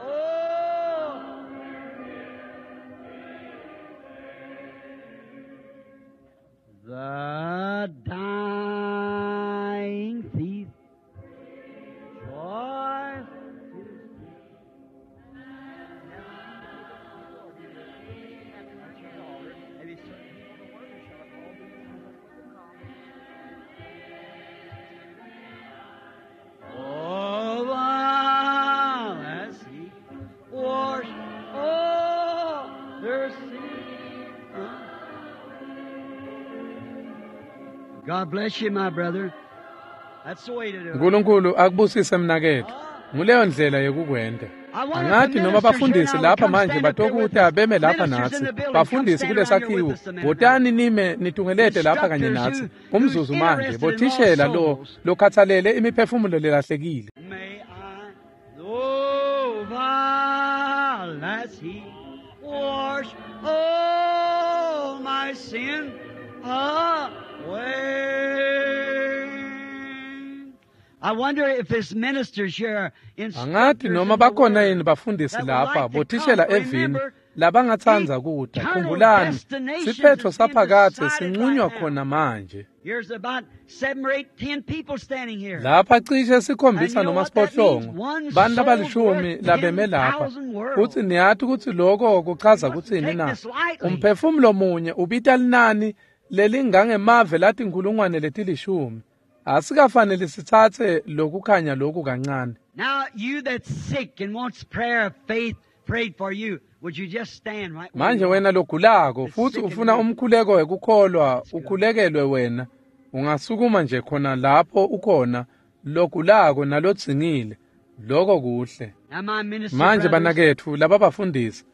Oh. The dying thief. Joy. Oh, while as he washed all their sin. God bless you, my brother. That's the way to do it. Nkulunkulu akubusise mnaketfu. Nguleyo ndlela yekukwenta. I wonder if Angati the noma ministers here bafundisi now would lapha come manje stand up here with batokuta us. beme lapha Ministers in natsi. the building, come Bafundisi stand around here kulesakhiwo, with us a minute. botani nime nitungelete lapha kanye Instructors natsi. who, who's Umzuzu manje, interested in lost bothishela lo souls. lokhathalele imiphefumulo lelahlekile. May I know while as he wash all my sin away. Angati noma bakhona yini bafundisi lapha bothishela evini labangatsandza kuta. Khumbulani, siphetho saphakadze sinqunywa khona manje. Lapha cishe sikhombisa noma siphohlongo bantfu labalishumi labeme lapha, futsi niyati kutsi loko kuchaza kutsini na? Umphefumulo munye ubita linani lelingangemave latinkhulungwane letilishumi. Asikafanele sitsatse lokukhanya loku kancane. Manje wena logulako futhi ufuna umkhuleko wekukholwa ukhulekelwe wena, ungasukuma nje khona lapho ukhona logulako nalodzingile. Lokho kuhle. Manje banaketfu laba bafundisi,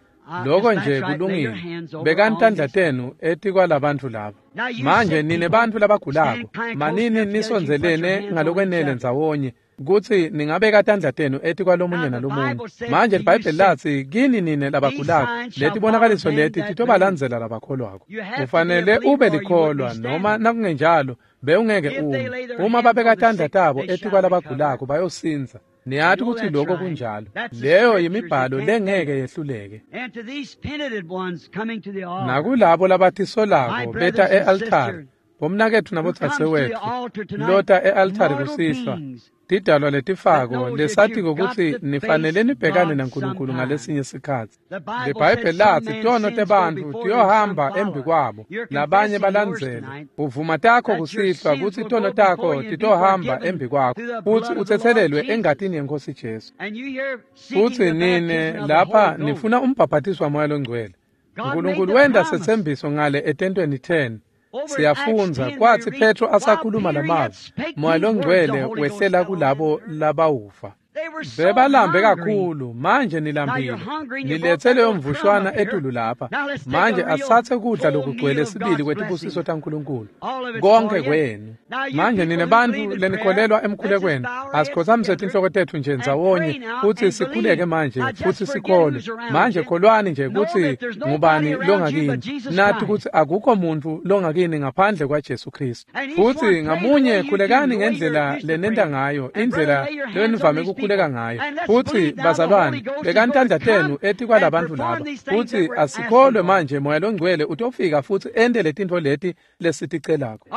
lokho nje kulungile. Bekani tandla tenu etikwalabantfu laba. Manje nine bantfu labagulako, manini nisondzelene ngalokwenele ndzawonye kutsi ningabeka tandla tenu etikwalomunye nalomunye. Manje liBhayibheli latsi kini nine labagulako, letibonakaliso leti titobalandzela labakholwako. Ufanele ube likholwa, noma nakungenjalo bewungeke ume. Uma babeka tandla tabo etikwalabagulako bayosindza. Niyati kutsi lokho kunjalo. Leyo yimibhalo lengeke yehluleke. Nakulabo labatisolako beta e-altari, bomnaketfu nabodzadzewetfu lota e-altari kusihlwa, tidalwa letifako lesatiko kutsi nifanele nibhekane naNkulunkulu ngalesinye sikhatsi. LiBhayibheli latsi tono tebantfu tiyohamba embi kwabo, labanye balandzele. Uvuma takho kusihlwa kutsi tono takho titohamba embi kwakho, futsi utsetselelwe engatini yeNkhosi Jesu. Futsi nine lapha nifuna umbhaphatiswa waMoya loNgcwele. Nkulunkulu wenta setsembiso ngale etentweni ten. Siyafundza kwatsi Petro asakhuluma lamavi, Moya loNgcwele wehlela kulabo labawuva. Bebalambe kakhulu, manje nilambile. Niletse leyo mvushwana etulu lapha. Manje asathe kudla lokugcwele sibili kwetibusiso taNkulunkulu. Konke kwenu. Manje nine bantfu lenikholelwa emkhulekweni, asikhotsamise tinhloko tetfu nje ndzawonye futsi sikhuleke manje futsi sikholwe. Manje kholwani nje kutsi ngubani longakini. Nati kutsi akukho muntfu longakini ngaphandle kwaJesu Kristu. Futsi ngamunye khulekani ngendlela lenenta ngayo, indlela lenivame kukhuleka ngayo. Futsi bazalwane, bekani tandla tenu etikwalabantfu laba. Futsi asikholwe manje Moya loNgcwele utofika futsi ente letintfo leti lesiticelako.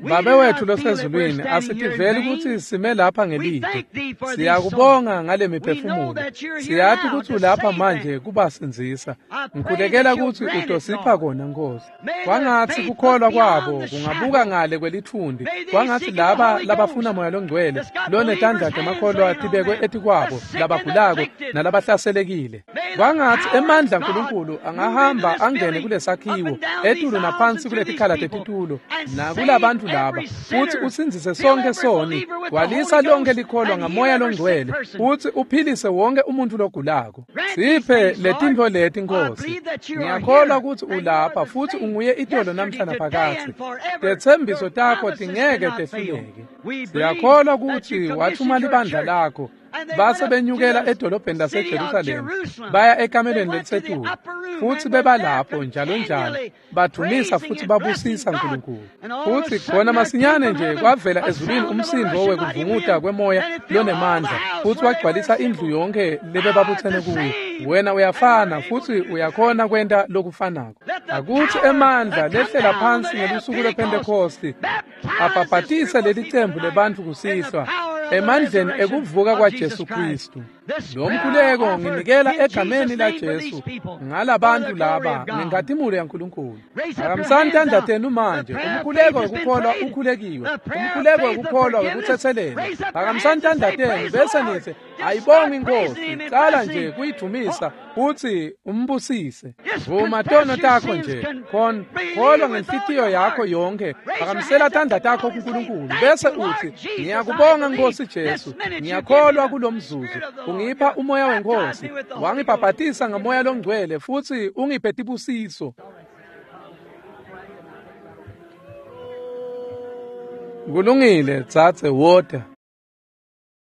Babe wethu losezulwini, asitiveli kutsi sime lapha ngelide. Siyakubonga ngale miphefumulo. Siyati kutsi ulapha manje kubasindzisa. Ngikhulekela kutsi utosipha kona, Nkosi. Kwangatsi kukholwa kwabo kungabuka ngale kwelitfundi. Kwangatsi laba labafuna Moya loNgcwele lonetandla temakholwa tibekwe etikwabo, labagulako nalabahlaselekile. Kwangatsi emandla aNkulunkulu angahamba angene kulesakhiwo, etulu naphansi kuletikhala tetitulo, nakulabantu laba, futsi usindzise sonke soni, gwalisa lonke likholwa ngaMoya loNgcwele, futsi uphilise wonke umuntfu logulako. Siphe letintfo leti, Nkosi. Ngiyakholwa kutsi ulapha futsi unguye itolo namhla naphakadze. Tetsembiso takho tingeke tehluleke. Siyakholwa kutsi wathuma libandla lakho, base benyukela edolobheni laseJerusalema, baya ekamelweni lelisetulu, futsi bebalapho njalo njalo, badumisa futsi babusisa Nkulunkulu. Futsi khona masinyane nje kwavela ezulwini umsindo wekuvunguta kwemoya lonemandla, futsi wagcwalisa indlu yonke lebebabutsene kuyo. Wena uyafana futsi uyakhona kwenta lokufanako. Akutsi emandla lehlela phansi ngelusuku lwePhentekhosti abhabhatise leli cembu lebantfu kusihlwa emandleni ekuvuka kwaJesu Kristu. Lo mkhuleko nginikela egameni laJesu ngalabantu laba ngenkhatimulo yaNkulunkulu. Phakamisani tandla tenu manje. Umkhuleko wekukholwa ukhulekiwe. Umkhuleko wekukholwa wekutsetselelwa. Phakamisani tandla tenu bese nitsi ayibonge iNkosi. Cala nje kuyidumisa futsi umbusise. Vuma tono takho nje. Khona kholwa ngenhlitiyo yakho yonke. Phakamisela tandla takho kuNkulunkulu bese utsi ngiyakubonga Nkosi Jesu. Ngiyakholwa kulomzuzu. Ungipha umoya weNkosi, wangibhabhatisa ngaMoya loNgcwele futsi ungiphe tibusiso. Kulungile, dzadze, wota.